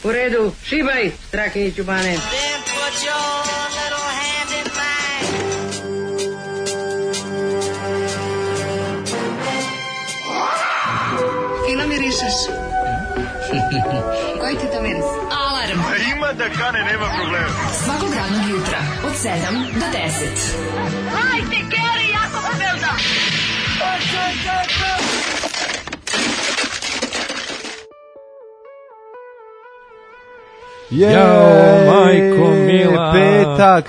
U redu, šibaj, strake i čubane. Then put your little hand in mine. Fino mirišeš. Koji ti to miris? Alarm. Ima da kane, nema problema. Svakog radnog jutra, od 7 do 10. Hajde, Geri, jako se velda. Jao, majko mila.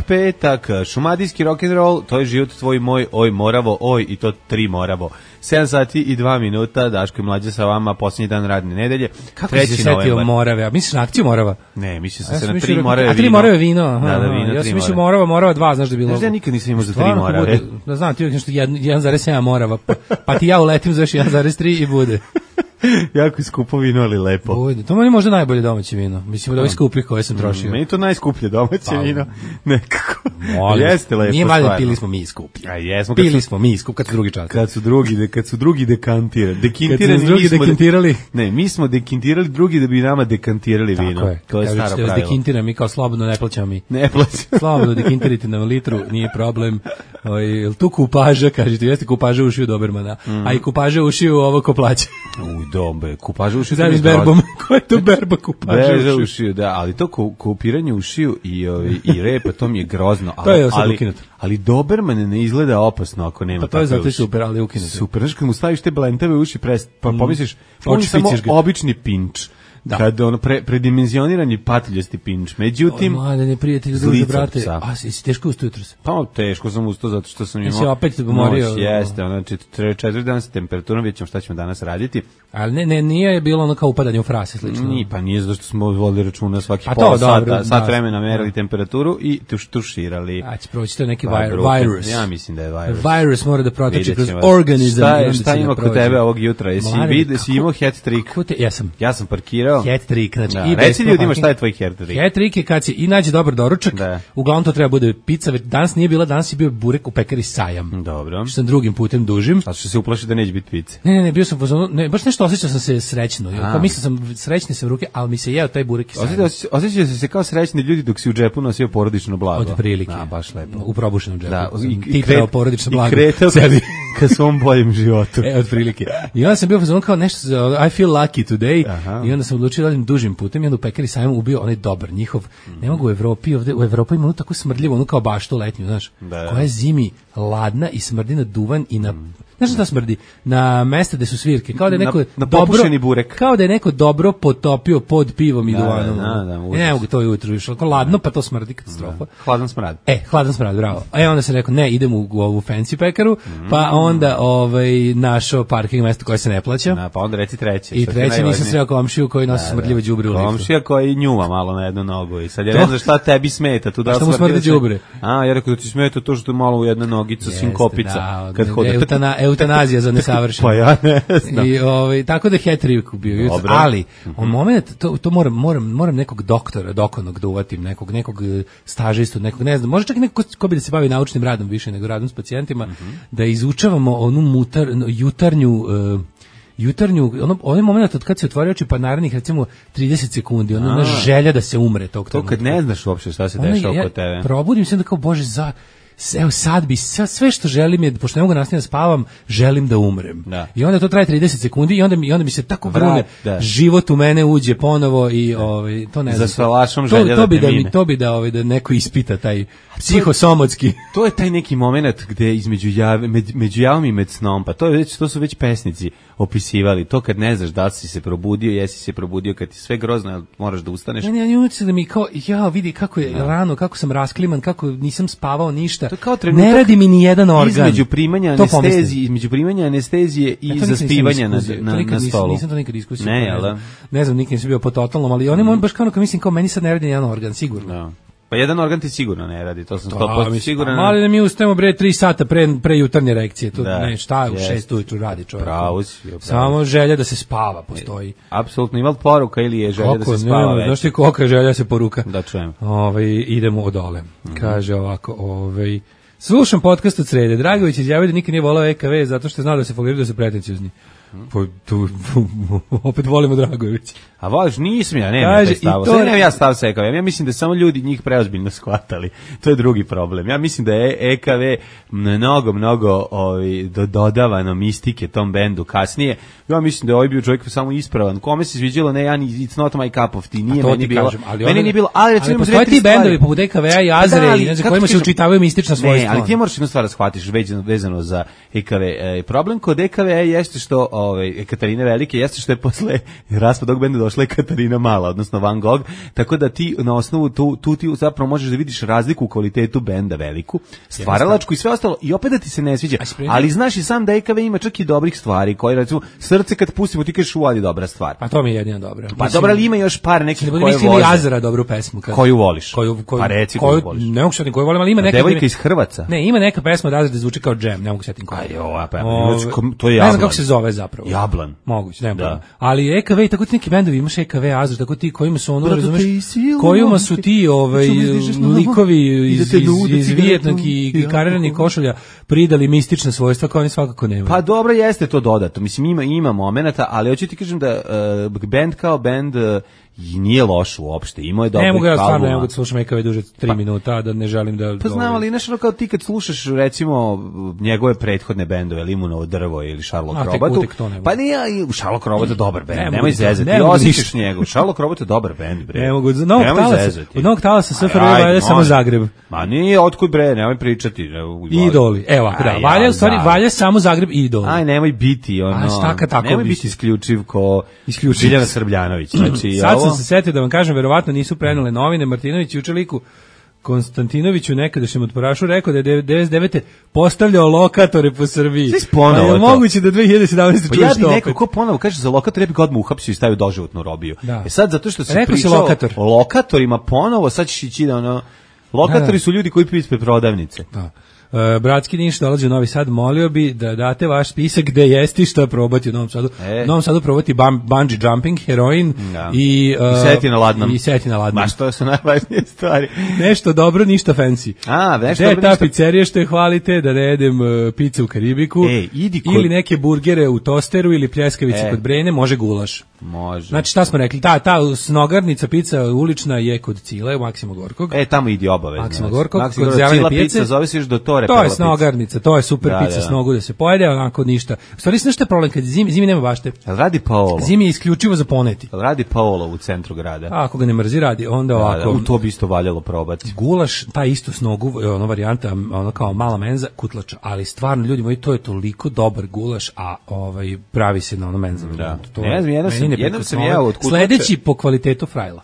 Petak, šumadijski rock'n'roll, to je život tvoj moj, oj moravo, oj i to 3 moravo. 7 sati i 2 minuta, Daško i Mlađa sa vama, posljednji dan radne nedelje. Kako si se setio Morave? A misliš na akciju Morava? Ne, mislio sam se na 3 Morave vino. A 3 Morave vino? Da, vino, ja sam mislio Morava 2, znaš da je bilo. Znaš da ja nikad nisam imao za 3 Morave. Da znam, ti uvijek nešto 1,7 Morava, pa ti ja uletim za još 1,3 i bude. Jako skupo vino, ali lepo. Bude. To meni možda najbolje domaće vino. Mislim da ovi skupljih koje sam trošio. Meni to najskuplje domaće vino. Nekako. Jeste lepo. Nije valjda, pili smo mi skuplje. A jesmo. Pili smo mi skuplje, kad su drugi čas. Kad su drugi dekantirali. Kad su drugi dekantirali. Ne, mi smo dekantirali drugi da bi nama dekantirali vino. Tako je. To je staro pravilo. Dekintira mi kao slobodno, ne plaćamo mi. Ne plaćamo. Slobodno dekintirite nam litru, nije problem. Jel tu kupaža, kažete, jeste kupaža ušiju Dobermana. A i kupaža ušiju ovo ko plaća. Dombe, kupaža ušiju. Zavis berbom. Ko je to berba kupaža ušiju? Da, ali to kupiranje ušiju i repa, to mi je grozno. To je sad ukinuto. Ali Doberman ne izgleda opasno ako nema. Pa to je zato super, ali ukinuto. Super, znaš kad mu staviš te blentave uši, pa pomisliš, samo obični pinč. Da. Kad ono predimenzionirani patiljasti pinč. Međutim, mladene prijatelji, druže brate, a si teško ustao jutros? Pa teško sam ustao zato što sam imao. Jesi opet morio? Jeste, ono 4 dana sa temperaturom, vidjet ćemo šta ćemo danas raditi. Ali nije bilo ono kao upadanje u frase slično. Pa nije zato što smo vodili računa svaki pola sata, sat vremena merili temperaturu i tuširali. A će proći to neki virus. Ja mislim da je virus. Virus mora da protoči kroz organizam. Šta ima kod tebe ovog jutra? Jesi imao hat trick? Ja sam parkirao. Hat trick, znači da, reci ljudima šta je tvoj hat trick. Hat trick je kad si i nađe dobar doručak, uglavnom to treba bude pizza, danas nije bila, danas je bio burek u pekari Sajam. Dobro. Što sam drugim putem dužim. A što se uplaši da neće biti pice? Ne, bio sam baš nešto osjećao sam se srećno. Kao mislio sam srećni sam ruke, ali mi se jeo taj burek i Sajam. Osjećao se kao srećni ljudi dok si u džepu nosio porodično blago. Od prilike. Baš lepo. U probušenom džepu. Da, ti trebao porodično blago. I kretao ka svom boljem životu. Od prilike. I onda sam bio kao nešto, I feel lucky today. Aha. I onda sam odlučio da idem dužim putem i onda u pekari Sajam ubio onaj dobar njihov. Ne mogu u Evropi, ovde u Evropi ima tako smrdljivo, ono kao baštu letnju, znaš. Koja je zimi ladna i smrdi na duvan i na znaš šta smrdi? Na mesta gde su svirke, kao da je neko na popušeni burek. Kao da je neko dobro potopio pod pivom i duvanom. Ne mogu to jutro više, ako ladno pa to smrdi katastrofa. Hladan smrad. Hladan smrad, bravo. Onda sam rekao ne, idem u ovu fancy pekaru, pa onda našao parking mesto koje se ne plaća. Pa onda reci treće. I treće nisam sreo komšiju koji nosi smrdljivo đubre u liftu. Komšija koji njuva malo na jednu nogu i sad ja ne znam šta tebi smeta. Tu da šta mu smrdi đubre? Ja rekao da ti smeta to što je malo u jedna nogica sinkopica. Kad hodi eutanazija za nesavršeno. Pa ja ne znam. I tako da hat trick bio. Ali, moment, to moram nekog doktora, dokonog da uvatim, nekog stažistu, nekog, ne znam, može čak i neko ko bi da se bavi naučnim radom više nego radom s pacijentima, da izučavamo onu jutarnju, onaj moment od kad se otvori oči pa narednih recimo 30 sekundi, ona želja da se umre tog trenutka. To kad ne znaš uopšte šta se dešava kod tebe. Probudim se da kao, bože, evo sad bi, sve što želim je, pošto ne mogu nastaviti da spavam, želim da umrem. Da. I onda to traje 30 sekundi i onda mi se tako vrune, život u mene uđe ponovo i to ne znam. Za salašom želja da te mine. To bi da neko ispita taj psihosomotski. To je taj neki moment gde među javom i med snom, pa to su već pesnici opisivali. To kad ne znaš da si se probudio, jesi se probudio kad ti sve grozno, moraš da ustaneš. Ne, utjeca da mi kao, vidi kako je rano, kako sam raskliman, kako nisam spavao ništa. Ne radi mi ni jedan organ. Između primanja anestezije i zaspivanja na stolu. Nisam to nikad iskusio. Ne znam, nikad nisam bio po totalnom, ali oni baš kao mislim, kao meni sad ne radi ni jedan organ, sigurno. Da. Pa jedan organ ti sigurno ne radi, to sam 100% siguran. Ali da mi ustajemo 3 sata pre jutarnje reakcije, to ne, šta u 6 ujutru radi čovjek. Pravo si. Samo želja da se spava postoji. Apsolutno, ima poruka ili je želja da se spava već? Znaš ti kolika je želja se poruka? Da čujem. Idemo odole. Kaže ovako, slušam podcast od srede. Dragović izjavio da nikad nije volao EKV zato što je znao da se foliraju, da su pretenciozni. Pa tu opet volimo Dragojević. A voliš, nisam ja, nemam taj stav. Sad nemam ja stav sa EKV. Ja mislim da samo ljudi njih preozbiljno shvatali. To je drugi problem. Ja mislim da je EKV mnogo dodavano mistike tom bendu kasnije. Ja mislim da je ovaj bio čovjek samo ispravan. Kome se sviđalo, ne, it's not my cup of tea. Nije meni bilo. Meni nije bilo, ali recimo postoje ti bendovi poput EKV-a i Azre, i kojima se učitavaju mistična svojstva. Ne, ali ti moraš jednu stvar da shvatiš vezano za EKV. Problem kod EKV jeste što Katarine Velike jeste što je posle raspada tog benda došla je Katarina Mala, odnosno Van Gogh, tako da ti na osnovu tu ti zapravo možeš da vidiš razliku u kvalitetu benda veliku, stvaralačku i sve ostalo, i opet da ti se ne sviđa, ali znaš i sam da EKV ima čak i dobrih stvari, koje recimo Srce kad pustimo ti kažeš ali dobra stvar. Pa to mi je jedina dobra. Pa dobra, ali ima još par nekih koje voliš. Mislim Azra dobru pesmu. Koju voliš? Pa reci koju voliš. Ne mogu setiti koju volim, ali ima neka. Devojka iz Hrvaca. Ne, ima neka pesma od Azra da zvuči kao džem, ne mogu setiti koju. To je Jablan. Ne znam kako se zove zapravo. Jablan. Moguće, ne znam. Ali EKV i tako ti neki bendovi, imaš EKV, Azra, tako ti kojima su ono, razumeš, kojima su ti likovi iz Vijetnamskog i kariranih košulja pridali mistična svojstva koja oni svakako nemaju. Pa dobro, jeste to dodato. Mislim, ima momenata, ali hoću ti kažem da bend kao bend i nije loš uopšte, imao je dobrih albuma. Ne mogu da slušam EKV duže 3 minuta, da ne želim da... Pa znam, ali nešto kao ti kad slušaš, recimo, njegove prethodne bendove, Limunovo drvo ili Sherlock Robatu, pa nije, Sherlock Robot je dobar bend, nemoj zezati, ti osjećaš njegov, Sherlock Robot je dobar bend, bre. Ne mogu, od novog talasa SFRJ valja samo Zagreb. Ma nije, otkud bre, nemoj pričati. Idoli, evo, valja, u stvari, valja samo Zagreb i Idoli. Aj, nemoj biti, nemoj biti isključiv ko Biljana Srbljanović, znači, sam se setio da vam kažem, verovatno nisu prenule novine. Martinović juče liku Konstantinoviću nekadašnjem otporašu rekao da je 99. postavljao lokatore po Srbiji. Pa je moguće da 2017. čuješ to opet. Ko ponovo kaže za lokatore, ja bi ga odmah uhapsio i stavio doživotnu robiju. Sad, zato što se pričao o lokatorima ponovo, sad ćeš ići da lokatori su ljudi koji piju ispred prodavnice. Da. Bratski Niš dolazi u Novi Sad, molio bi da date vaš spisak gde jesti šta probati u Novom Sadu. U Novom Sadu probati bungee jumping, heroin i seti na ladnom. Ma što su najvažnije stvari. Nešto dobro, ništa fancy. Gde je ta pizzerija što je hvalite, da ne jedem pice u Karibiku, ili neke burgere u tosteru, ili pljeskavice kod Brene, može gulaš. Može. Znači šta smo rekli, ta snogarnica pizza ulična je kod Cile, u Maksima Gorkog. Tamo idi obavezno. Maksima Gorkog, kod zelene pice. Zove se još do Tore. To je snogarnica, to je super pizza s nogu da se pojede, onako ništa. U stvari nešto je problem, kad zimi nema bašte. Radi Paolo. Zimi je isključivo za poneti. Radi Paolo u centru grada. Ako ga ne mrzi radi, onda ovako. To bi isto valjalo probati. Gulaš, ta isto s nogu, ona varijanta, ono kao mala menza, kutlača, ali stvarno, ljudi moji, to je toliko dobar gulaš, a pravi se na ono menza. Da. Ne znam, jedan sam jeo od kutlača. Sledeći po kvalitetu frajla.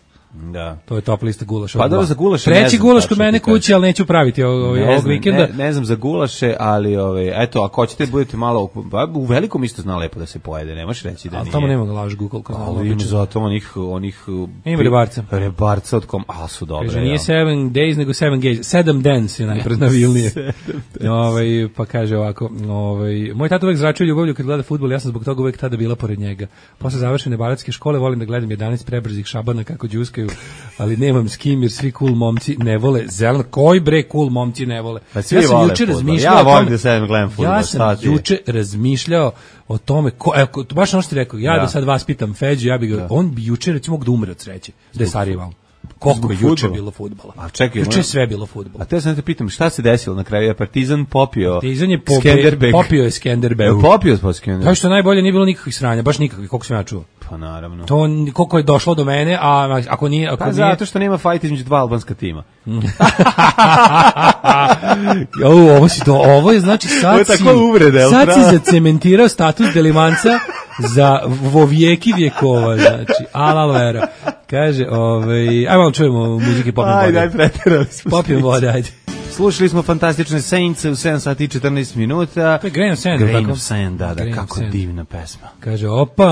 Da. To je top lista gulaša. Pa dobro, za gulaše treći gulaš kod mene kući, ali neću praviti ovog vikenda. Ne znam za gulaše, ali eto, ako hoćete budete malo u velikom isto zna lepo da se pojede, nemaš reći da nije. Ali tamo nema ga laž Google kao malo. Ima zato onih ima rebarca od kom, su dobre. Kaže, nije 7 days nego 7 gays. 7 dance je najpreznavilnije. Pa kaže ovako, moj tata uvek zračuje ljubavlju kad gleda fudbal, ja sam zbog toga uvek tada bila pored njega. Posle završene baletske škole volim da gledam 11 prebrzih šabana kako đuskaju, ali nemam s kim jer svi cool momci ne vole zeleno. Koji bre cool momci ne vole? Pa svi vole fudbal. Ja volim da sedem gledam fudbal. Ja sam juče razmišljao o tome, baš ono što ti rekao, ja da sad vas pitam Feđu, on bi juče recimo mogu da umre od sreće, da je Sarajevo. Koliko je juče bilo fudbala. Juče sve bilo fudbala. A te sam te pitam, šta se desilo na kraju? Je Partizan popio Skenderbeg. Popio je Skenderbeg. Popio je Skenderbeg. To što najbolje nije bilo nikakvih sranja, baš nikakvih, koliko sam ja čuo. Pa naravno. To koliko je došlo do mene, a ako nije... zato što nema fajt između dva albanska tima. Ovo je znači sad si zacementirao status Delimanca za vovijeki vjekova, znači, alalvera. Kaže, ajmo malo čujemo muzike Popijem vode. Ajde, pretirali smo. Popijem vode, ajde. Slušali smo fantastične Saints u 7 sati i 14 minuta. To je Grain of Sand. Grain of Sand, da, kako divna pesma. Kaže,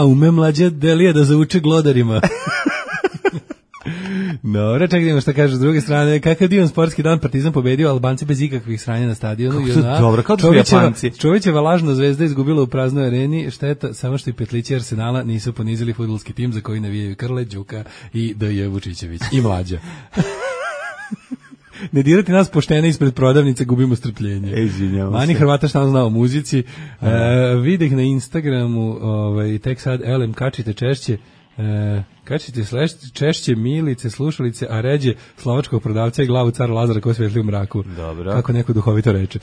ume mlađa Delija da zauče glodarima. Dobro, čak idemo šta kaže s druge strane. Kakav divan sportski dan, Partizan pobedio, Albanci bez ikakvih sranja na stadionu. Kako to dobro, kao da su Japanci. Čovićeva lažna zvezda izgubila u praznoj areni, šteta, samo što i petlići Arsenala nisu ponizili fudbalski tim za koji navijaju Krle, Đuka i D.J. Vučićević. I mlađa. Ne dirati nas poštene ispred prodavnice, gubimo strpljenje. Izvinjavam Mani se. Hrvata šta on zna o muzici. Videh na Instagramu, tek sad, elem, kačite češće, kačite češće milice, slušalice, a ređe slovačkog prodavca i glavu cara Lazara koji svetli u mraku. Dobro. Kako neko duhovito reče.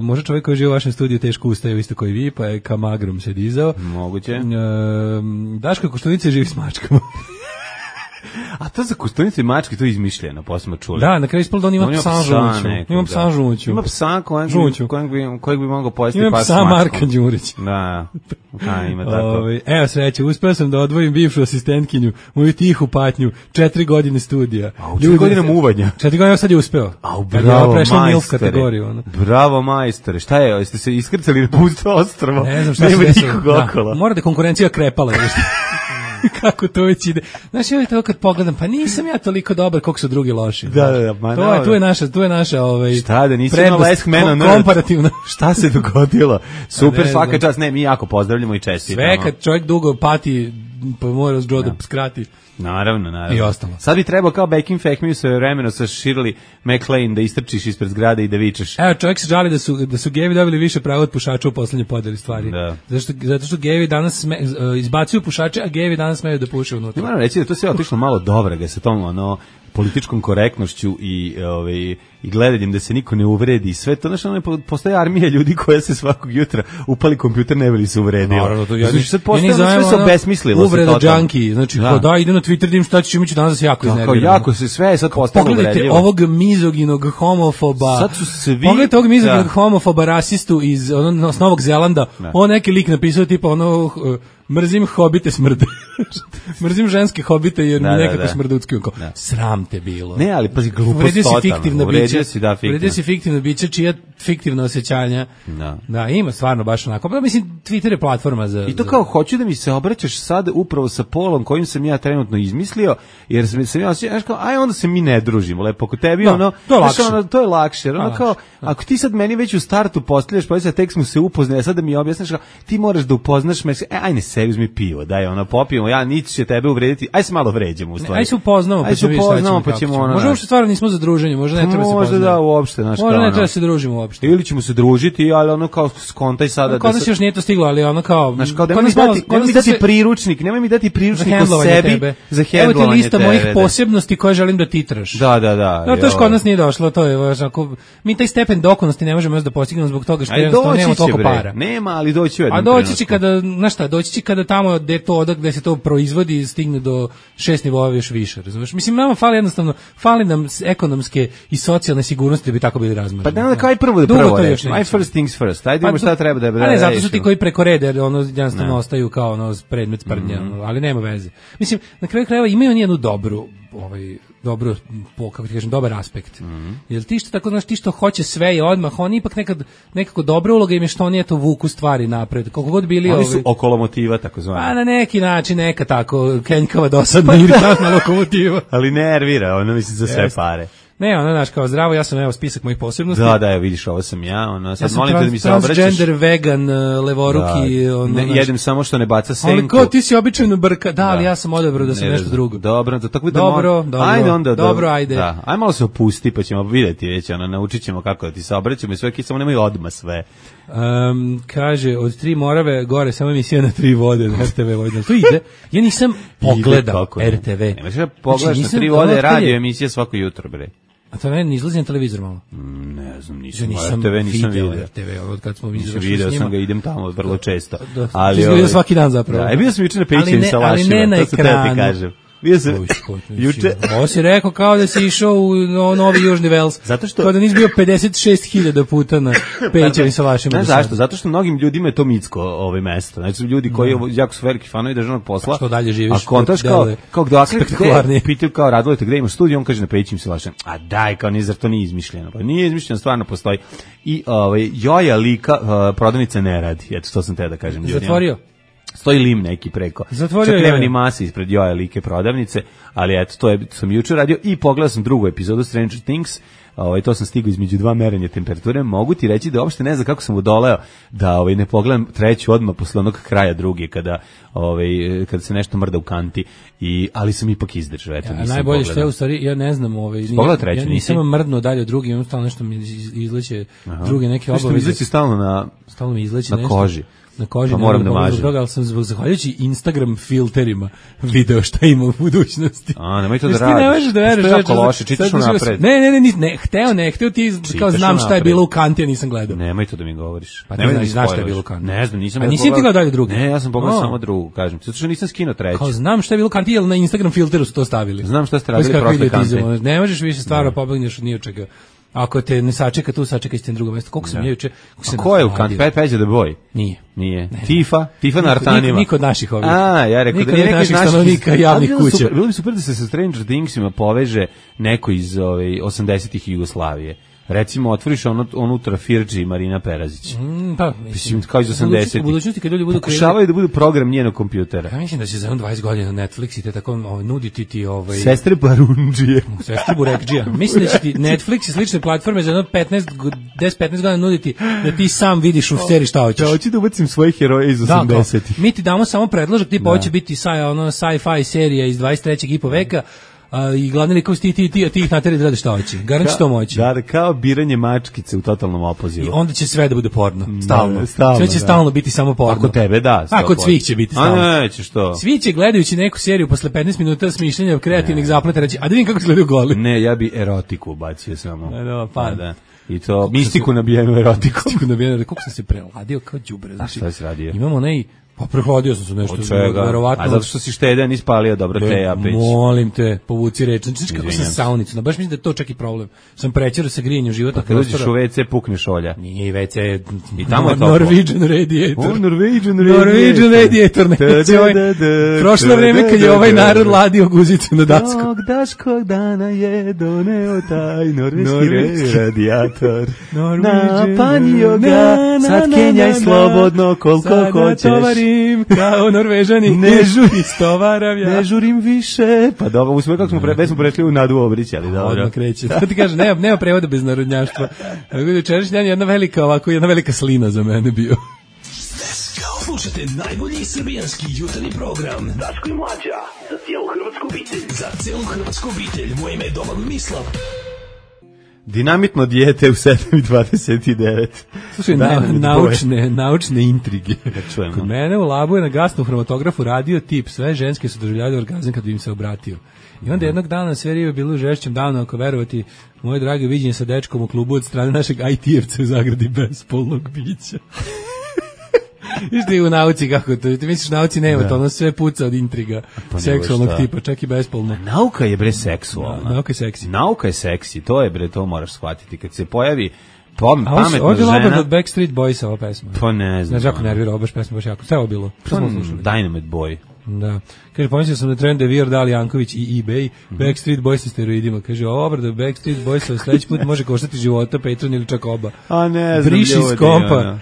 Može čovjek koji živi u vašem studiju teško ustaje isto koji vi, pa je kamagrom se dizao. Moguće. Daško Koštunice živi s mačkama. A to za Koštunice i mačke, to je izmišljeno, pa smo čuli. Da, na kraju ispalo da on ima psa žuću. Ima psa žuću. Ima psa kojeg bi mogao pojesti ima pas psa s mačkom. Marka Đurić. Da, ima tako. Evo sreće, uspeo sam da odvojim bivšu asistentkinju, moju tihu patnju, 4 godine studija. A u 4 godine muvanja. 4 godine sad je uspeo. Bravo, kategoriju. Bravo, majstore. Šta je, jeste se iskrcali na pusto ostrvo? Ne znam šta se desilo. Mora da konkurencija krepala. Kako to već ide. Znaš, ja to kad pogledam, pa nisam ja toliko dobar koliko su drugi loši. Da, tu je naša šta da nisam imala komparativna. Šta se dogodilo? Super, svaka čast. Ne, mi jako pozdravljamo i čestitamo. Sve kad čovjek dugo pati, pa mora Joe da skrati. Naravno. I ostalo. Sad bi trebao kao Back in Fact svoje vremeno sa Shirley MacLaine da istrčiš ispred zgrade i da vičeš. Evo, čovjek se žali da su gejevi dobili više prava od pušača u poslednjoj podeli stvari. Da. Zato što gejevi danas izbacuju pušače, a gejevi danas smeju da puše unutra. Moram reći da to sve otišlo malo dovrega sa tom političkom korektnošću i gledanjem da se niko ne uvredi. Sve to, postoje armija ljudi koja se svakog jutra upali kompjuter ne bi se uvredio. Naravno, to ja sad postoje sve se obesmislilo. Uvreda junkie, znači da ide na Twitter da im šta će danas jako iznervirano. Jako se sve sad postalo uvredljivo. Pogledajte ovog mizoginog homofoba. Sad su svi... Pogledajte ovog mizoginog homofoba rasistu iz Novog Zelanda. On neki lik napisao tipa mrzim hobite smrde. Mrzim ženske hobite jer mi nekako smrducki. Sram te bilo. Ne, ali pazi, glupost totalno. Uvredio si fiktivno biće čija fiktivna osjećanja. Da, ima stvarno baš onako. Pa mislim, Twitter je platforma za... I to kao, hoću da mi se obraćaš sad upravo sa polom kojim sam ja trenutno izmislio, jer sam ja osjećao, kao, onda se mi ne družimo, lepo kod tebi, to je lakše. Kao, ako ti sad meni već u startu postavljaš, pa tek smo se upoznali, sad da mi objasniš, ti moraš da upoznaš me, ajde sebi uzmi pivo, daj popijemo, ja niti će tebe uvrediti, aj se malo vređemo u stvari. Aj se upoznamo, pa ćemo možda uopšte stvarno nismo za druženje, možda ne treba se poznamo. Možda da, uopšte, znaš, možda ne treba se družimo uopšte. Ili ćemo se družiti, ali kao skontaj sada. Kod nas još nije to stiglo, ali kao... Znaš, kao nemoj mi dati priručnik o sebi za hendlovanje tebe. Evo ti lista mojih posebnosti koje želim da titraš. Da. No, to još kod nas nije došlo, to je važno. Mi taj stepen dokonosti ne možemo još da postignemo zbog toga što jednostavno nemamo toliko para. Nema, ali doći u jednom trenutku. Doći će kada tamo gde se to proizvodi stigne do 6 nivoa još više, razumeš? Mislim, nama fali nam ekonomske i socijalne sigurnosti da bi tako bili razmeri. Pa da kaj prvo reći. Aj first things first. Ajde imamo šta treba da ne, zato su ti koji preko reda, jer jednostavno ostaju kao predmet sprdnja, ali nema veze. Mislim, na kraju krajeva imaju jednu dobru, kako ti kažem, dobar aspekt. Jer ti što tako, ti što hoće sve i odmah, oni ipak nekako dobra uloga im je što oni vuku stvari napred. Koliko god bili oni su okolomotiva, tako zvani. Pa na neki način, neka tako kenjkava, dosadna, iritantna lokomotiva. Ali nervira, mislim za sve pare. Ne, znaš, kao zdravo, ja sam spisak mojih posebnosti. Da, vidiš, ovo sam ja, sad molim te da mi se obraćaš. Transgender, vegan, levoruki. Jedem samo što ne baca senku. Ali kao ti si običajno brka, ali ja sam odabrao da sam nešto drugo. Dobro, tako da ajde. Aj malo se opusti, pa ćemo vidjeti već, naučit ćemo kako da ti se obraćamo i sve, samo nemoj odmah sve. Kaže, od 3 Morave gore samo emisija na 3 vode na RTV Vojvodina. To ide. Ja nisam pogledao RTV. Nemaš da pogledaš na 3 vode radio emisija svako jutro, bre. A to ne izlazi na televizor malo? Ne znam, nisam vidio. RTV, od kad smo izašli s njima. Vidio sam ga, idem tamo vrlo često. Ali izgleda svaki dan zapravo. Bio sam juče na Pećini sa Lašima, to se tebi kažem. Bio sam juče. Ovo si rekao kao da si išao u Novi Južni Vels. Zato što kao da nisi bio 56.000 puta na Pećini sa Lašima. Znaš zašto? Zato što mnogim ljudima je to mitsko mesto. Znači ljudi koji jako su veliki fanovi državnog posla. Što dalje živiš? A kontaš kao pitaju kao Radulete gde imaš studio, on kaže na Pećini sa Lašima. A daj, kao zar to nije izmišljeno? Pa nije izmišljeno, stvarno postoji. I Joja lika prodavnica ne radi. Eto, to sam te da kažem ljudima. Zatvorio? Stoji lim neki preko. Zatvorio Čak nema je. ni mase ispred Joje like prodavnice, ali eto, to sam juče radio i pogledao sam drugu epizodu Stranger Things. To sam stigao između dva merenja temperature. Mogu ti reći da uopšte ne znam kako sam udoleo da ne pogledam treću odmah posle onog kraja druge kada se nešto mrda u kanti ali sam ipak izdržao. Eto, nisam najbolje pogledao. što je u stvari, ja ne znam, treću, ja nisam mrdnuo dalje od drugi, imam stalno nešto mi izleće druge neke obaveze. Što mi izleće stalno mi izleće na nešto. koži. Na koži, pa moram da mažem. Ali sam zahvaljujući Instagram filterima video šta ima u budućnosti. Nemoj to da radiš. Ti ne možeš da veriš. To je jako loše, čitaš unapred. Ne, hteo ti kao znam šta je bilo u kanti, a nisam gledao. Nemoj to da mi govoriš. Pa ne znaš šta je bilo u kanti. Ne znam, nisam. A nisi ti gledao dalje drugu? Ne, ja sam pogledao samo drugu, kažem. Zato što nisam skinuo treću. Kao znam šta je bilo u kanti, jer na Instagram filteru su to stavili. Znam šta ste radili prošle kante. Ne možeš više stvarno pobegneš od ničega. Ako te ne sačeka tu, sačekaj ste na drugo mesto. Koliko sam juče... Ko je u kanti? Peđa the Boy? Nije. Tifa na artanima. Niko od naših ovih. Ja rekao da nije neki naših stanovnika javnih kuća. Bilo bi super da se sa Stranger Thingsima poveže neko iz 80-ih Jugoslavije. Recimo, otvoriš unutra Firđi i Marina Perazić. Pa, mislim, kao iz 80-ih. U budućnosti kad ljudi budu pokušavaju da budu program njenog kompjutera. Ja mislim da će za 20 godina Netflix i te tako nuditi ti Sestre Barundžije. Sestre Burekđija. Mislim da će ti Netflix i slične platforme za 10-15 godina nuditi da ti sam vidiš u seriji šta hoćeš. Da, hoću da ubacim svoje heroje iz 80-ih. Mi ti damo samo predložak, tipa hoće biti sci-fi serija iz 23. i po veka, i glavni likovi ti ih nateri da rade šta hoće. Garant će to moći. Da, kao biranje mačkice u totalnom opozivu. I onda će sve da bude porno. Stalno. Sve će stalno biti samo porno. Ako tebe da. A kod svih će biti stalno. A neće što? Svi će gledajući neku seriju posle 15 minuta smišljanja kreativnih zapleta reći, a da vidim kako izgledaju goli. Ne, ja bi erotiku ubacio samo. Da. I to mistiku nabijenu erotiku. Kako sam se preladio kao đubre. A šta si radio? Imamo onaj pa prehladio sam se nešto. Verovatno. A zato što si štedan ispalio dobro te peć. Molim te, povuci reč. Znači kako sam saunicom. Baš mislim da je to čak i problem. Sam prećerao sa grijanjem životnog prostora. Kad uđeš u WC pukneš olja. Nije WC. I tamo je toplo. Norwegian radiator. Norwegian radiator. Prošlo vreme kad je ovaj narod ladio guzicu na dasku. Tog daškog dana je doneo taj norveški radijator. Napanio ga, sad kenjaj slobodno koliko hoćeš. Kao Norvežani, ne žurim više. Pa dobro, usme kako smo prešli u Nadu Obrić, ali dobro. Odmah kreće. Da ti kažem, nema prevoda bez narodnjaštva. Večerašnji dan je jedna velika slina za mene bio. Slušajte najbolji srbijanski jutarnji program Daško i Mlađa, za cijelu hrvatsku obitelj. Za cijelu hrvatsku obitelj, moje ime je Domagoj Mislav. Dinamitno dijete u 7:29. Slušaj, naučne intrige. Kod mene u Labu je na gasnom hроматографу radio tip, sve ženske su doživljavale orgazam kad bi im se obratio. I onda jednog dana sve rive bilo u žešćem danu, ako verovati, moje drage viđenje sa dečkom u klubu od strane našeg IT-evca u zagradi bespolnog bića. Viš ti u nauci kako to, ti misliš nauci nema, to ono sve puca od intriga seksualnog tipa, čak i bespolno. Nauka je bre seksualna. Nauka je seksi. Nauka je seksi, to je bre, to moraš shvatiti. Kad se pojavi pametna žena... Ovdje je Labrador od Backstreet Boysa ova pesma. Pa ne znam. Znaš jako nervirao, baš pesma, baš jako. Sve ovo bilo. Dynamite Boy. Da. Kaže, pomislio sam na trend Devir, Dali Janković i eBay, Backstreet Boys sa steroidima. Kaže, Obrada Backstreet Boys sledeći put može koštati života, Patreon ili čak oba. A ne znam, Briši iz kompa.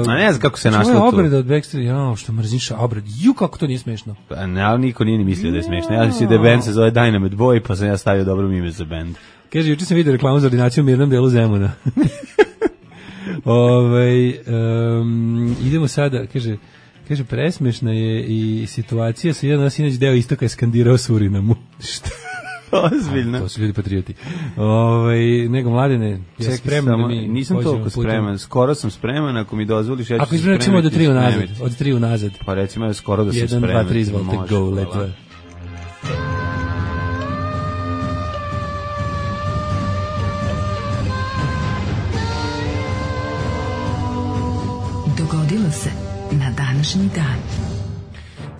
A ne znam kako se našlo tu. Ovo je obrada od Backstreet, što mrziš obrad. Kako to nije smešno. Pa ne, ali niko nije ni mislio da je smešno. Ja si da band se zove Dynamite Boy, pa sam ja stavio dobro ime za band. Kaže, juče sam vidio reklamu za ordinaciju u mirnom delu Zemuna. Idemo sada, kaže, presmešna je i situacija sa jedan sinoć deo istoka je skandirao Surinamu. Šta? Ozbiljno. To su ljudi patrioti. Nego Mladene, ja spreman da mi nisam toliko spreman, skoro sam spreman, ako mi dozvoliš, ja ću se spremiti. Recimo od 3 unazad. Pa recimo skoro da sam spreman. 1, 2, 3, izvolite, go, let's go. Dogodilo se na današnji dan.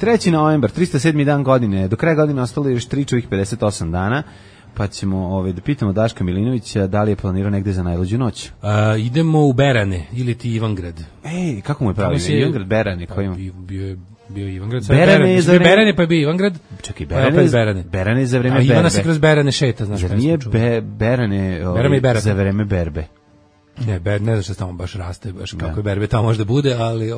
3. novembar, 307. dan godine. Do kraja godine ostalo još 58 dana, pa ćemo da pitamo Daška Milinovića da li je planirao negde za najluđu noć. Idemo u Berane ili ti Ivangrad. Ej, kako mu je pravi ime? Ivangrad, Berane, koji ima? Bio Ivangrad. Berane pa je bio Ivangrad. Čekaj, Berane za vreme Berbe. Ivana se kroz Berane šeta, znaš. Jer nije Berane za vreme Berbe. Ne znam što tamo baš raste, baš kako je berbe tamo možda bude, ali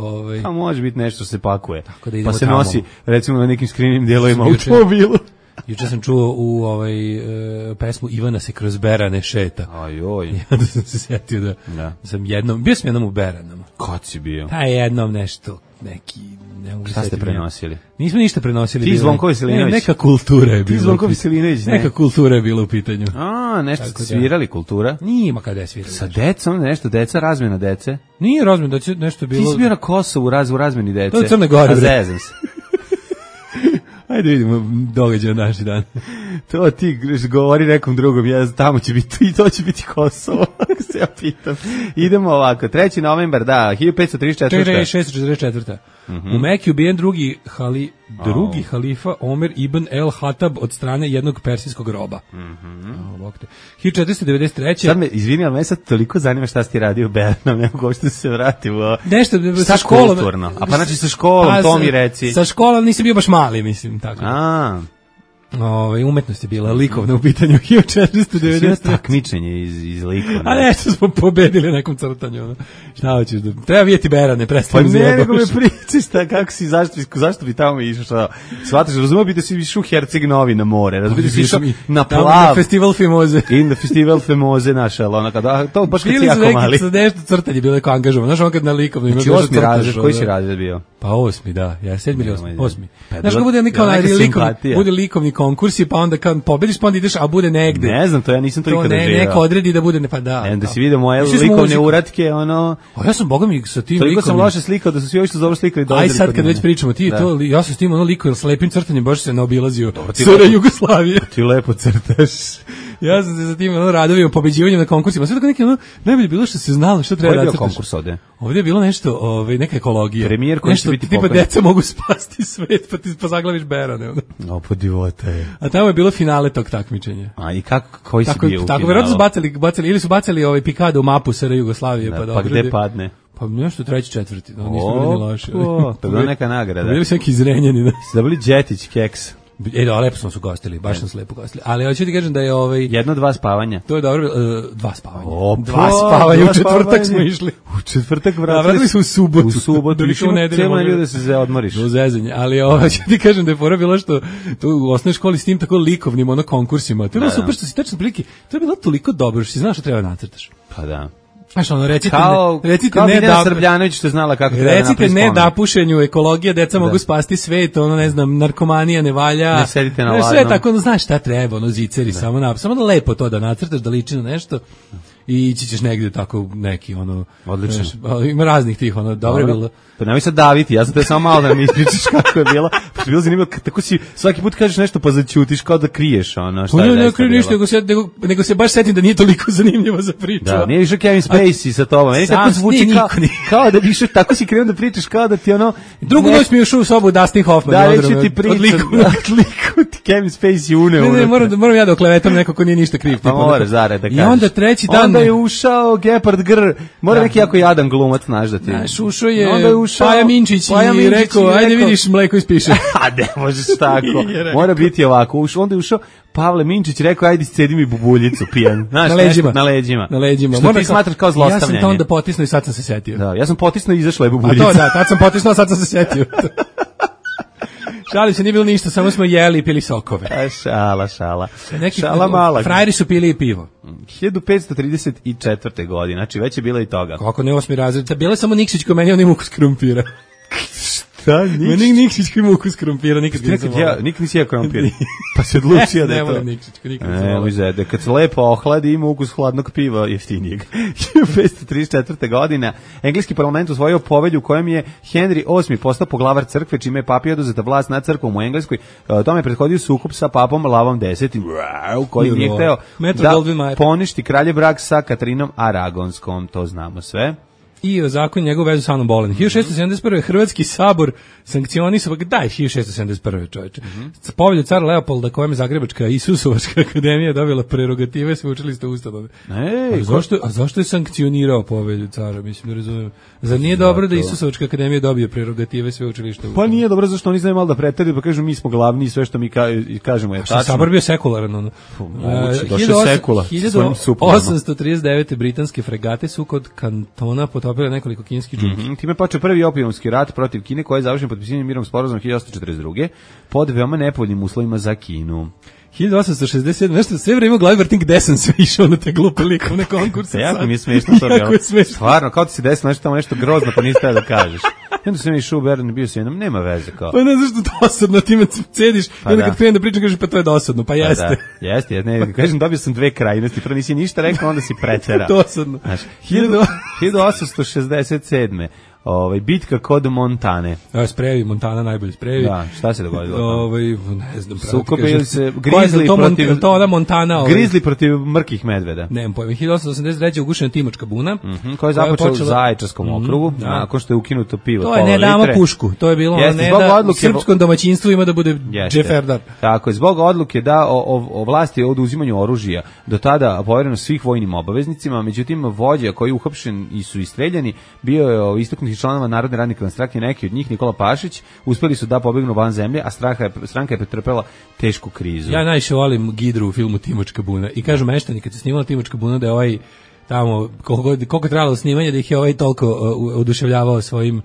A može biti nešto se pakuje. Tako da pa se tamo. nosi recimo na nekim skrivnim dijelovima automobilu. Juče sam čuo u pesmu Ivana se kroz Berane šeta. Ajoj. I onda sam se setio da sam bio sam jednom u Beranama. Kad si bio? Pa jednom nešto, neki, ne mogu se Šta ste setiti. prenosili? Nismo ništa prenosili. Ti Zvonko Veselinović? Neka kultura je bila. Ti Zvonko Veselinović, ne? Neka kultura je bila u pitanju. Nešto ste svirali, kultura? Nima kada je svirali. Sa decom, nešto, razmjena dece? Nije razmjena, nešto bilo. Ti si bio na Kosovu u razmjeni dece. To je Crne Gore. A zezam se. Ajde vidimo događaj naši dan. To ti govori nekom drugom, tamo će biti i to će biti Kosovo, ako se ja pitam. Idemo ovako, 3. novembar, 1534. 644. U Meki ubijen drugi halifa Omer ibn el-Hatab od strane jednog persijskog roba. 1493. Sad izvini, ali me sad toliko zanima šta si ti radio u Bernom, ne mogu uopšte da se vratim. Nešto sa školom. A pa znači sa školom, to mi reci. Sa školom nisam bio baš mali, mislim, tako. Umetnost je bila likovna u pitanju 1493. Takmičenje iz likovne. A nešto smo pobedili na nekom crtanju. Šta hoćeš da... Treba vidjeti Berane, Pa prestani ne, nego me pričaš, kako si, zašto bi tamo išao? Shvataš, razumio bi da si išao u Herceg Novi na more, razumio bi da si išao na plav. Na festival Fimoze. I na festival Fimoze naša, ali kada, to baš kad si jako mali. Bili su nešto crtanje, bilo je kao angažovan. Znaš, on kad na likovno ima... Znači 8. razred, koji si razred bio? Pa 8. da, 7. ili 8. Znaš, ko bude likovni konkursi, pa onda kad pobediš, pa onda ideš, a bude negde. Ne znam, to ja nisam to ikada živio. Neko odredi da bude, pa da. Da si vidio moje likovne uratke, ono... A ja sam, boga mi, sa tim likovnim... Toliko sam loše slikao da su svi ovi što dobro slikali dozeli. Aj sad kad već pričamo, ja sam s tim likovnim slepim crtanjem baš se naobilazio SR Jugoslavije. Ti lepo crtaš. Ja sam se sa tim radovima, pobeđivanjem na konkursima. Sve tako neki najbolje bilo što se znalo što treba da crtaš. Koji je bio konkurs ovde? Ovdje je bilo nešto, neka ekologija. Premijer koji će biti tipa deca mogu spasti svet, pa zaglaviš Berane. Po divota je. A tamo je bilo finale tog takmičenja. A i koji si bio u finalu? Tako, verovatno su bacali, ili su bacali Pikado u mapu SR Jugoslavije. Pa gde padne? Pa nešto 3. 4. Nismo bili ni loši. To je bila neka nagrada. Bili su neki izrenjeni. Ste dobili Đetić keks. Lepo smo se gostili, baš smo se lepo gostili. Ali hoću ti kažem da je 1-2 spavanja. To je dobro, 2 spavanja. 2 spavanja, u četvrtak smo išli. U četvrtak vratili smo u subotu. U subotu, cijelo nedelju da se odmoriš. Do zezanja, ali hoću ti kažem da je fora bilo što tu u osnovnoj školi s tim tako likovnim konkursima. To je bilo super što si tačno prilike, to je bilo toliko dobro što si znao što treba nacrtaš. Pa da. Znaš, recite ne da Srbljanović što je znala kako treba napraviti spomenik. Recite ne da pušenju, ekologija, deca mogu spasti svet, ne znam, narkomanija ne valja. Ne sedite na ladnom. Sve tako, znaš šta treba, ziceri, samo da lepo to da nacrtaš, da liči na nešto i ići ćeš negdje tako neki, odlično. Ima raznih tih, dobro je bilo. Pa nemoj sad daviti, ja sam te samo malo da mi ispričaš kako je bilo. Pa bilo zanimljivo, tako si svaki put kažeš nešto pa zaćutiš kao da kriješ šta je zaista bilo. Ne krijem ništa, nego se baš setim da nije toliko zanimljivo za priču. Da, nije više Kevin Spacey sa tobom. Meni tako zvuči kao da više, tako si krenuo da pričaš kao da ti Drugu noć mi je ušao u sobu Dustin Hoffman. Da, već ti pričam, liku ti Kevin Spacey uneo. Ne, moram ja da oklevetam neko ko nije ništa kriv. Pa mora zarad da kažeš. I onda treći dan... Onda je ušao Gepard Gr, mora neki jako jadan glumac, znaš da ti... Ušao je Paja Minčić i rekao, ajde vidiš mleko ispiše. A ne možeš tako, mora biti ovako. Onda je ušao Pavle Minčić, rekao, ajde scedi mi bubuljicu pijan. Znaš, na leđima. Što ti smatraš kao zlostavljanje. Ja sam to onda potisnuo i sad sam se setio. Da, ja sam potisnuo i izašla je bubuljica. A to tad sam potisnuo, sad sam se setio. Šali se, nije bilo ništa, samo smo jeli i pili sokove. Šala. Šala mala. Frajeri su pili i pivo. 1534. godine, znači već je bila i toga. Kako ne 8. razred? Bila je samo Nikšić ko meni, on ima ukus krumpira. Šta, Nikšić? Meni Nikšić ko ima ukus krumpira, nikad nisi jeo krompir. Pa se odlučio da je to. Ne volim Nikšić, nikad ne volim. Kad se lepo ohladi, ima ukus hladnog piva jeftinijeg. 1534. godina, engleski parlament usvojio povelju u kojem je Henry VIII postao poglavar crkve, čime je papi oduzeta vlast nad crkvom u Engleskoj. Tome je prethodio sukob sa papom Lavom X, koji nije hteo da poništi kraljev brak sa Katarinom Aragonskom, to znamo sve. i zakon njegovu vezu sa Anom Bolen. 1671. Hrvatski sabor sankcionisao, daj, 1671. čoveče. Povelju cara Leopolda, kojem je Zagrebačka Isusovačka akademija dobila prerogative sveučilišta ustanove. A zašto je sankcionirao povelju cara? Mislim, ne razumijem. Zar nije dobro da Isusovačka akademija dobije prerogative sveučilišta ustanove? Pa nije dobro, zašto oni znaju malo da preteraju, pa kažu mi smo glavni i sve što mi kažemo je tačno. Sabor bio sekularan, ono. Došao sekula. 1839. britanske fregate su kod Kantona potopile nekoliko kineskih džunki. Time počeo prvi opijumski rat protiv Kine, koji je završen potpisivanjem mirovnog sporazuma 1842. pod veoma nepovoljnim uslovima za Kinu. 1867, nešto sve vreme u glavi vrtim gde sam sve išao na te glupe likovne konkurse. Jako mi je smiješno to bilo. Stvarno, kao ti se desilo nešto tamo nešto grozno, pa nisi teo da kažeš. I onda sam išao u Berlin, bio sam jednom, nema veze kao. Pa ne znaš što dosadno, ti me cediš, i onda kad krenem da pričam, kažeš pa to je dosadno, pa jeste. Da, jeste, ne, kažem, dobio sam dve krajnosti, prvo nisi ništa rekao, onda si preterao. Dosadno. Znaš, 1867. Bitka kod Montane. Sprejevi, Montana najbolje sprejevi. Da, šta se dogodilo? Ne znam. Sukobili se Grizzly protiv... To ona Montana. Grizzly protiv mrkih medveda. Nemam pojma. 1883. ugušena Timočka buna. Koja je započela u Zaječarskom okrugu, nakon što je ukinuto pivo. To je ne damo pušku. To je bilo ne da srpskom domaćinstvu ima da bude džeferdar. Tako je, zbog odluke da o vlasti o oduzimanju oružja do tada povereno svih vojnim obaveznicima, međutim vođa koji je uhapšen i su istreljani bio je istaknuti članova Narodne radikalne stranke, neki od njih, Nikola Pašić, uspeli su da pobegnu van zemlje, a stranka je pretrpela tešku krizu. Ja najviše volim Gidru u filmu Timočka buna i kažu meštani kad se snimala Timočka buna da je tamo, koliko je trajalo snimanje, da ih je toliko oduševljavao svojim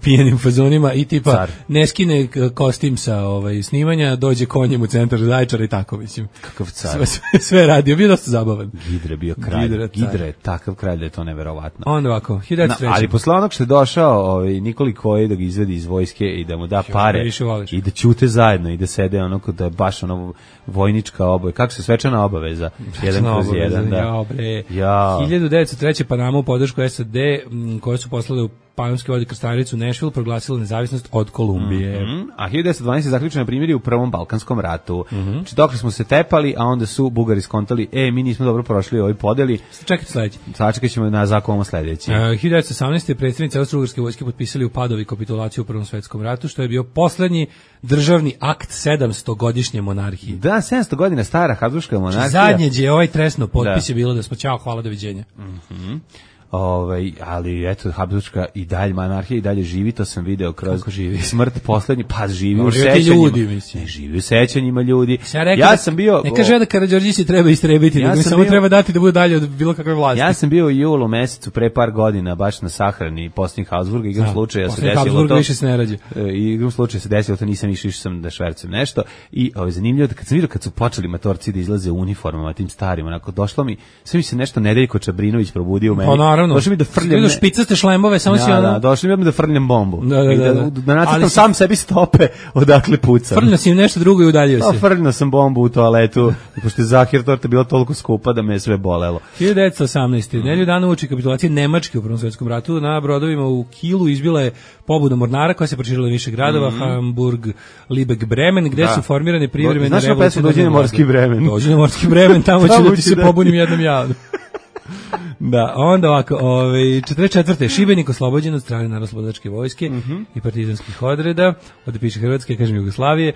pijenim fazonima i tipa Car. Ne skine kostim sa snimanja, dođe konjem u centar Zaječara i tako, mislim. Kakav car. Sve radio, bio dosta zabavan. Gidra je bio kralj. Gidra je takav kralj da je to neverovatno. Onda ovako, 1903. Ali posle onog što je došao Nikoli Koji da ga izvedi iz vojske i da mu da pare i da ćute zajedno i da sede onako da je baš vojnička obaveza. Kako se svečana obaveza? 1/1, da. 1903. Panama u podršku SAD koje su poslale u Panamske vode krstaricu Nashville proglasila nezavisnost od Kolumbije. A 1912. zaključeno primjeri u Prvom Balkanskom ratu. Znači, dok smo se tepali, a onda su Bugari skontali, mi nismo dobro prošli ovoj podeli. Čekajte sledeći. Sačekat ćemo na zakonom sledeći. 1918. predsjednici Austro-Ugarske vojske potpisali u Padovi kapitulaciju u Prvom svetskom ratu, što je bio poslednji državni akt 700-godišnje monarhije. Da, 700 godina stara Habsburška monarhija. Zadnje je tresno potpis je bilo da smo ćao, hvala, doviđenja. Ali eto, Habsburška i dalje monarhija i dalje živi, to sam video kroz smrt poslednji, pa živi u sećanjima. Ljudi, živi u sećanjima ljudi. Ja sam bio... Ne kaže da Karađorđisi treba istrebiti, nego mi samo treba dati da bude dalje od bilo kakve vlasti. Ja sam bio u julu mesecu pre par godina baš na sahrani posljednjih Habsburga, igram slučaja se desilo to. Više se ne rađe. Igram slučaja se desilo to, nisam išao sam da švercem nešto i zanimljivo kad sam vidio kad su počeli matorci da izlaze u uniformama tim starim, onako došlo mi, sve mi se nešto Nedeljko Čabrinović probudio u meni. Došli mi da frljam... Vidio špicaste šlembove, samo si ono... došli mi da frljam bombu. Da nacrtam sam sebi stope odakle pucam. Frljno si im nešto drugo i udaljio se. Frljno sam bombu u toaletu, pošto je Zahir torta bila toliko skupa da me je sve bolelo. 1918. Nedelju dana uoči kapitulacije Nemačke u Prvom svetskom ratu na brodovima u Kielu izbila je pobuda mornara koja se proširila više gradova, Hamburg, Libeck, Bremen, gde su formirane privremene revolucije. Znaš na pesmu Dođi na morski Bremen? Dođi na morski Bremen, tamo ću da ti se pobunim jednom javno. Da, onda ovako, 44. Šibenik oslobođen od strane Narodnooslobodilačke vojske i partizanskih odreda, ovdje piše Hrvatske, kažem Jugoslavije.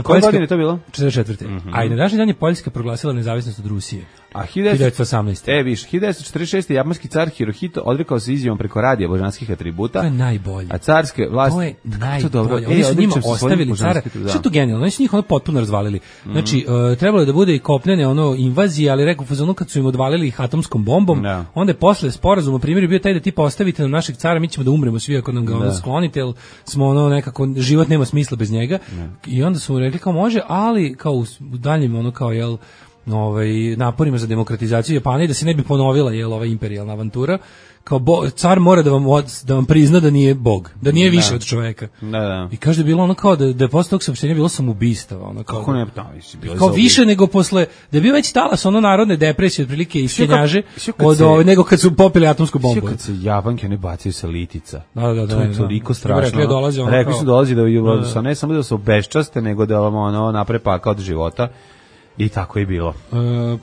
Koje godine je to bilo? 44. A i na današnji dan je Poljska proglasila nezavisnost od Rusije. A 1918. Viš, 1946. japanski car Hirohito odrekao se izjavom preko radija božanskih atributa. To je najbolje. A carske vlasti... To je najbolje. Oni su njima ostavili cara. Što je to genijalno? Oni su njih potpuno razvalili. Znači, trebalo je da bude i kopnene invazije, ali rekao fazonu kad su im odvalili ih atomskom bombom, onda je posle sporazuma primjer bio taj da ti postavite na našeg cara, mi ćemo da umremo svi ako nam ga sklonite, jer smo nekako, život nema smisla bez njega. I onda su mu rekli kao može, ali kao u daljnjem kao naporima za demokratizaciju Japana i da se ne bi ponovila ova imperijalna avantura, kao car mora da vam prizna da nije bog, da nije više od čoveka. I kaže da je bilo kao da je posle tog saopštenja bilo samoubistava. Kako ne? Kao više nego posle, da je bio već talas narodne depresije, otprilike i skenjaže, nego kad su popili atomsku bombu. Kad se Japanke ne bacaju sa litica. Da. To je toliko strašno. Rekli su dolazi da ne samo da se obeščaste, nego da vam naprave pakao od života. I tako je bilo.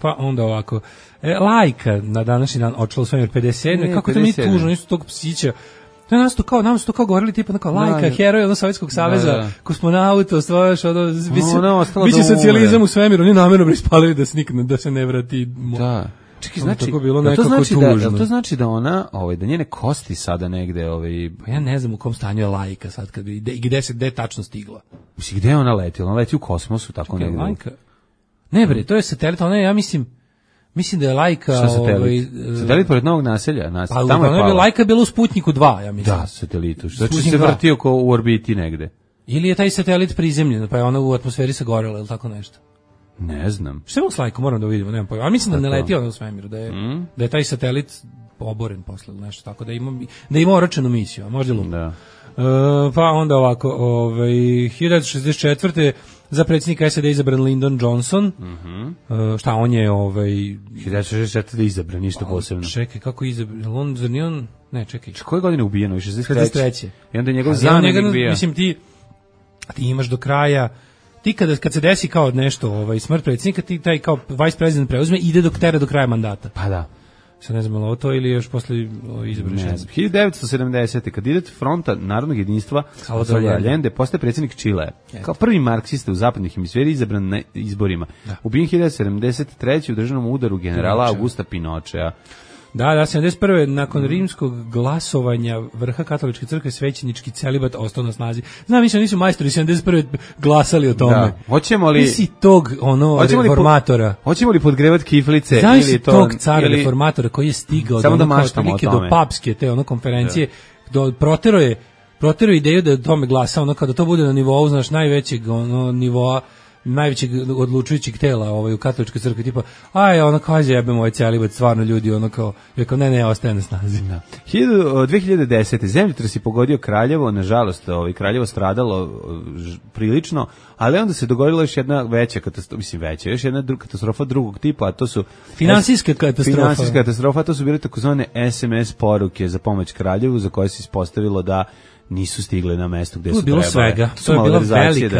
Pa onda ovako. Lajka na današnji dan odšla u svemir 57. Kako to mi je tužno, nisu tog psića. Nam su to kao govorili tipa kao Lajka, heroj od Sovjetskog saveza, kosmonauta, ostvajaš biće socijalizam u svemiru, oni namjerno ispalili da se ne vrati. Da. Čekaj, znači, to znači da ona, da njene kosti sada negde, Pa ja ne znam u kom stanju je Lajka sad, gde je tačno stigla. Mislim, gde je ona letila? Ona leti u kosmosu, tako negde. Lajka? Ne bre, to je satelit, ona je, ja mislim da je Lajka... Šta satelit? Satelit pored Novog naselja? Pa tamo je Lajka bila u Sputniku 2, ja mislim. Da, satelitu. Znači se vrtio ko u orbiti negde. Ili je taj satelit prizemljen, pa je ona u atmosferi sagorela, ili tako nešto? Ne znam. Šta je s Lajkom, moram da vidimo, nemam pojma. A mislim da ne leti ona u svemiru, da je taj satelit oboren posle, nešto tako, da ima oročenu misiju, a možda lupno. Da. Pa onda ovako, 1964. za predsjednika SAD izabran Lyndon Johnson. Šta on je 1964. izabran, ništa posebno. Čekaj, kako izabran? Zar nije on? Ne, čekaj. Koje godine je ubijeno? 63. I onda je njegov zamenik bio. Mislim, ti imaš do kraja, ti kad se desi kao nešto, smrt predsjednika, ti taj kao vice president preuzme i ide do kraja mandata. Pa da. Sad ne znam, ali ovo to ili još posle izabrani? Ne znam. 1970. kandidat Fronta narodnog jedinstva Salvador Allende postaje predsjednik Čilea. Kao prvi marksista u zapadnih hemisferi izabran na izborima. Ubijen 1973. u državnom udaru generala Augusta Pinochea. Da, 71. nakon rimskog glasovanja vrha katoličke crkve svećenički celibat ostao na snazi. Znam, mislim, nisu majstori 71. glasali o tome. Da. Hoćemo li... Nisi tog, reformatora. Hoćemo li podgrevat kiflice? Znaš ili tog cara reformatora koji je stigao do papske te konferencije, protero ideju da o tome glasa, kada to bude na nivou, znaš, najvećeg nivoa, najvećeg odlučujućeg tela u katoličkoj crkvi, tipa, kaže jebemo ovaj celibat, stvarno ljudi, ne, ostaje na snazi. 2010. zemljotres je pogodio Kraljevo, nažalost, Kraljevo stradalo prilično, ali onda se dogodila još jedna veća katastrofa, još jedna katastrofa drugog tipa, a to su finansijska katastrofa, to su bile takozvane SMS poruke za pomoć Kraljevu, za koje se ispostavilo da nisu stigle na mesto gde su trebale. Svega. To je bila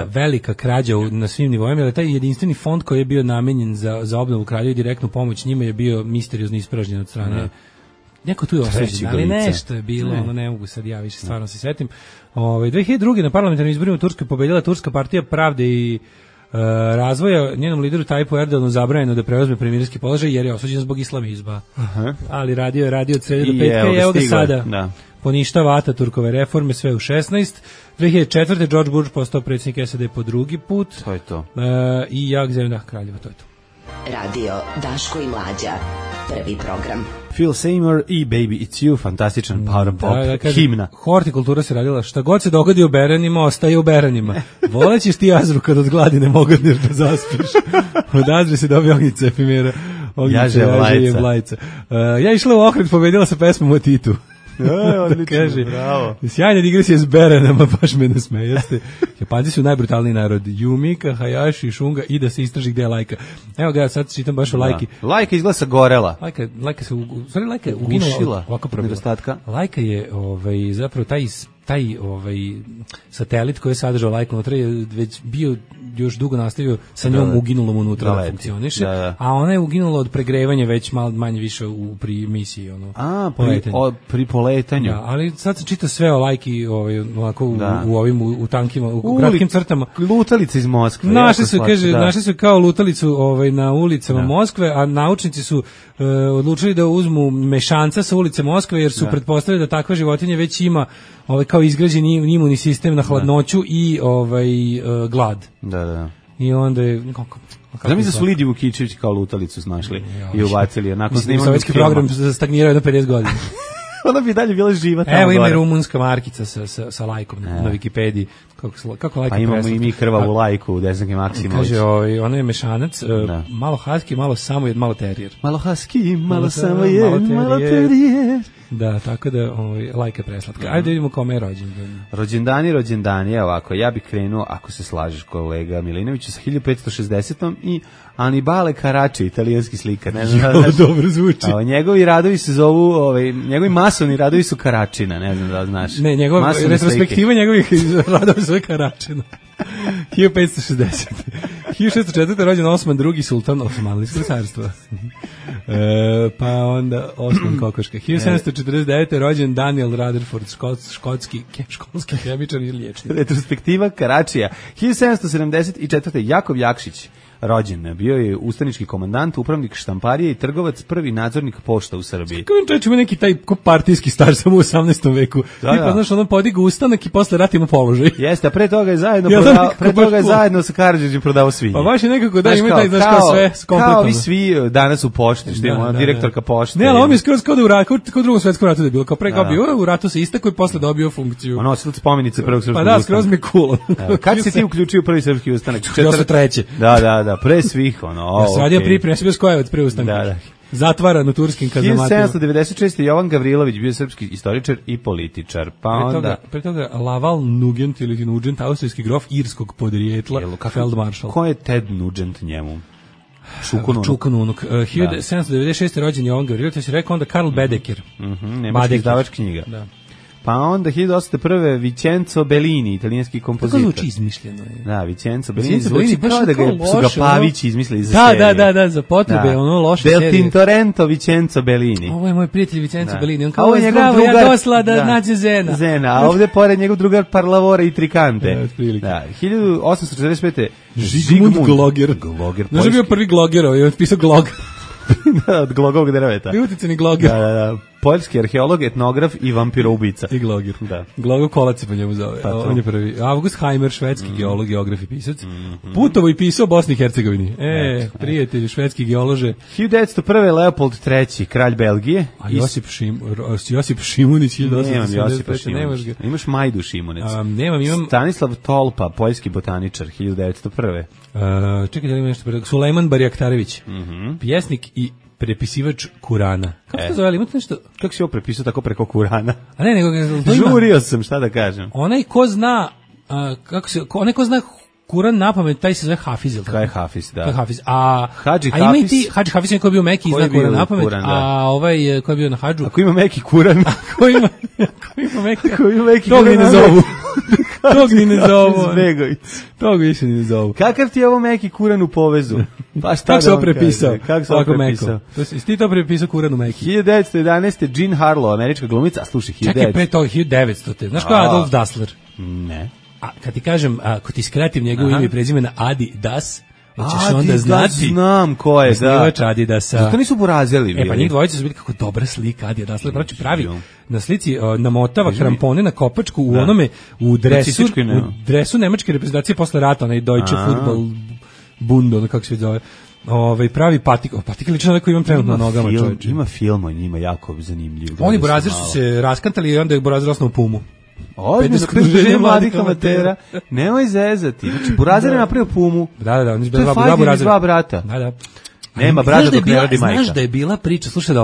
velika krađa na svim nivoima, jer taj jedinstveni fond koji je bio namenjen za obnovu Kraljeva i direktnu pomoć njima je bio misteriozno ispražnjen od strane. Neko tu je osvećen, ali nešto je bilo, ne mogu sad ja više stvarno se setim. 2002. na parlamentarnim izborima u Turskoj pobedila Turska partija pravde i razvoja, njenom lideru Tajpu Erdoganu zabranjeno da preuzme premijerski položaj jer je osuđen zbog islamizma. Ali radio od srede do petka i evo ga sada. Da. Poništava Ataturkove reforme, sve u 16. 2004. George Bush postao predsjednik SAD po drugi put. To je to. I jak zemlja Kraljeva, to je to. Radio Daško i Mlađa, prvi program. Phil Seymour i Baby It's You, fantastičan power pop himna. Hortikultura se radila, šta god se dogodi u Beranima, ostaje u Beranima. Volećeš ti Azru kad od gladi ne mogadneš da zaspiš. Od Azre se dobije Ognjica efimera. Jaže Vlajca. Ja išla u Ohrid, pobedila sa pesmom o Titu. Odlično, bravo. Sjajna digresija s Beranama, baš me nasmejaste. Japanci su najbrutalniji narod. Yumika, Hayashi, Shunga i da se istraži gde je Lajka. Evo ga, sad čitam baš o Lajki. Lajka izgleda sa gorela. Lajka se uginula ovako nedostatka. Lajka je zapravo taj satelit koji je sadržao Lajku unutra je već bio još dugo nastavio sa njom uginulom unutra da funkcioniše, a ona je uginula od pregrevanja već malo manje više pri misiji. Pri poletanju. Da, ali sad se čita sve o Lajki u tankima, u kratkim crtama. Lutalica iz Moskve. Našli su kao lutalicu na ulicama Moskve, a naučnici su odlučili da uzmu mešanca sa ulice Moskve, jer su pretpostavili da takva životinja već ima kao izgrađen imunni sistem na hladnoću i glad. Da. I onda je... Znam da su Lidiju Vukičević kao lutalicu našli i ubacili. Sovjetski program stagnirao jedno 50 godina. Ona bi dalje bila živa tamo. Evo ima i rumunska markica sa lajkom na Wikipediji. Kako lajka pa imamo i mi krvavu lajku u Desanke Maksimović. Kaže, ona je mešanac, malo husky, malo samojed, malo terijer. Malo husky, malo samojed, malo terijer. Da, tako da lajka je preslatka. Ajde da vidimo kome je rođendan. Rođendani, evo ovako, ja bih krenuo, ako se slažeš kolega Milinović, sa 1560. i Anibale Carracci, italijanski slikar. Ne znam da dobro zvuči. Njegovi radovi se zovu, njegovi masovni radovi su Carraccina, ne znam da znaš. Ne, njegova retrospektiva njegovih radova su Carraccina. 1560. 1604. rođen Osman II. Sultan Osmanlijskog carstva. Pa onda Osman Kokoška. 1749. rođen Daniel Rutherford, školski hemičar i liječnik. Retrospektiva Karačija. 1774. Jakov Jakšić rođen. Bio je ustanički komandant, upravnik štamparije i trgovac, prvi nadzornik pošta u Srbiji. Kako čovječ ima neki taj ko partijski star samo u 18. veku. Tipa, znaš, on podigu ustanak i posle rata ima položaj. Jeste, a pre toga je zajedno sa Karadžićem prodao svinje. Pa baš je nekako da ima taj, znaš, kao sve skompletovano. Kao i svi danas u pošti, što ima direktorka pošte. Ne, ali on je skroz kao da u ratu, kao u drugom svetskom ratu da je bilo. Kao pre kao bio u ratu se istako i posle dobio funkciju. Ono, nosilac spomenice prvog srpskog ustanka. Pa da, skroz mi je cool. Kad si ti uključio prvi srpski ustanak? 43. Da, pre svih, ono. Ja sam radio pripremu, ja sam bio Skojevac pre ustanka. Da. Zatvaran u turskim kazamatima. 1796. Jovan Gavrilović bio srpski istoričar i političar. Pa onda... Pre toga Laval Nugent ili Nugent, austrijski grof irskog podrijetla, feldmaršal. Ko je Ted Nugent njemu? Čukanunuk. 1796. rođen Jovan Gavrilović, ja si rekao onda Karl Baedeker. Nemački izdavač knjiga. Da. Pa onda 1801. Vicenzo Bellini, italijanski kompozitor. Kako zvuči izmišljeno je. Da, Vicenzo Bellini zvuči kao da su ga Pavići izmislili za seriju. Da, za potrebe, ono loše serije. Del Tintorento Vicenzo Bellini. Ovo je moj prijatelj Vicenzo Bellini. On kao zdravo, ja dosla da nađe Zena. A ovde pored njegov drugar Parlavora i Trikante. Da, 1845. Zigmund Gloger. Znaš je bio prvi Gloger, on je pisao Glog. Od Glogovog drveta. Uticani Gloger. Da. Poljski arheolog, etnograf i vampiroubica. I Gloger. Da. Glogov Kolac se po njemu zove. On je prvi. August Heimer, švedski geolog, geograf i pisac. Putovo i pisao Bosni i Hercegovini. Prijatelji, švedski geolože. 1901. Leopold III, kralj Belgije. A Josip Šimunić. Nemam Josipa Šimunić. Imaš Majdu Šimunić. Imam. Stanislav Tolpa, poljski botaničar, 1901. Čekaj, da li ima nešto pre... Sulejman Barjaktarević, pjesnik i prepisivač Kurana. Kako se zove, imate nešto? Kako si ovo prepisao tako preko Kurana? A ne, nego... Žurio sam, šta da kažem. Onaj ko zna, onaj ko zna Kuran napamet, taj se zove Hafiz. Kaj je Hafiz, da. Hafiz. Hadži Hafiz. A ima i ti, Hadži Hafiz je ko je bio Meki i zna Kuran napamet, a ovaj ko je bio na Hadžu. Ako ima Meki Kuran. Ako ima Meki Kuran. Tog ni ne zovu. Tog ni ne zovu. Zbegović. Tog više ni ne zovu. Kakav ti je ovo Meki Kuran u povezu? Pa šta kako se ovo prepisao? Kako se ovo prepisao? Ti to prepisao Kuran u Meki. 1911. Jean Harlow, američka glumica, a slušaj, 1900. Čekaj, pre toga 1900. Znaš ko je Adolf Dassler? Ne. A kad ti kažem, ako ti skratim njegovo ime i prezime na Adi Das, hoćeš onda znati. Znam ko je, da. Adidasa. Zato nisu burazeli bili. Pa njih dvojica su bili kako dobra slika Adi Das. Znači pravi na slici namotava krampone na kopačku u onome u dresu nemačke reprezentacije posle rata, onaj Deutsche Fußball Bund, ono kako se zove. Pravi patik lično koji imam trenutno na nogama, čoveče. Ima film o njima jako zanimljiv. Oni Burazir su se raskantali i onda je Burazir osnovno Pumu. Ozbiljno, druženje mladih amatera. Nemoj zezati. Znači, Burazir je napravio Pumu. Da, oni su dva brata. Da. Nema brata dok ne radi majka. Znaš da je bila priča, slušaj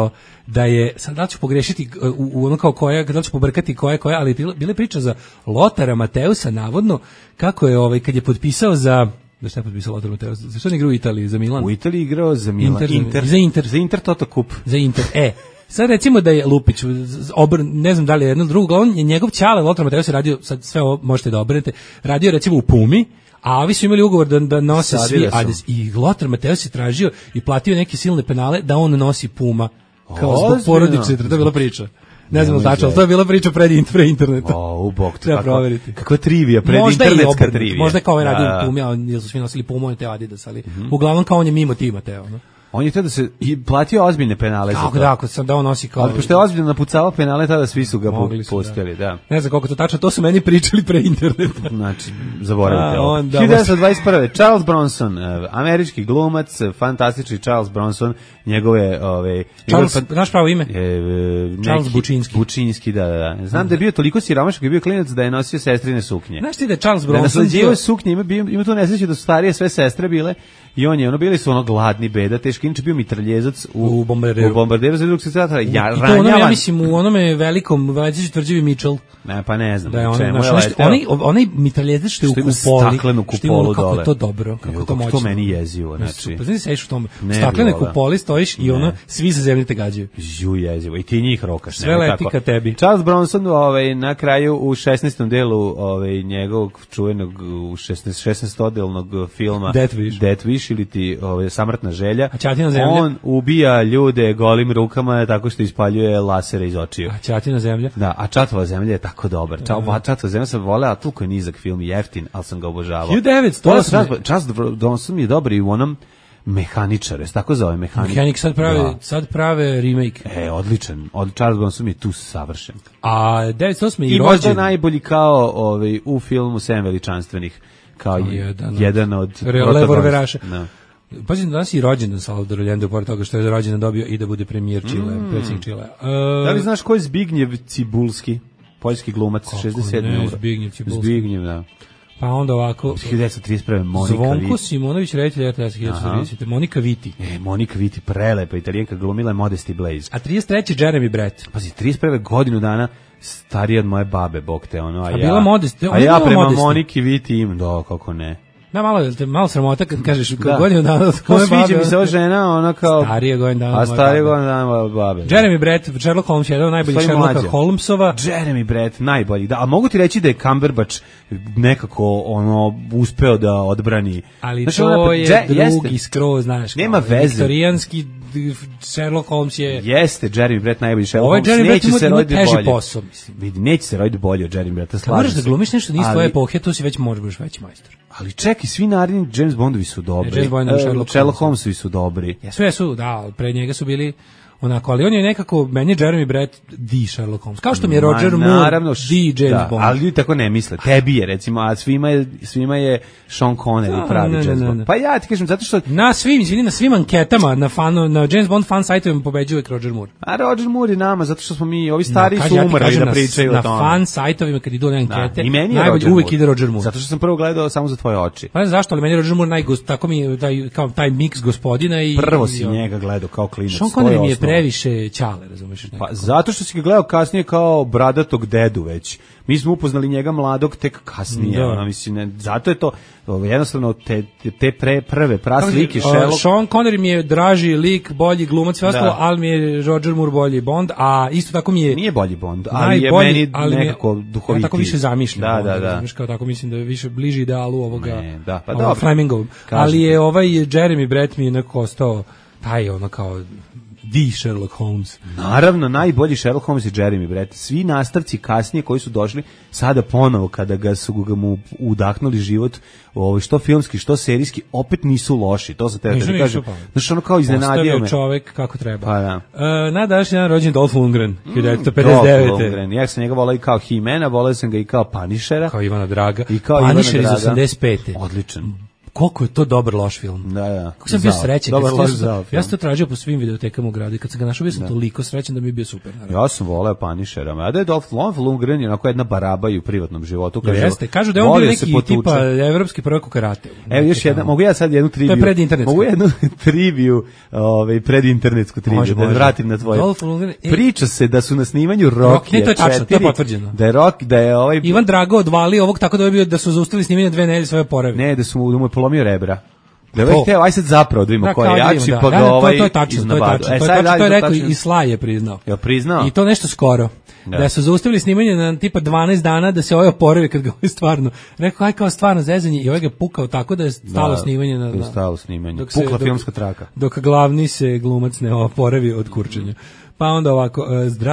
da je, sad da ću pogrešiti u ono kao koja, da ću pobrkati koja, ali bila je priča za Lotara Mateusa, navodno, kako je kad je potpisao za... Da šta je potpisao Lothar Matthäus? Za što on igrao u Italiji? Za Milan? U Italiji igrao za Milan. Za Inter Toto Kup. Za Inter, sad recimo da je Lupić, ne znam da li je jedno drugo, on je njegov ćale, Lothar Matthäus je radio, sad sve ovo možete da obrnete, radio recimo u Pumi, a ovi su imali ugovor da nose svi Adidas. I Lothar Matthäus je tražio i platio neke silne penale da on nosi Puma. Kao zbog porodične, to je bila priča. Ne znam tačno, ali to je bila priča pre interneta. Bog, treba proveriti. Kakva trivija, internetska trivija. Možda je kao ovaj radio u Pumi, jer su svi nosili Pumu, on te Adidas, ali uglavnom kao on je mimo tima teo. On je tada se platio ozbiljne penale za to. Kako da, ako sam da on nosi kao... Ali pošto je ozbiljno napucavao penale, tada svi su ga pustili, da. Ne znam koliko to tačno, to su meni pričali pre interneta. Znači, zaboravite ovo. 1921. Charles Bronson, američki glumac, fantastični Charles Bronson, njegove... Znaš pravo ime? Charles Bučinski. Bučinski, da. Znam da je bio toliko siromašan koji je bio klinac da je nosio sestrine suknje. Znaš ti da je Charles Bronson... Da nasleđivao suknje, ima tu nesreće da su starije sve sestre bile i on je, bili su gladni, beda, teške dečka, inače bio mitraljezac U bombarderu. U bombarderu za drugog svjetskog rata. I to onome, ja mislim, u onome velikom Vladić tvrđavi Mitchell. Ne, pa ne znam. Da je čemu on, je leteo. onaj mitraljezac što je u ima kupoli. staklenu Što ima ono kupolu kako dole. je to dobro, kako je to moćno. To meni jezivo, znači. Pa znači sediš u tom Ne staklene bi voleo. kupoli, stojiš i ono, svi sa zemlje te gađaju. Ju jezivo. I ti njih rokaš. Sve nema leti kako. ka tebi. Charles Bronson na kraju u 16. delu njegovog čuvenog u 16-odelnog filma Death Wish ili ti Samrtna želja. A Ćatina zemlja? On ubija ljude golim rukama tako što ispaljuje lasere iz očiju. A Ćatina zemlja? Da, a Čatova zemlja je tako dobar. Čatova zemlja sam voleo, a toliko je nizak film i jeftin, ali sam ga obožavao. 1908. Charles Bronson je dobar i u onom Mehaničar, tako zove Mehanik sad prave remake. Odličan. Charles Bronson je tu savršen. A 1908. I možda najbolji kao u filmu Sedam veličanstvenih, kao jedan od revolveraša. Da. Pazim, danas i rođendan Salvador Allende, pored toga što je rođendan dobio i da bude premijer Čile, predsjednik Čile. Da li znaš ko je Zbignjev Cibulski? Poljski glumac, 67. Zbignjev Cibulski. Zbignjev, da. Pa onda ovako 1931. Monika Zvonko Viti. Simonović, reditelj RTS 1930. Monika Viti. Monika Viti, prelepa italijanka, glumila je Modesty Blaze. A 33. Jeremy Brett. Pazi, 31. godinu dana starija od moje babe, bog te ono. A bila Modesty. A ja prema Moniki Viti im, kako ne. Da, malo sramota kad kažeš godinu dana od Ko moje babe. sviđa mi se ova žena, ona kao... Starije godinu dana A starije godinu dana od babe. Jeremy Brett, Sherlock Holmes, jedan od najboljih Sherlocka Holmesova. Jeremy Brett, najbolji. Da, a mogu ti reći da je Cumberbatch nekako uspeo da odbrani. Ali znači, to je drugi skroz, znaš. Nema veze. Viktorijanski Sherlock Holmes je... Jeste, Jeremy Brett najbolji Sherlock Holmes. Ovo je Jeremy Brett ima teži posao, mislim. Vidi, neće se roditi bolje od Jeremy Bretta, slažem se. Moraš da glumiš nešto nije svoje epohe, to si već možeš veći majstor. Ali čekaj, svi naredni James Bondovi su dobri. Sherlock Holmesovi su dobri. Jesu, da, pre njega su bili onako, ali on je nekako, meni je Jeremy Brett di Sherlock Holmes. Kao što mi je Roger Moore di James Bond. Ali ljudi tako ne misle. Tebi je, recimo, a svima je Sean Connery pravi James Bond. Pa ja ti kažem, zato što... Na svim anketama, na James Bond fan sajtovima pobeđuje Roger Moore. A Roger Moore je nama, zato što smo mi, ovi stari su umrli da pričaju o tome. Na fan sajtovima, kad idu one ankete, i meni je najbolje uvijek ide Roger Moore. Zato što sam prvo gledao samo za tvoje oči. Pa ne znam zašto, ali meni je Roger Moore tako mi je taj miks gospodina i... Prvo si njega gledao kao klinac. Sean Connery mi je previše ćale, razumiješ? Pa zato što si ga gledao kasnije kao bradatog dedu već. Mi smo upoznali njega mladog tek kasnije, zato je to jednostavno te prve praslike Sherlock. Sean Connery mi je draži lik, bolji glumac, sve ostalo, ali mi je Roger Moore bolji Bond, a isto tako mi je... Nije bolji Bond, ali je meni nekako duhovitiji. Ja tako više zamišljam. Da. Kao tako mislim da je više bliži idealu ovoga Flemingov. Ali je Jeremy Brett mi je nekako ostao taj kao... di Sherlock Holmes. Naravno, najbolji Sherlock Holmes je Jeremy Brett. Svi nastavci kasnije koji su došli, sada ponovo kada su mu udahnuli život, što filmski, što serijski, opet nisu loši. To sam te da kažem. Znaš, ono kao iznenadio me. Ostavio čovek kako treba. Pa da. Na današnji dan rođen Dolph Lundgren, 1959. Dolph Lundgren. Ja sam njega volao i kao He-Mana, volao sam ga i kao Punishera. Kao Ivana Draga. I kao Punisher iz Ivana Draga. 85. Odličan. Koliko je to dobar loš film. Da. Kako sam bio srećan. Ja sam to tražio po svim videotekama u gradu i kad sam ga našao bio sam toliko srećan da mi je bio super. Naravno. Ja sam voleo Punishera, a da je Dolph Lundgren je onako jedna baraba i u privatnom životu. Kažu da je on bio neki tipa evropski prvak u karate. Evo još jedna, mogu ja sad jednu triviju. To je predinternetsku. Mogu jednu triviju, predinternetsku triviju, da vratim na tvoje. Priča se da su na snimanju Rockija 4. To je tačno, to je potvrđeno. Da je Ivan Drago odvalio ovog tako da je bio da su zaustavili snimanje 2 nedelje svoje oporavke. Ne, da mu je polomio rebra. Da je hteo, aj sad zapravo da vidimo ko je jači, pa ga to je tačno, to je rekao i Sly je priznao. Ja priznao? I to nešto skoro. Da su zaustavili snimanje na tipa 12 dana da se ovaj oporavi kad ga ovaj stvarno. Rekao, aj kao stvarno zezanje i ovaj ga pukao tako da je stalo snimanje. Da je stalo snimanje. Pukla filmska traka. Dok glavni se glumac ne oporavi od kurčenja. Pa onda ovako,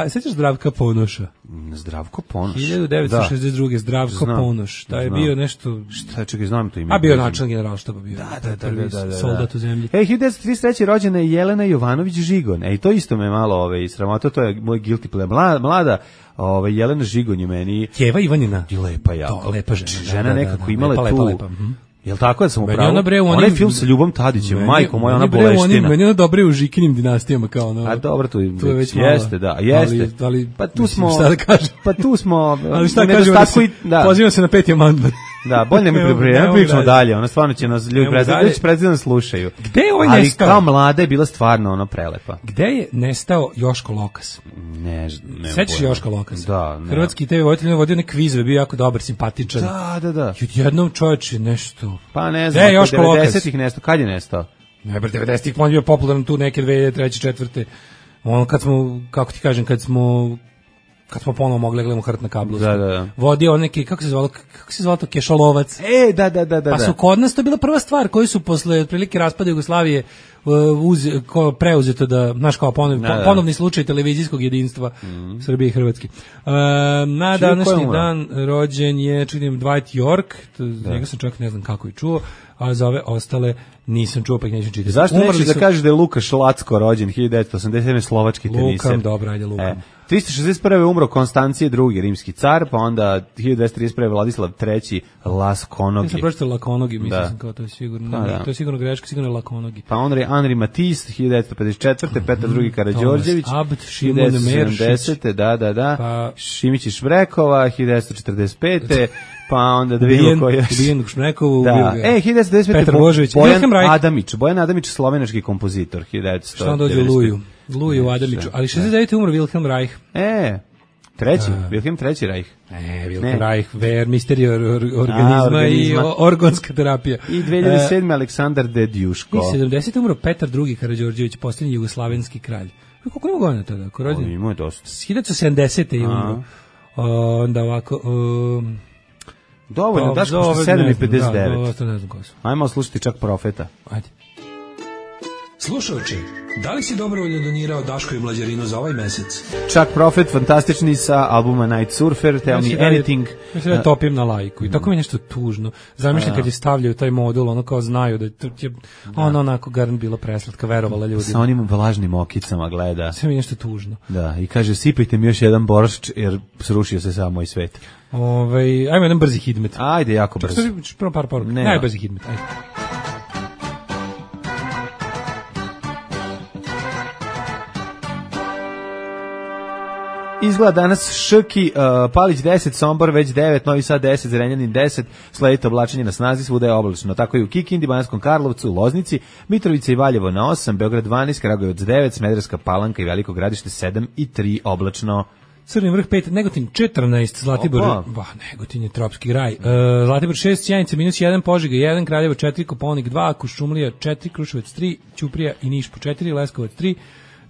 sećaš Zdravka Ponoša? Zdravko Ponoš? 1962. Zdravko Ponoš. Da je bio nešto... Šta, čekaj, znam to ime. A bio načelnik generalštaba, bio prvi soldat u zemlji. 1933. rođena je Jelena Jovanović Žigon. I to isto me malo sramota, to je moj guilty pleasure. Mlada Jelena Žigon je meni... Keva Ivanina. I lepa jako. To, lepa žena. Žena nekako imala tu... Jel tako da sam upravo? Onaj film sa Ljubom Tadićem, majko moja, ona boleština. Meni je dobre u Žikinim dinastijama kao ono. A dobro, to je već jeste, da, jeste. Ali pa tu smo, šta da kažem? Pa tu smo, ali šta kažemo, pozivam se na 5. amandman. Da, bolje ne pričamo dalje, ona stvarno će nas ljudi predstavljati slušaju. Gde je ovaj ali nestao? Kao mlada je bila stvarno ono prelepa. Gde je nestao Joško Lokas? Ne sećaš Joška Lokasa? Da, ne. Hrvatski TV voditelj vodio neke kvizove, bio jako dobar, simpatičan. Da. I odjednom čovječe nešto. Pa ne znam, 90-ih nestao, kad je nestao? Ne, 90-ih on je bio popularan tu neke 2003. 4. Ono kad smo, kako ti kažem, kad smo ponovo mogli gledamo Hrt na kablu. Da. Vodio neki, kako se zvalo to, Kešalovac. Da. Pa su kod nas to bila prva stvar koju su posle otprilike raspada Jugoslavije preuzeto da, znaš, kao ponovni slučaj televizijskog jedinstva Srbije i Hrvatske. Na današnji dan rođen je, činim, Dwight York, njega sam čak ne znam kako i čuo, a za ove ostale nisam čuo, pa ih neću čitati. Zašto nećeš da kažeš da je Lukaš Lacko rođen 1987. slovački teniser? Lukam, dobro, ajde Lukam. 361. je umro Konstancije II. Rimski car, pa onda 1231. Vladislav III. Laskonogi. Ja sam pročitao Lakonogi, mislim sam kao to je sigurno. To je sigurno greška, sigurno je Lakonogi. Pa onda je Anri Matisse, 1954. Petar II. Karađorđević, 1970. Da. Pa Šimić i Šbrekova, 1945. Pa onda da vidimo koji je. Ubijen u Šmrekovu. Da. 1995. Petar Božović. Bojan Adamić, slovenački kompozitor, 1995. Šta on dođe Luju Adamiću. Ali 69. umro Wilhelm Reich. Treći, Wilhelm III. Reich. Wilhelm Reich, Ver, misterija organizma i organska terapija. I 2007. Aleksandar Dedjuško. I 70. umro Petar II. Karađorđević, posljednji jugoslavenski kralj. Koliko ima godina tada? Ima je dosta. 1970. je umro. Onda ovako... Dovoljno, Daško, što 7:59. To ne znam ko su. Ajmo slušati čak Profeta. Ajde. Slušajući, da li si dobrovoljno donirao Daško i Mlađarinu za ovaj mesec? Čak Profet, fantastični sa albuma Night Surfer, Tell Me Anything. Ja se da topim na lajku i tako mi je nešto tužno. Zamišljam kad je stavljaju taj modul, ono kao znaju da je ono onako garant bilo preslatka, verovala ljudi. Sa onim vlažnim okicama gleda. Sve mi je nešto tužno. Da, i kaže, sipajte mi još jedan boršč jer srušio se sam moj svet. Ajmo jedan brzi hidmet. Ajde, jako brzo. Prvo par poruka. Najbrzi hidmet, ajde. Izgleda danas Šrki, Palić 10, Sombor već 9, Novi Sad 10, Zrenjanin 10, sledite oblačenje na snazi, svuda je oblačno. Tako i u Kikindi, Bananskom Karlovcu, Loznici, Mitrovica i Valjevo na 8, Beograd 12, Kragujevac 9, Smederevska Palanka i Veliko Gradište 7 i 3 oblačno. Crni vrh 5, Negotin 14, Zlatibor, Negotin je tropski raj, Zlatibor 6, Sjenica -1, Požega 1, Kraljevo 4, Koponik 2, Kuršumlija 4, Kruševac 3, Ćuprija i Niš po 4, Leskovac 3,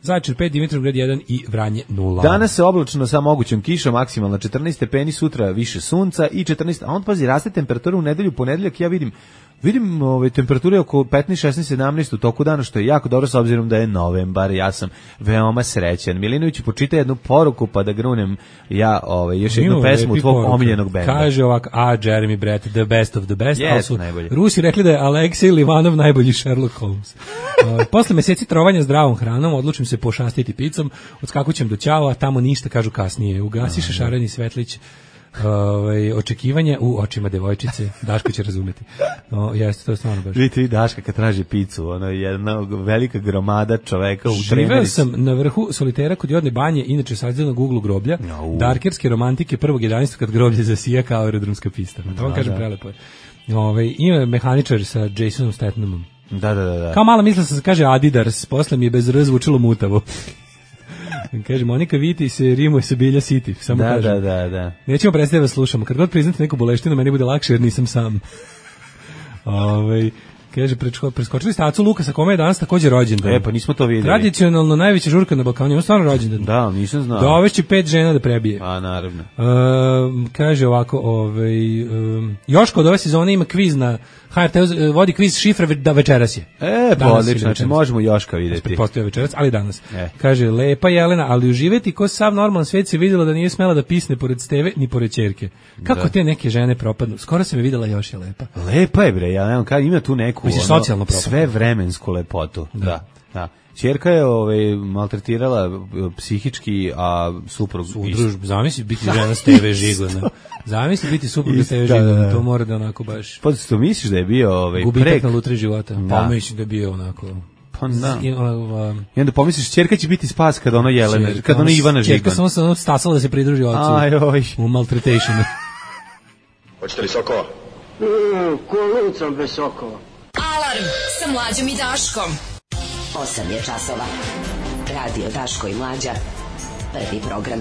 Zaječar 5, Dimitrovgrad 1 i Vranje 0. Danas se oblačno sa mogućom kišom, maksimalno 14 stepeni, sutra više sunca i 14, a on pazi, raste temperatura u nedelju, ponedeljak, ja vidim temperature oko 15, 16, 17 u toku dana, što je jako dobro s obzirom da je novembar, ja sam veoma srećan. Milinović, počita jednu poruku pa da grunem još jednu pesmu tvog omiljenog benda. Kaže ovako, Jeremy Brett, the best of the best, yes, ali su najbolji. Rusi rekli da je Aleksej Livanov najbolji Sherlock Holmes. Posle meseci trovanja zdravom hranom, odlučim se pošastiti picom, odskakućem do Ćao, a tamo ništa, kažu kasnije. Ugasi šareni svetlić. Očekivanja u očima devojčice, Daško će razumeti. Jeste, to je stvarno baš. Vidite, Daška kad traži picu, ono je jedna velika gromada čoveka u tremerici. Živeo sam na vrhu solitera kod Jodne banje, inače sađenog uglu groblja, darkerske romantike 1.11. kad groblje zasija kao aerodromska pista. To vam kažem, prelepo je. Ima mehaničar sa Jasonom Stathamom. Da. Kao mala mislila sam se kaže Adidars, posle mi je bez R zvučilo mutavo. Kaže, Monika Viti se rimuje sa Bilja City, samo kažem. Da. Nećemo predstaviti da slušamo. Kad god priznate neku boleštinu, meni bude lakše jer nisam sam. Kaže, preskočili ste Acu Lukasa, kome je danas također rođendan. Pa nismo to vidjeli. Tradicionalno najveća žurka na Balkanu, ima stvarno rođendan. Da, nisam znao. Dovešće 5 žena da prebije. A, naravno. Kaže ovako, Joško od ove sezone ima kviz na HRT, vodi kviz šifre da večeras je. Pa odlično, znači možemo Joška vidjeti. Pretpostavlja večeras, ali danas. Kaže, lepa Jelena, ali uživeti ko sav normalan svet se vidjela da nije smela da pisne pored steve ni pored ćerke. Kako te neke žene propadnu? Skoro sam je vidjela, još je lepa. Lepa je bre, ja ima tu neku sve vremensku lepotu. Da. Ćerka je maltretirala psihički, a suprug... Zamisli biti žena s TV Žigona. Zamisli biti suprug s TV Žigona. To mora da onako baš... Pa to misliš da je bio gubitak na lutri života. Pa mislim da je bio onako... Pa da. I onda pomisliš, ćerka će biti spas kada ono Jelena, kada ono Ivana Žigon. Ćerka samo se stasala da se pridruži ocu u maltretationu. Hoćete li sokova? Ko lucam bez sokova. Alarm sa Mlađom i Daškom. 8 je časova. Radio Daško i Mlađa. Prvi program.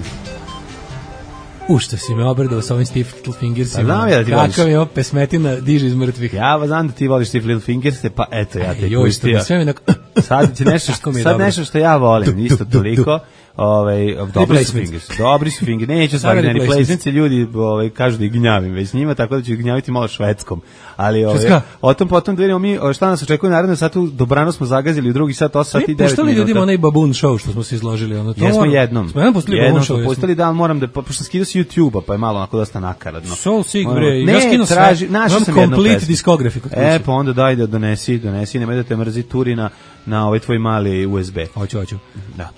Što si me obradao sa ovim Stiff Little Fingersima. Znam ja da ti voliš. Kakav je ovo pesmetina diže iz mrtvih. Ja znam da ti voliš Stiff Little Fingers, pa eto ja te Joj, pustio. sve mi onako... Sad će nešto što ja volim, isto toliko. Dobri su fingers. Neću stvari na replacements, ljudi kažu da ih gnjavim već njima, tako da ću ih gnjaviti malo švedskom. Ali o tom potom da vidimo mi šta nas očekuje naredno satu. Dobrano smo zagazili u drugi sat, 8 sati i 9 minuta. Puštali ljudima onaj Baboon Show što smo se izložili. Jesmo jednom. Smo jednom pustili, da, ali moram da, pošto skidao si YouTube-a, pa je malo onako dosta nakaradno. Soul Sick, bre, ja skinu sve. Imam complete discography. Pa onda daj da donesi, nemoj da te mrzi Turina na ovaj tvoj mali USB. Hoću. Da.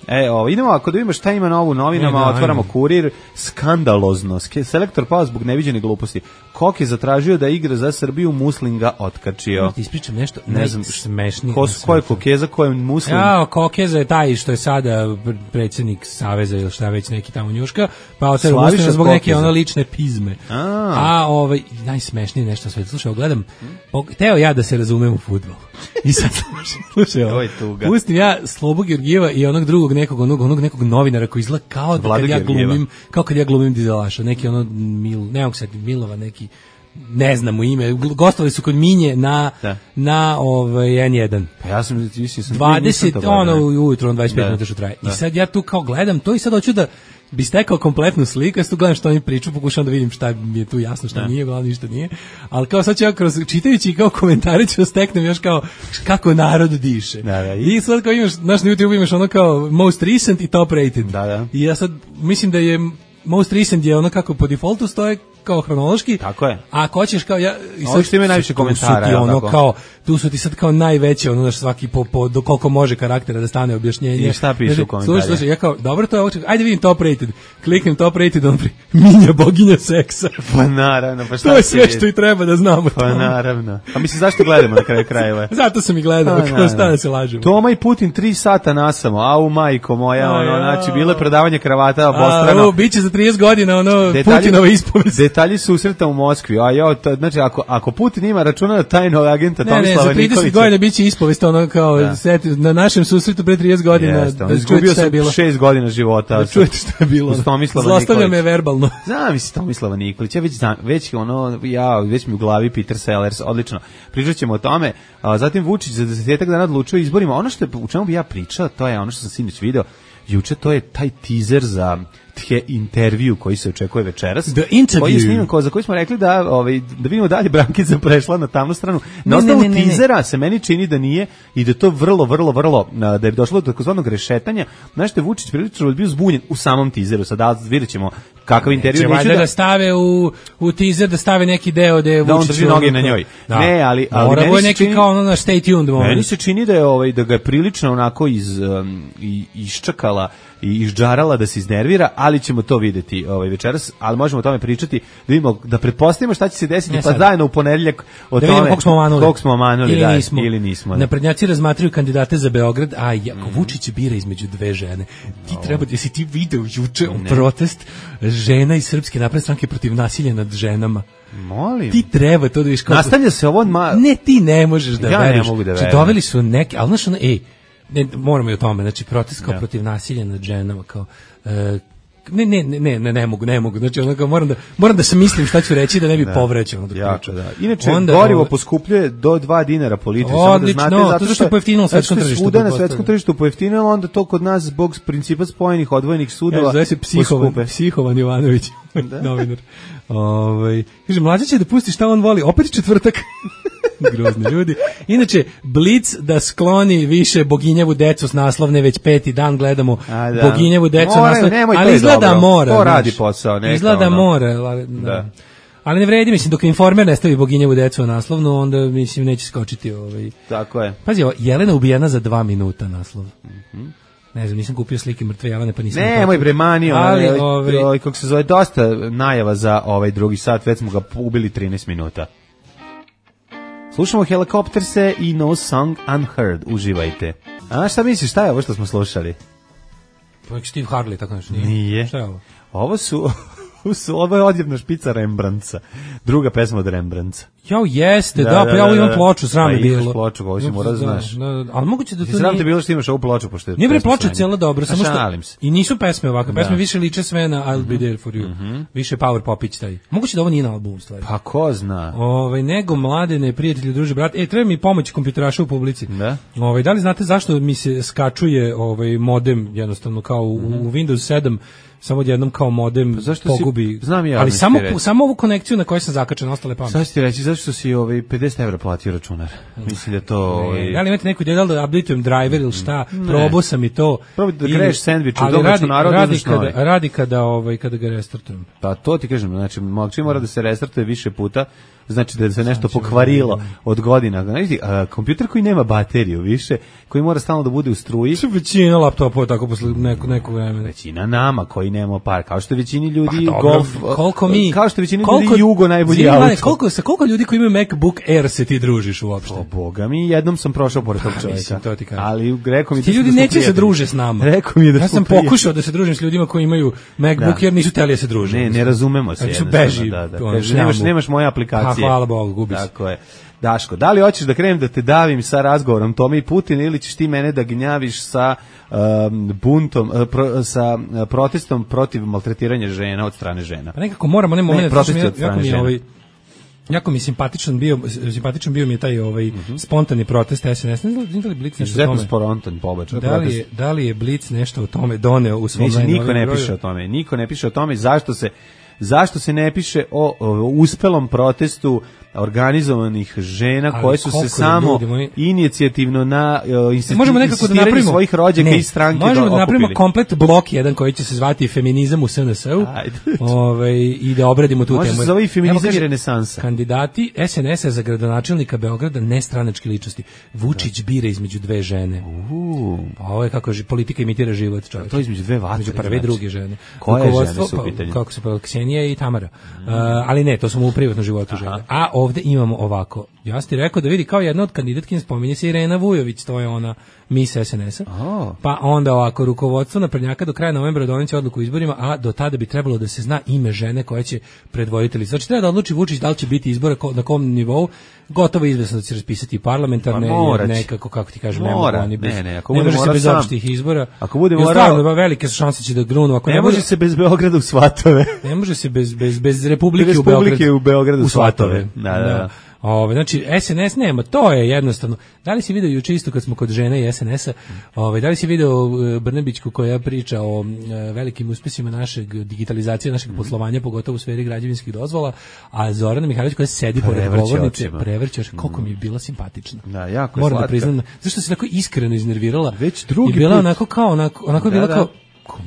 Idemo, ako da vidimo šta ima novu u novinama, otvaramo Kurir, skandalozno. Selektor pao zbog neviđene gluposti. Kok je zatražio da igra za Srbiju, Muslin ga otkačio. Ti ispričam nešto ne znam smešnije. Ko je Kokeza, ko je Muslin? Kokeza je taj što je sada predsjednik Saveza ili šta već neki tamo njuška, pa otero Muslina zbog neke lične pizme. Najsmešnije nešto sve. Slušaj, gledam, teo ja da se razumem u fudbal. I sad slušaj, pustim ja Slobu Georgijeva i onog drugog nekog novinara koji izgleda kao kad ja glumim dizelaša, neki ne mogu sad Milova, neki ne znam mu ime, gostovali su kod Minje na N1. Pa ja sam 20 ujutro, 25 minuta što traje. I sad ja tu kao gledam to i sad hoću da bi stekao kompletnu sliku, ja tu gledam što oni priču, pokušam da vidim šta mi je tu jasno, šta nije, glavno ništa nije, ali kao sad ću ja čitajući kao komentare ću steknem još kao kako narod diše. I sad kao imaš, na YouTube imaš ono kao most recent i top rated. I ja sad mislim da je most recent je ono kako po defaultu stoje kao hronološki. Tako je. A ako hoćeš kao ja i sad što ima najviše komentara, tu su ti sad kao najveće svaki do koliko može karaktera da stane objašnjenje. I šta piše u komentarima? Slušaj, ja kao dobro to je, ajde vidim top rated. Kliknem top rated, Minja boginja seksa. Pa naravno, pa šta to je sve što i treba da znamo. Pa naravno. A mislim zašto gledamo na kraju krajeva? Zato sam i gledao, kao šta da se lažemo. Toma i Putin 3 sata nasamo, au majko moja, znači bile predavanje kravata obostrano. Biće za 30 godina Putinova ispovest. Detalji susreta u Moskvi. Znači ako Putin ima računa tajnog agenta Tomislava Nikolića. Za 30 godina biće ispovest kao na našem susretu pre 30 godina. Izgubio sam 6 godina života. Da čujete šta je bilo. Zlostavlja me verbalno. Zamisli Tomislava Nikolića, već mi u glavi Peter Sellers, odlično. Pričat ćemo o tome. Zatim Vučić za 10 dana odlučio izborima. Ono što u čemu bi ja pričao, to je ono što sam sinoć video. Juče to je taj teaser za intervju koji se očekuje večeras. The interview. Koji je sniman, za koji smo rekli da vidimo dalje Brankica prešla na tamnu stranu. Na osnovu teasera se meni čini da nije i da to vrlo, da je došlo do takozvanog rešetanja. Znaš što je Vučić prilično bio zbunjen u samom teaseru. Sad vidjet ćemo kakav intervju. Neće da stave u teaser, da stave neki deo da je Vučić... Da on drži noge na njoj. Ne, ali mora je neki kao na stay tuned moment. Meni se čini da ga je prilično onako iščakala i izđarala da se iznervira, ali ćemo to videti večeras, ali možemo o tome pričati, da vidimo, da pretpostavimo šta će se desiti, pa zajedno u ponedeljak o tome koliko smo omanuli ili nismo. Naprednjaci razmatraju kandidate za Beograd, a ako Vučić bira između dve žene, ti treba, jesi ti video juče protest žena iz Srpske napredne stranke protiv nasilja nad ženama? Molim. Ti treba to da viš kako... Nastavlja se ovo... Ne, ti ne možeš da veriš. Ja ne mogu da verujem. Doveli su neke, ali znaš ne, moramo i o tome, znači protest kao protiv nasilja nad ženama, kao ne mogu, znači moram da se mislim šta ću reći da ne bi povrećao. Inače, gorivo poskupljuje do 2 dinara po litru. Odlično, zato što je pojeftinilo svetskom tržištu. Svuda na svetskom tržištu pojeftinilo, onda to kod nas zbog principa spojenih odvojenih sudova zove se Psihovan Jovanović, novinar. Kaže, mlađa će da pusti šta on voli, opet četvrtak. Grozni ljudi. Inače, Blic da skloni više Boginjevu decu s naslovne, već 5. dan gledamo Boginjevu decu s naslovne, ali izgleda mora. To radi posao. Izgleda mora. Ali ne vredi, mislim, dok Informer ne stavi Boginjevu decu na naslovnu, onda, mislim, neće skočiti. Tako je. Pazi, Jelena ubijena za 2 minuta naslov. Ne znam, nisam kupio slike mrtve Jelene, pa nisam... Nemoj bremani, kako se zove, dosta najava za drugi sat, već smo ga ubili 13 minuta. Slušamo Helikopterse i No Song Unheard, uživajte. A šta misliš, šta je ovo što smo slušali? Steve Harley, tako nešto nije. Nije. Šta je ovo? Ovo su... Ovo je odjevna špica Rembrandtsa. Druga pesma od Rembrandtsa. Jao, jeste, pa ja ovo imam ploču, sram je bilo. Imaš ploču, ovo si mora da znaš. Ali moguće da to sram te bilo što imaš ovu ploču, pošto je... Nije bre ploča cijela dobra, samo što... Šalim se. I nisu pesme ovakve, pesme više liče sve na I'll Be There For You. Više Power Popić taj. Moguće da ovo nije na albumu, stvari. Pa ko zna? Nego mladene, prijatelji, druže, brat. Treba mi pomoć kompjuteraša u publici. Da? Da li znate zašto mi se skačuje modem, jednostavno kao u Windows 7, samo odjednom kao modem pogubi. Znam ja, ali samo ovu konekciju na kojoj sam zakačen, ostale pamet. Sad ću ti reći, zašto si 50 € platio računar? Mislim da to... Da li imate neku ideju da updateujem driver ili šta? Probao sam i to. Probaj da greješ sandvič u domaću narodu, uzmeš novi. Radi kada ga restartujem. Pa to ti kažem, znači, čim mora da se restartuje više puta, znači da se nešto pokvarilo od godina. Znači, kompjuter koji nema bateriju više, koji mora stalno da bude u struji. Većina laptopova tako posle nekog vremena. Većina nama koji nemamo par, kao što većini ljudi kao što većini ljudi Jugo najbolji auto. Koliko ljudi koji imaju MacBook Air se ti družiš uopšte? O boga mi, jednom sam prošao pored tog čovjeka. Ali rekao mi ti ljudi neće se druže s nama. Rekao mi da ja sam pokušao da se družim s ljudima koji imaju MacBook Air, nisu hteli da se druže. Ne razumemo se. Nemaš moje aplikacije. Hvala Bogu, gubi se. Tako je. Daško, da li hoćeš da krenem da te davim sa razgovorom Tome i Putina ili ćeš ti mene da gnjaviš sa buntom, sa protestom protiv maltretiranja žena od strane žena? Pa nekako moram, onaj moment, jako mi simpatičan bio mi je taj spontani protest SNS. Ne znam da li Blic nešto o tome. Spontan pobačaj. Da li je Blic nešto o tome doneo u svom najnovim broju? Niko ne piše o tome. Zašto se ne piše o uspelom protestu organizovanih žena koje su se samo inicijativno na insistiranje svojih rođaka i stranke okupili? Možemo da napravimo komplet blok jedan koji će se zvati feminizam u SNS-u i da obradimo tu temu. Može se zove i feminizam i renesansa. Kandidati SNS-a za gradonačelnika Beograda nestranačke ličnosti. Vučić bira između dve žene. Pa ovo je kako politika imitira život, čovječe. To između dve vatre. Među prve i druge žene. Koje žene su u pitanju? Kako se pa Ksenija i Tamara. Ali ne, to smo u privatnom životu žene. A ovde imamo ovako. Ja sam ti rekao da vidi kao jedna od kandidatkinja spominje se Irena Vujović, to je ona mis SNS-a. Pa onda ovako, rukovodstvo naprednjaka do kraja novembra doneće odluku o izborima, a do tada bi trebalo da se zna ime žene koja će predvoditi listu. Znači treba da odluči Vučić da li će biti izbora na kom nivou. Gotovo izvesno da će raspisati parlamentarne, nekako, kako ti kažem, ne može se bez opštih izbora. Ako bude morao, velike su šanse će da grunu. Ne može se bez Beograda u Svatove. Ne može se bez Republike u Beogradu u Svatove. Da. Znači SNS nema, to je jednostavno. Da li si video juče isto kad smo kod žene i SNS-a, da li si video Brnebićku koja priča o velikim uspesima našeg digitalizacije, našeg poslovanja, pogotovo u sferi građevinskih dozvola, a Zorana Mihajlović koja sedi pored govornice, prevrće oči, koliko mi je bila simpatična. Da, jako moram da priznam, zašto se tako iskreno iznervirala? Već drugi i bila put. onako bila kao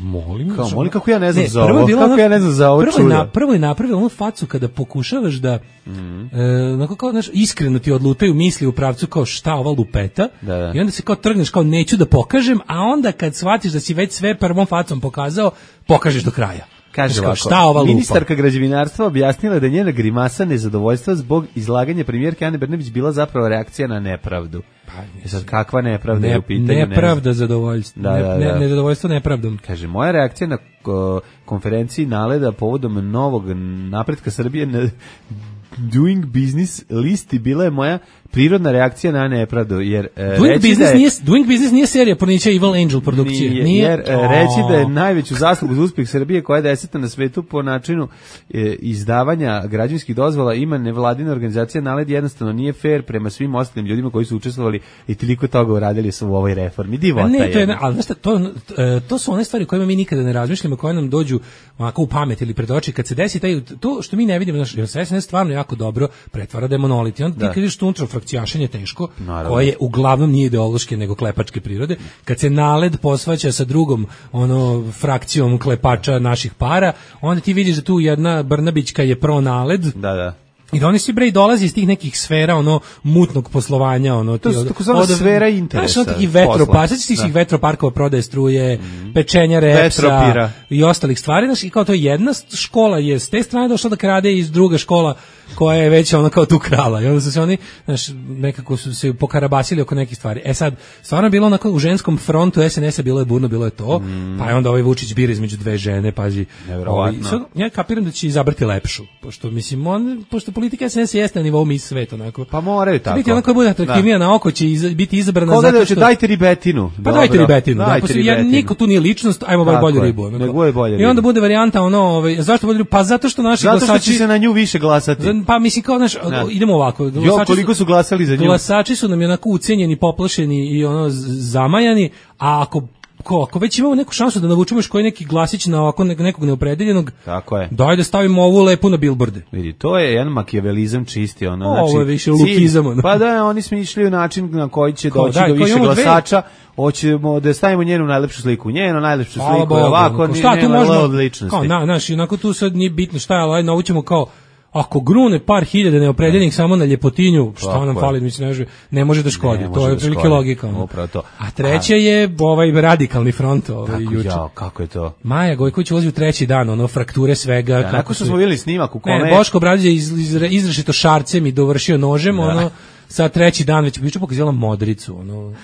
molim kako ja ne znam za ovo. Kako ja ne znam za ovo čudo. Prvo je napravila onu facu kada pokušavaš da onako kao iskreno ti odlutaju misli u pravcu kao šta ova lupeta i onda se kao trgneš kao neću da pokažem, a onda kad shvatiš da si već sve prvom facom pokazao, pokažeš do kraja. Kaže ovako, ministarka građevinarstva objasnila da je njena grimasa nezadovoljstva zbog izlaganja premijerke Ane Brnabić bila zapravo reakcija na nepravdu. Pa, sad kakva nepravda je u pitanju? Nepravda zadovoljstvo. Nezadovoljstvo nepravdom. Kaže, moja reakcija na konferenciji NALED-a povodom novog napretka Srbije na Doing Business listi bila je moja prirodna reakcija na nepravdu, jer Doing Business nije serija pornića Evil Angel produkcije. Jer reći da je najveću zaslugu za uspjeh Srbije, koja je 10. na svetu po načinu izdavanja građevinskih dozvola, ima nevladina organizacija NALED, jednostavno nije fair prema svim ostalim ljudima koji su učestvovali i toliko toga uradili su u ovoj reformi. Divota je. Ali to su one stvari o kojima mi nikada ne razmišljamo, koje nam dođu onako u pamet ili pred oči kad se desi to što mi ne vidimo, jer se SNS stvarno jako dobro pretvara da je monolit. I onda ti kad vidiš tu unutra frakcijašenje teško, koje uglavnom nije ideološke nego klepačke prirode, kad se NALED posvaća sa drugom frakcijom klepača naših para, onda ti vidiš da tu jedna Brnabićka je pro NALED, I da oni svi bre dolaze iz tih nekih sfera ono mutnog poslovanja, ono to su takozvana sfera interesa. Znaš, neki vetropark, svih vetroparkova prodaje struje, pečenja repsa i ostalih stvari, znaš, i kao to jedna škola je s te strane došla da krade iz druga škola koja je već ono kao tu krala. I onda su se oni, znaš, nekako su se pokarabasili oko nekih stvari. E sad, stvarno je bilo onako u ženskom frontu SNS-a, bilo je burno, bilo je to, pa je onda ovaj Vučić bira između dve žene, pazi. Ja kapiram da će izabrati lepšu, pošto mislim, pošto politika SNS jeste na nivou Miss Svet, onako. Pa moraju tako. Biti onako bude atraktivnija na oko, će biti izabrana zato što... Koga da dajte ribetinu. Pa dajte ribetinu. Niko tu nije ličnost, ajmo bar bolju ribu. I onda bude varijanta ono, zašto bolju ribu? Pa zato što naši glasači... Zato što će se na nju više glasati. Pa mislim kao, znaš, idemo ovako. Koliko su glasali za nju? Glasači su nam onako ucenjeni, poplašeni i ono zamajani, a ako već imamo neku šansu da navučemo još koji neki glasić na ovako nekog neopredeljenog, tako je. Daj da stavimo ovu lepu na bilborde. Vidi, to je jedan makijavelizam čisti, ono, znači. Ovo je više lukizam. Ono. Pa da, oni smišljaju način na koji će doći do više glasača. Hoćemo da stavimo njenu najlepšu sliku, sliku je ovako, nema odličnosti. Znaš, onako tu sad nije bitno šta je, ali navučemo kao ako grune par hiljada neopredeljenih samo na ljepotinju, šta nam fali, mislim, ne može da škodi. To je otprilike logika. A treće je ovaj radikalni front, juče. Kako je to? Maja Gojković ulazi u treći dan, ono frakture svega. Kako što smo vidjeli snimak u kome... Boško Obradović je izrešito šarcem i dovršio nožem, ono, sa treći dan već juče pokazala modricu, ono...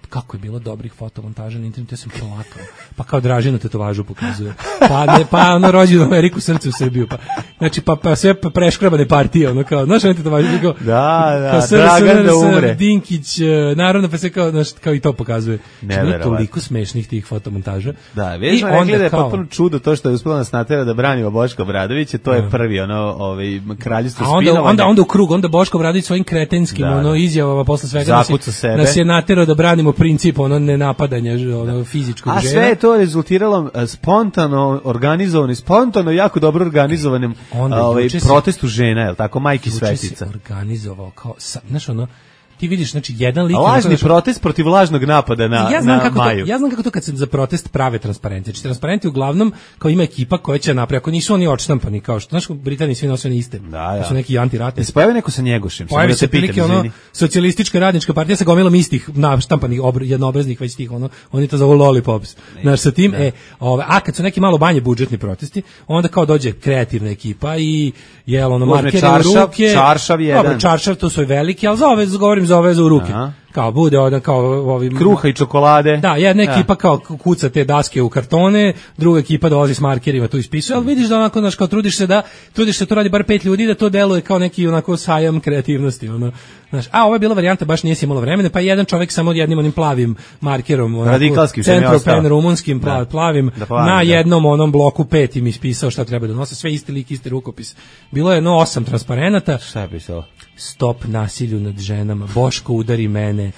Kako je bilo dobrih fotomontaža na internetu, ja sam plakao. Pa kao Dražinu tetovažu pokazuje. Pa ono rođen u Ameriku, srce u Srbiju. Znači, pa sve preškrabane partije, ono kao, znaš, ono tetovažu, kao, Dragan da umre. Dinkić, naravno, pa sve kao i to pokazuje. Znači, bilo toliko smešnih tih fotomontaža. Da, već smo rekli da je potpuno čudo to što je uspela nas natera da branimo Boška Obradovića, to je prvi, kraljevstvo spinovanja. Onda u krug, onda Boško Obradović svojim kretenskim, izjavama posle svega nas je naterao da branimo princip nenapadanja fizičkog žena. A sve je to rezultiralo spontano jako dobro organizovanim protestu žena, je li tako, majki svetica. Juče se organizovao kao, znaš ti vidiš, znači jedan lik... Lažni protest protiv lažnog napada na Maju. Ja znam kako to kad se za protest prave transparenti. Znači transparenti uglavnom kao ima ekipa koja će napraviti, ako nisu oni odštampani, kao što, znaš, u Britaniji svi nose iste. Da. To su neki antiratni. Se pojavi neko sa Njegošem. Pojavi se prilike socijalistička radnička partija sa gomilom istih naštampanih jednoobraznih već tih, oni to zovu lollipops. Znaš, sa tim, a kad su neki malo manje budžetni protesti, onda kao dođe kreativna ekipa i markeri u ruke. Čaršav jedan. Dobro, čaršav, to su veliki, ali za ove u ruke. Aha. Kao bude kruha i čokolade. Da, jedna ekipa kao kuca te daske u kartone, druga ekipa dolazi s markerima, tu ispisuje, ali vidiš da onako, znaš, kao trudiš se to radi bar 5 ljudi, da to deluje kao neki onako sajam kreativnosti, znaš. A ovo je bila varijanta, baš nije si imalo vremena, pa jedan čovjek samo jednim onim plavim markerom, radikalskim centropen rumunskim plavim, na jednom onom bloku 5 im ispisao šta treba da nose, sve isti lik, isti rukopis. Bilo je 8 transparenata. Šta je pisalo? Stop nasilju nad ženama, Boško udari mene,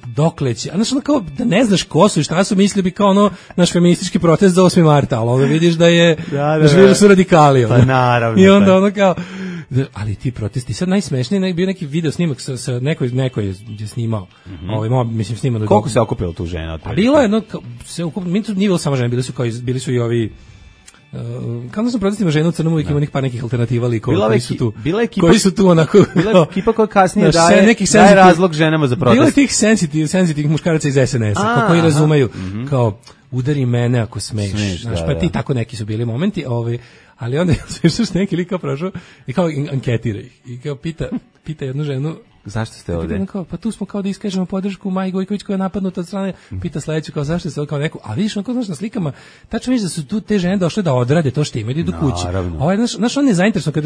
dokle će, znaš, kao da ne znaš ko su i šta su, mislili bi kao naš feministički protest za 8. marta, ali ovdje vidiš da je, da su radikali. Pa naravno. I onda kao, ali ti protesti, sad najsmešniji, bio neki video snimak sa neko je snimao, mislim snimao. Koliko se okupilo tu žena? A bilo je, nije bilo samo žene, bili su i ovi, kao da sam protestima žena u Crnom uvijek ima par nekih alternativa likova koji su tu onako... Bila ekipa koja kasnije daje razlog ženama za protest. Bilo je tih sensitivnih muškaraca iz SNS-a, koji razumeju, kao udari mene ako smeš. Pa ti tako neki su bili momenti, ali onda sve što neki lik kao prošao i kao anketira ih. I kao pita jednu ženu, zašto ste ovdje? Pa tu smo kao da iskažemo podršku Maji Gojković koja je napadnuta od strane, pita sledeću kao zašto ste kao neku, a vidiš onako, znaš, na slikama, tačno vidiš da su tu te žene došle da odrade to što imaju, idu kući. Znaš, on je zainteresovan kad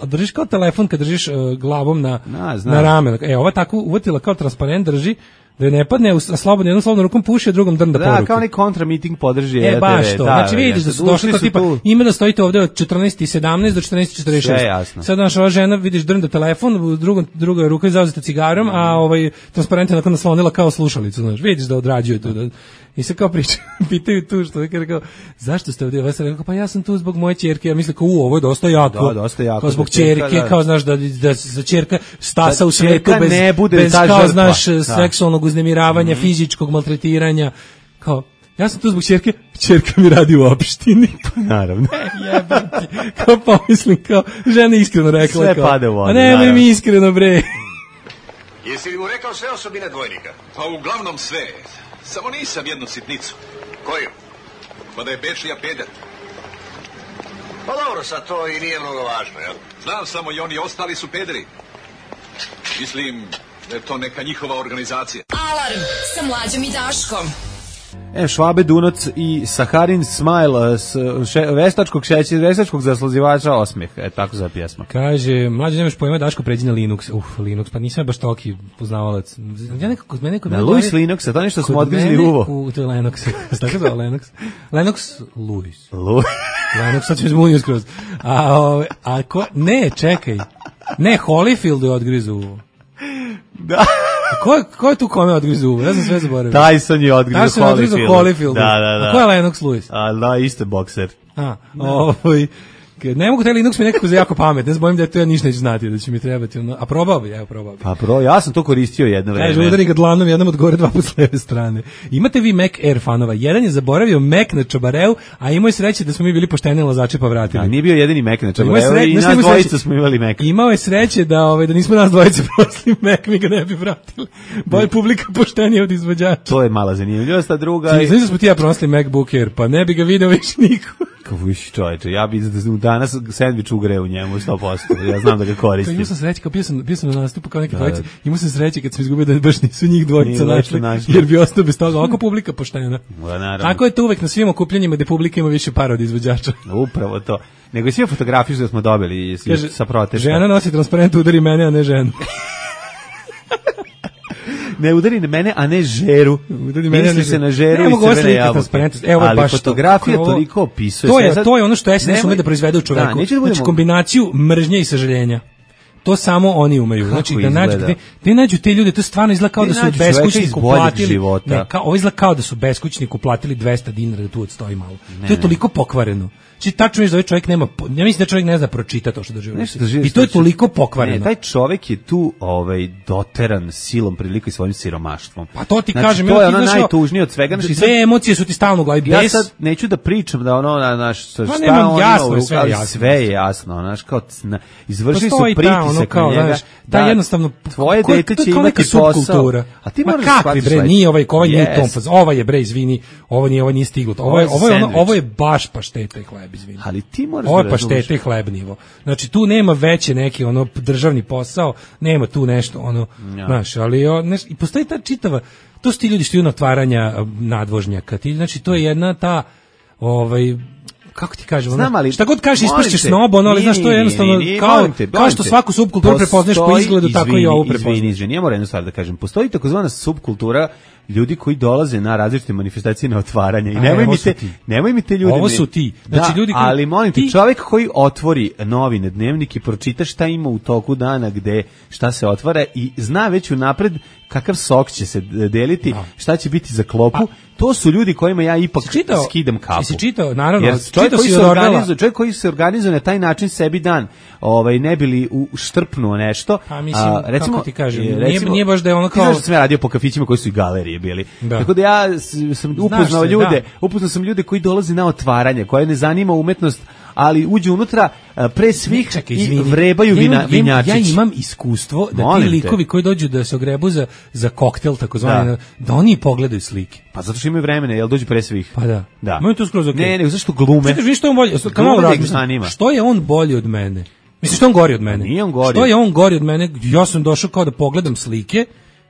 držiš kao telefon, kad držiš glavom na rame. Ova tako uvatila kao transparent drži, da ne padne, a slobodno jednom slobodnom rukom puši, a drugom drnda poruke. Da, kao neki kontramiting podrži. Baš to. Znači vidiš da su došli kao tipa, ima da stojite ovdje od 14:17 do 14:46. Sve jasno. Sad naša ova žena, vidiš, drnda telefon, u drugoj ruka je zauzeta cigarom, a transparent je nakon naslonila kao slušalicu, znaš, vidiš da odrađuje tu. I se kao pitaju tu što je kao, zašto ste ovdje? Pa ja sam tu zbog moje ćerke, ja mislim kao ovo je dosta jako. Da, dosta jako. Kao zbog ćerke, kao znaš da za ćerka stasa u svetu bez ne bude kao znaš seksualnog uznemiravanja, fizičkog maltretiranja, kao Ja sam tu zbog ćerka mi radi u opštini. Naravno. Jebati. Kao pomislim, kao žena iskreno rekla. Sve pade u vodu. A nemoj mi iskreno, bre. Jesi li mu rekao sve osobine dvojnika? Pa uglavnom sve. Samo nisam jednu sitnicu. Koju? Pa da je Bečija peder. Pa dobro, sad to i nije mnogo važno, jel? Znam samo i oni ostali su pederi. Mislim da je to neka njihova organizacija. Alarm sa Mlađom i Daškom. Švabe Dunac i Saharin Smile s veštačkog zaslazivača osmeh. Tako za pjesma. Kaže, Mlađe, nemaš pojma, Daško, pređi na Linux. Linux, pa nisam baš toki poznavalac. Ja nekako, na Louis Linux, a to nešto smo odgrizli uvo. To je Linux. Tako zove Linux. Linux Louis. Linux, sad ćemo zbunio skroz. Ne, čekaj. Ne, Holyfield je odgrizu uvo. Da. Ko je tu kome odgrizu uvo? Ja sam sve zaboravio. Tyson je odgrizu Holyfield. Da. A ko je Lennox Lewis? Da, isto bokser. Ne mogu taj Linux mi nekako za jako pamet, ne znam, bojim da to ja ništa neću znati, da će mi trebati, a probao bi. Pa ja sam to koristio jedno vreme. Kaže, udari ga dlanom jednom od gore, dva put s leve strane. Imate vi Mac Air fanova, jedan je zaboravio Mac na Čabareu, a imao je sreće da smo mi bili pošteni lazači pa vratili. A nije bio jedini Mac na Čabareu i nas dvojica smo imali Mac. Imao je sreće da nismo nas dvojice prosili Mac, mi ga ne bi vratili. Bolje publika poštenija od izvođača. To je mala zanimljivost, a druga... Znači da smo ti ja prosili MacBook Air, pa ne bi ga video više niko. Viš čovječe, ja bi danas sendvič ugreo u njemu 100%, ja znam da ga koristim. Imao sam sreće, kao bio sam na nastupu kao neki dvojice, imao sam sreće kad sam izgubio da baš nisu njih dvojica našli, jer bi ostao bez toga, ovako publika poštena. Tako je to uvek na svim okupljanjima gde publika ima više para od izvođača. Upravo to. Nego i sve fotografije što smo dobili sa protesta. Žena nosi transparent, udari mene, a ne ženu. Ne udari na mene, a ne žeru. Misli se na žeru i crvene jabuke. Ali fotografija toliko opisuje. To je ono što SNS ume da proizvede u čoveku. Znači kombinaciju mržnje i sažaljenja. To samo oni umeju. Znači da nađu te ljude, to stvarno izgleda kao da su beskućniku platili. Ovo izgleda kao da su beskućniku platili 200 dinara da tu odstoji malo. To je toliko pokvareno. Znači tačno je da ovaj čovjek nema, ja mislim da čovjek ne zna pročita to što doživio. I to je toliko pokvareno. Ne, taj čovjek je tu doteran silom prilika i svojim siromaštvom. Pa to ti znači, kažem, to je ono najtužnije od svega. Znači, sve emocije su ti stalno u glavi. Ja sad neću da pričam da šta on ima, sve je jasno, znaš, kao izvršili su pritisak na njega. Da, jednostavno, tvoje dete će imati posao. A ti moraš shvatiti, bre, nije ovaj nije Tomfaz, ova je, bre, izvini, ovo nije stiglo. Ovo je baš pašteta i hleb, izvini. Ali ti moraš ovo je pašteta i hleb nivo. Znači tu nema veće neki državni posao, nema tu nešto znaš, ali i postoji ta čitava, to su ti ljudi što idu na otvaranja nadvožnjaka. Znači to je jedna ta kako ti kažem, šta god kažeš ispašćeš snob, ali znaš, to je jednostavno kao što svaku subkulturu prepoznaš po izgledu, tako i ovo prepoznaš. Izvini, ja moram jednu stvar da kažem, postoji takozvana subkultura ljudi koji dolaze na različite manifestacije na otvaranje i nemoj mi te ljudi. Ovo su ti. Znači, ljudi ali molim te, čovjek koji otvori novine, dnevnik i pročita šta ima u toku dana, gde šta se otvara i zna već unapred kakav sok će se deliti, šta će biti za klopu, to su ljudi kojima ja ipak skidam kapu. Si čitao, naravno. Jer čovjek koji se organizuje na taj način sebi dan, ne bili uštrpnuo nešto. Pa mislim, kako ti kažem, nije baš da je ono kao... Ti znaš da sam ja radio po kafićima koji su i galerije bili. Tako da ja sam upoznao sam ljude koji dolaze na otvaranje, koje ne zanima umetnost, ali uđu unutra pre svih i vrebaju vinjačić. Ja imam iskustvo da ti likovi koji dođu da se ogrebu za koktel, takozvani, da oni pogledaju slike. Pa zato što imaju vremena, jel dođu pre svih. Pa da. Moj to skroz okej. Ne, zašto glume? Što je on bolji? Što je on bolji od mene? Mislim, što on gori od mene? Nije on gori. Što je on gori od mene? Ja sam došao kao da pogledam slike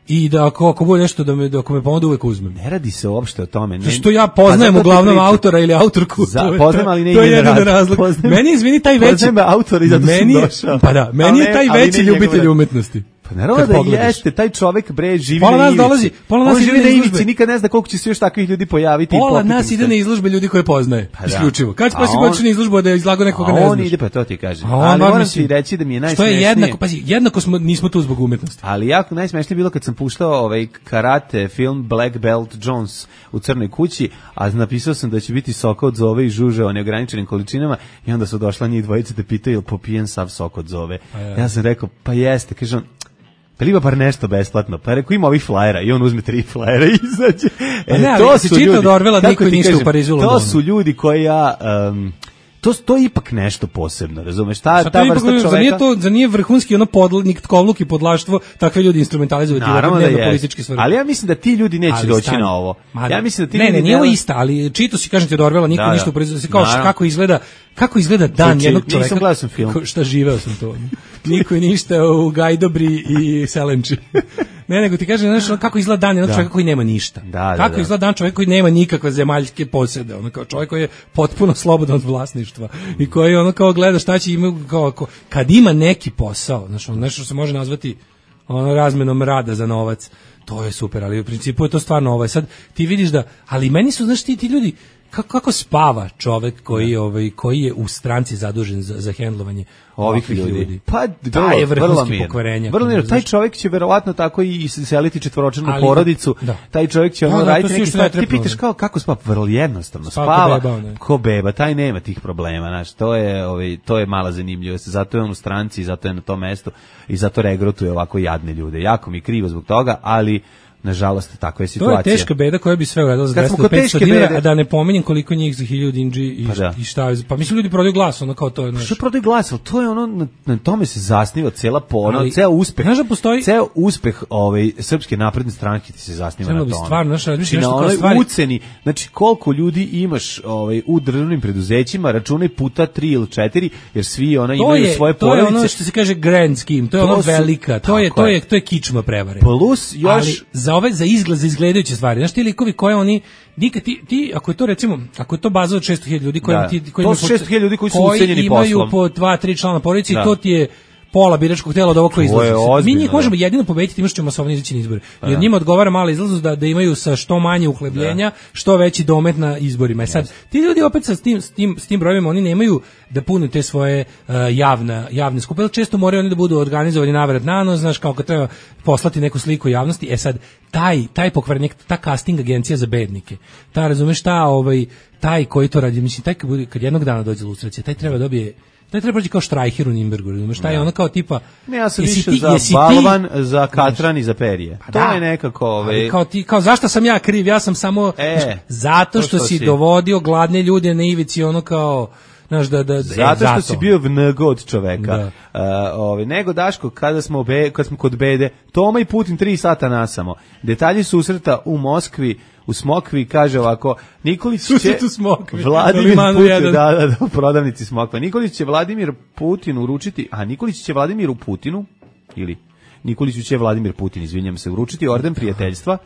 i da ako bude nešto ako me pomogne uvek uzmem. Ne radi se uopšte o tome. Što ja poznajem uglavnom autora ili autorku. Poznajem, ali ne to je jedan razlog. Meni izvini taj veći. Poznajem autora i zato sam došao. Pa da, meni je taj veći ljubitelj umetnosti. Pa naravno da jeste, taj čovjek bre živi na ivici. Pola nas živi na ivici, nikad ne zna koliko će se još takvih ljudi pojaviti. Pola nas ide na izložbe ljudi koje poznaje, isključivo. Kad će poći na izložbu da izlago nekoga ne znaš? On ide, pa to ti kažem. Ali moram ti reći da mi je najsmešnije. Što je jednako nismo tu zbog umetnosti. Ali jako najsmešnije bilo kad sam puštao karate film Black Belt Jones u Crnoj kući, a napisao sam da će biti sok od zove i žuže o neograničenim količinama i onda su došla njih dvojice da pitaju jel popijen sav sok od zove. Ja sam rekao, pa jeste, kaže on, Pa ima bar nešto besplatno. Pa rekao, ima ovih flajera i on uzme 3 flajera i izađe. To su ljudi, od Orvela niko ništa u Parizu i Londonu. To su ljudi koji to je ipak nešto posebno, razumeš? Ta vrsta čoveka... Za nije vrhunski podlnik, tkovluk i podlaštvo, takve ljudi instrumentalizuju dnevno politički svrhe. Ali ja mislim da ti ljudi neće doći na ovo. Ja mislim da ti ljudi... Ne, nije ovo ista, ali čito si, kažem ti, od Orvela niko ništa u Parizu. Kako izgleda dan jednog čoveka... Nisam gledao sam film. Šta živeo sam to. Niko je ništa u Gajdobri i Selenči. Ne, nego ti kažem, znaš, kako izgleda dan jednog čovjeka koji nema ništa. Kako izgleda dan čovjeka koji nema nikakve zemaljske posjede, ono kao čovjek koji je potpuno slobodan od vlasništva i koji ono kao gleda šta će imati, kad ima neki posao, znaš, nešto se može nazvati razmenom rada za novac, to je super, ali u principu je to stvarno sad ti vidiš da, ali meni su, znaš, ti ljudi, kako spava čovek koji je u stranci zadužen za hendlovanje ovih ljudi. Pa taj je vrhunski pokvarenja. Taj čovjek će verovatno tako i seliti četvoročlanu porodicu. Taj čovjek će raditi neki stvar. Ti pitaš kako spava? Vrlo jednostavno. Spava ko beba. Taj nema tih problema. Znaš, to je mala zanimljivost. Zato je on u stranci, zato je na tom mestu i zato regrutuje ovako jadne ljude. Jako mi je krivo zbog toga, ali nažalost, takva je situacija. To je teška beda koja bi sve uradila za 200-500 dinara, a da ne pominjem koliko njih za 1000 dinđi i šta. Pa mislim, ljudi prodaju glas, ono kao to je. Što prodaju glas, ali to je ono, na tome se zasniva cela ceo uspeh. Znaš da postoji... Ceo uspeh Srpske napredne stranke ti se zasniva na tome. Stvarno, znači, na onoj uceni, znači koliko ljudi imaš u državnim preduzećima, računaj puta 3 ili 4, jer svi imaju svoje porodice. To je ono što se kaže grand scheme, to je ono velika, to je kičma prevare. Plus još za izgledajuće stvari. Znaš ti likovi koje oni nikad ti ako je to recimo, ako je to baza od 600.000 ljudi koji to su 600.000 ljudi koji su ucenjeni poslom. Imaju po 2-3 člana porodice i to ti je pola biračkog tela od ovog koji izlazi. Mi njih možemo jedino pobediti time što ćemo masovno izaći na izbore. Jer njima odgovara mala izlaznost da imaju sa što manje uhlebljenja, što veći domet na izborima. I sad, ti ljudi opet s tim brojevima, oni nemaju da pune te svoje javne skupe, ali često moraju oni da budu organizovani navrat na nos, znaš, kao kad treba poslati neku sliku javnosti. Sad, taj pokvarenik, ta casting agencija za bednike, razumeš, taj koji to radi, mislim, taj kad jednog dana dođe lustracija, taj treba dobije. Taj treba proći kao Štrajher u Nimbergu, razumiješ, taj je ono kao tipa... Ne, ja sam više za balvan, za katran i za perje. To je nekako... Kao zašto sam ja kriv, ja sam samo... zato što si dovodio gladne ljude na ivici, ono kao... Zato što si bio vnego od čoveka. Nego, Daško, kad smo kod bede, Toma i Putin 3 sata nasamo. Detalji susreta u Moskvi, u Smokvi, kaže ovako, Nikolić će Vladimir Putin, u prodavnici Smokva, Nikolić će Vladimir Putin uručiti, Nikolić će Vladimiru Putinu, ili Nikoliću će Vladimir Putin, izvinjam se, uručiti orden prijateljstva.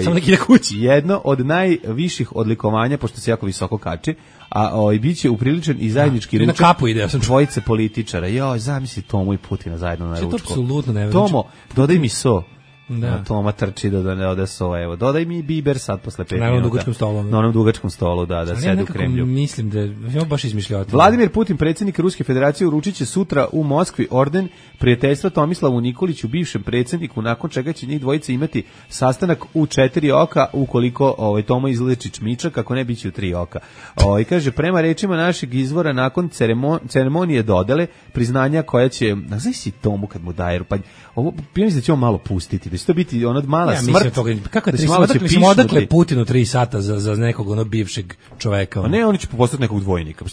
Samo neki da kući. Jedno od najviših odlikovanja, pošto se jako visoko kači, a bit će upriličen i zajednički ručak dvojice političara. Zamisli Tomu i Putina zajedno na ručku. To je apsolutno nevjerojatno. Tomo, dodaj mi so. Toma trči da ne ode so, evo. Dodaj mi biber sad posle 5 minuta. Na onom dugačkom stolu, da sedi u Kremlju. Mislim da je baš izmišljao. Vladimir Putin, predsjednik Ruske federacije, uručit će sutra u Moskvi orden prijateljstva Tomislavu Nikoliću, bivšem predsjedniku, nakon čega će njih dvojice imati sastanak u 4 oka, ukoliko Tomo izleči čmičak, ako ne biće u 3 oka. Kaže, prema rečima našeg izvora, nakon ceremonije dodele, priznanja koja će, znaš si Tomu kad mu daje, pa ovo, mislim da će on malo pustiti, da će to biti ona mala smrt. Kako je 3 sata? Odakle Putinu 3 sata za nekog bivšeg čoveka? Ne, oni će postati nekog dvojnika.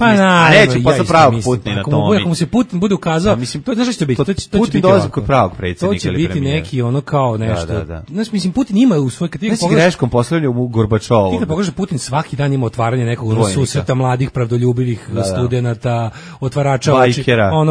Neće postati pravog Putina. Ako mu se Putin bude ukazao, to znaš što će biti? Putin dolazi kod pravog predsjednika. To će biti neki ono kao nešto. Znaš, mislim, Putin ima u svoj... Ne si greškom poslednju u Gorbačovu. Ti kad pogledaš, Putin svaki dan ima otvaranje nekog susreta mladih, pravdoljubivih studenata, otvarača oči,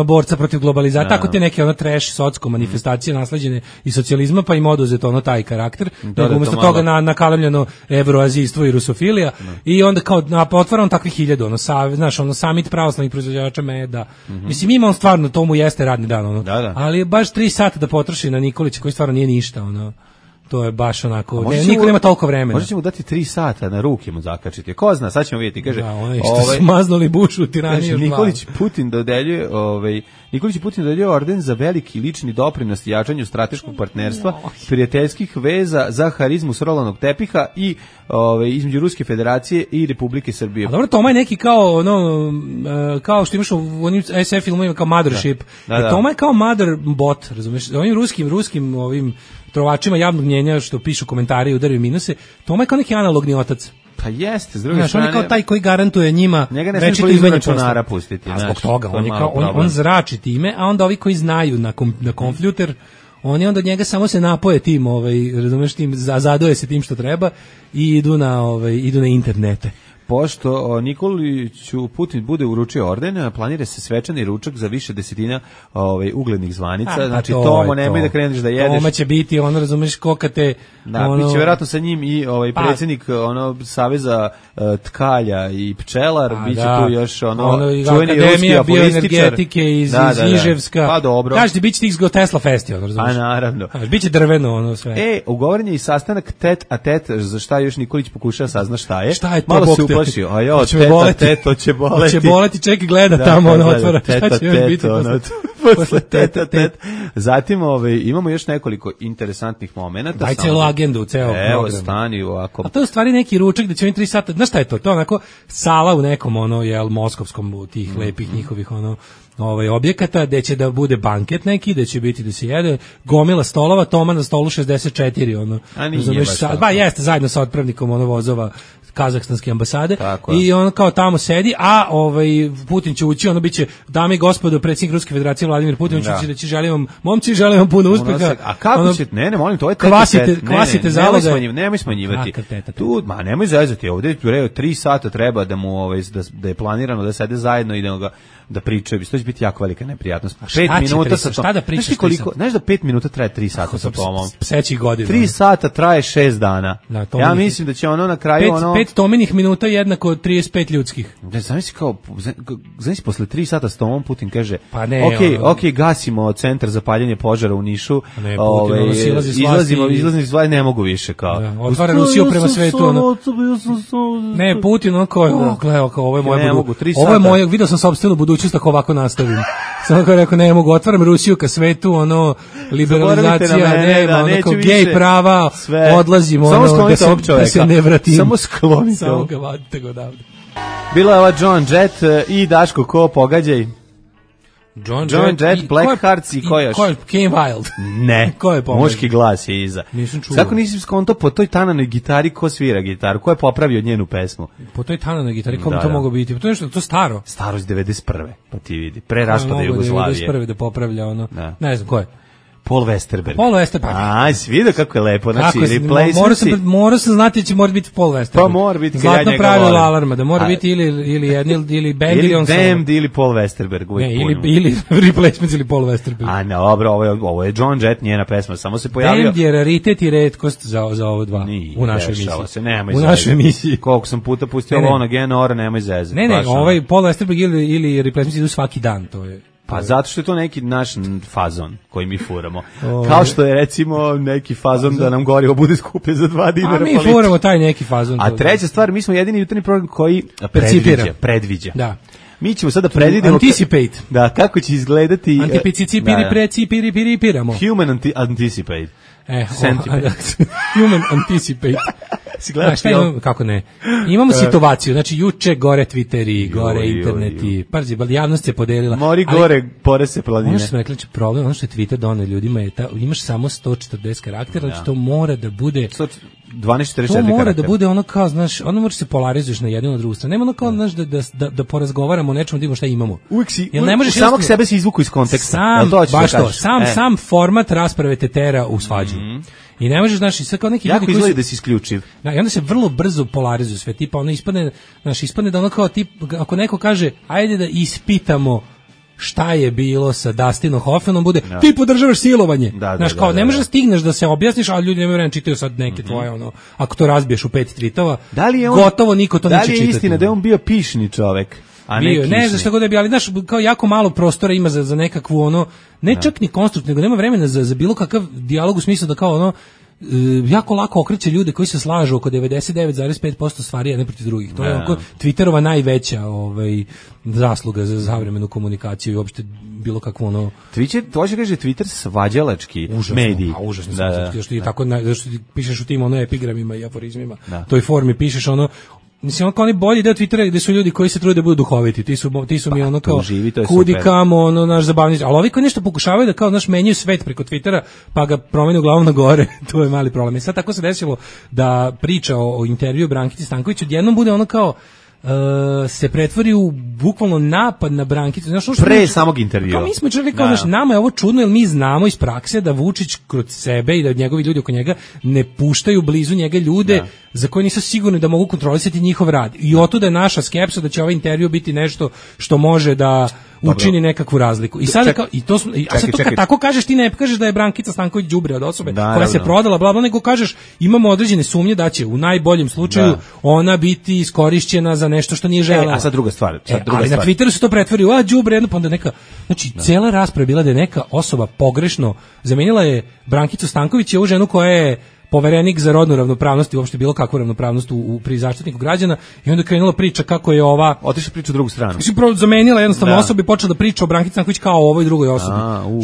borca protiv globalizacije, tako te neke trash socko manifestacije nasleđene iz socijalizma, pa im oduzeto taj karakter, nego umjesto toga nakalemljeno evroazijstvo i rusofilija, i onda kao otvaram takvih 1000, znaš, samit pravoslavnih proizvođača meda. Mislim, ima on stvarno, to mu jeste radni dan, ali baš 3 sata da potroši na Nikolića, koji stvarno nije ništa, To je baš onako, niko nema toliko vremena. Možda ćemo dati 3 sata na ruke mu zakačiti. Ko zna, sad ćemo vidjeti, kaže. Da, onaj što su maznuli Bušu u tiraniji. Nikolić Putin dodeljuje, orden za veliki lični doprinos jačanju strateškog partnerstva, prijateljskih veza za harizmu srolanog tepiha i između Ruske federacije i Republike Srbije. A dobro, Toma je neki kao kao što imaš u onim SF filmovima kao Mothership. Da. Toma je kao mother bot, razumiješ? Ovim ruskim ovim trovačima javnog mnjenja što pišu komentari i udaraju minuse, Toma je kao neki analogni otac. Pa jeste, s druge strane. On je kao taj koji garantuje njima većito izmenje računara pustiti. A zbog toga, on zrači time, a onda ovi koji znaju na kompjuter, oni onda od njega samo se napoje tim, razumeš, tim, zadoje se tim što treba i idu na internete. Pošto Nikoliću Putin bude uručio orden, planira se svečani ručak za više desetina uglednih zvanica. Znači, Tomo, nemoj da kreneš da jedeš. Toma će biti, razumeš, kokate. Da, biće vjerojatno sa njim i predsjednik Saveza tkalja i pčelar, biće tu još čuveni ruski apolističar. Bioenergetike iz Iževska. Pa dobro. Kažete, biće tih Tesla festi, razumeš. A naravno. Biće drveno, sve. Ugovoren je i sastanak tet a tet, za šta još Nikolić pokuša sazna šta je. Šta je to, malo se uplašio, a jo, to će boleti. Će boleti, čekaj, gleda tamo, otvara, šta će još biti posle teta. Zatim imamo još nekoliko interesantnih momenata. Daj celu agendu, ceo program. Evo, stani ovako. A to je u stvari neki ručak da će oni 3 sata, znaš šta je to? To je onako sala u nekom, moskovskom, tih lepih njihovih, objekata, gde će da bude banket neki, gde će biti da se jede, gomila stolova, Toma na stolu 64, A nije baš tako. Jeste, zajedno sa otpravnikom, vozova kazahstanske ambasade. Tako. I on kao tamo sedi, a Putin će ući, biće, dame i gospodo, predsjednik Ruske federacije Vladimir Putin će da će želim vam puno uspeha. A kako će, ne, molim, to je kvasite zaloga. Nemoj smanjivati. Tu, nemoj zezati, ovdje 3 sata treba da mu, da je planirano da sede zajedno i da pričaju, to će biti jako velika neprijatnost. 5 minuta sa šta da pričaš? Znaš da 5 minuta traje 3 sata sa Tomom? Psećih godina. 3 sata traje 6 dana. Ja mislim da će na kraju 5 Tominih minuta jednako 35 ljudskih. Znaš, posle 3 sata s Tomom Putin kaže, pa ne, ok, gasimo centar za paljenje požara u Nišu, izlazni iz vlasti, ne mogu više. Otvara Rusiju prema svetu. Ne, Putin, ovo je moje, vidio sam sopstvenu budućnost ako ovako nastavim. Samo kao rekao, ne mogu, otvaram Rusiju ka svetu, liberalizacija, nema, kao gej prava, odlazim, da se ne vratim. Samo sklonite. Samo ga vadite go odavde. Bila je ova John Jett i Daško, ko pogađaj? John Jett, Black Hearts i ko još? Ko je Kane Wild? Ne, ko je pogađaj? Muški glas je iza. Nisam čuo. Kako nisi skonto po toj tananoj gitari ko svira gitaru? Ko je popravio njenu pesmu? Po toj tananoj gitari, ko bi to mogao biti? To je to staro? Staro iz 91. Pa ti vidi, pre raspada Jugoslavije. 91. da popravlja ne znam ko je. Paul Westerberg. Paul Westerberg. A, si vidio kako je lepo. Znači, replacement. Mora se znati da će mora biti Paul Westerberg. Pa mora biti. Zlatno pravilo alarma, da mora biti ili band ili on solo. Ili Damned ili Paul Westerberg. Ne, ili replacement ili Paul Westerberg. A, ne, dobro, ovo je John Jett, njena pesma, samo se pojavio. Damned je raritet i retkost za ovo dva. U našoj emisiji. U našoj emisiji. Koliko sam puta pustio ovo na Genora, nemoj zezati. Ne, ovaj Paul Westerberg ili replacement idu svaki dan, to je. Pa zato što je to neki naš fazon koji mi furamo. Kao što je recimo neki fazon da nam gorivo bude skuplje za 2 dinara. A mi furamo taj neki fazon. A treća stvar, mi smo jedini jutarnji program koji predviđa. Da. Mi ćemo sada predvidjeti anticipate. Da, kako će izgledati antipiramo. Human anticipate. Human anticipate. Kako ne? Imamo situaciju, znači juče gore Twitteri, gore interneti, pazi, javnost se podelila. Mori gore, pore se planine. Ono što smo rekli, problem, ono što je Twitter doneo ljudima je imaš samo 140 karaktera, znači to mora da bude 1244 to mora da bude ono kao, znaš, ono može se polarizuješ na jednu na drugu stranu. Nema ono kao, znaš, da porazgovaramo o nečemu, da imamo šta imamo. Samog sebe se izvuku iz konteksta. Sam format rasprave te tera u svađu. I ne možeš, znaš, i sad kao neki jako ljudi izgleda da si isključiv. Da, i onda se vrlo brzo polarizuju sve, tipa ono ispadne da ono kao tip, ako neko kaže, ajde da ispitamo šta je bilo sa Dustinom Hoffmanom, bude, ti podržavaš silovanje. Znaš, kao, ne možeš da stigneš da se objasniš, ali ljudi nemaju vremena, čitaju sad neke tvoje, ono, ako to razbiješ u 5 tweetova, gotovo niko to neće čitati. Da li je istina da je on bio pišni čovek? Ne znam šta god je bio, ali znaš, kao jako malo prostora ima za nekakvu ono, ne čak ni konstruktivno, nego nema vremena za bilo kakav dijalog u smislu da kao ono, jako lako okreće ljude koji se slažu oko 99,5% stvari jedne protiv drugih. To je oko Twitterova najveća zasluga za savremenu komunikaciju i uopšte bilo kakvo ono... To će kaže Twitter svađalački mediji. Užasno. Što ti tako, što ti pišeš u tim epigramima i aforizmima, toj formi pišeš mislim, oni bolji deo Twittera gde su ljudi koji se trude da budu duhoviti, ti su mi ono kao kudi kamo, naš zabavnici, ali ovi koji nešto pokušavaju da kao menjaju svet preko Twittera, pa ga promenu glavom na gore, to je mali problem. I sad tako se desilo da priča o intervju Brankici Stanković odjednom bude ono kao se pretvori u bukvalno napad na Brankicu. Pre samog intervjua. Mi smo čuli kao nama je ovo čudno, jer mi znamo iz prakse da Vučić kroz sebe i da njegovi ljudi oko njega ne puštaju blizu njega ljude za koje nisu sigurni da mogu kontrolisati njihov rad. I otuda je naša skepsa da će ovaj intervju biti nešto što može da učini nekakvu razliku. I sada kad tako kažeš, ti ne kažeš da je Brankica Stanković đubre od osobe koja se prodala, bla bla, nego kažeš imamo određene sumnje da će u najboljem slučaju ona biti iskorišćena za nešto što nije želela. A sad druga stvar. Ali na Twitteru se to pretvori u đubre, jedno pa onda neka, znači cijela rasprava je bila da je neka osoba pogrešno zamenila je Brankicu Stanković je ovu ženu koja je poverenik za rodnu ravnopravnost i uopšte bilo kakvu ravnopravnost pri Zaštitniku građana i onda krenula priča kako je ova otišla priča u drugu stranu. Znači zamenila jednostavno osobu i počela da priča o Brankici Stanković kao o ovoj drugoj osobi.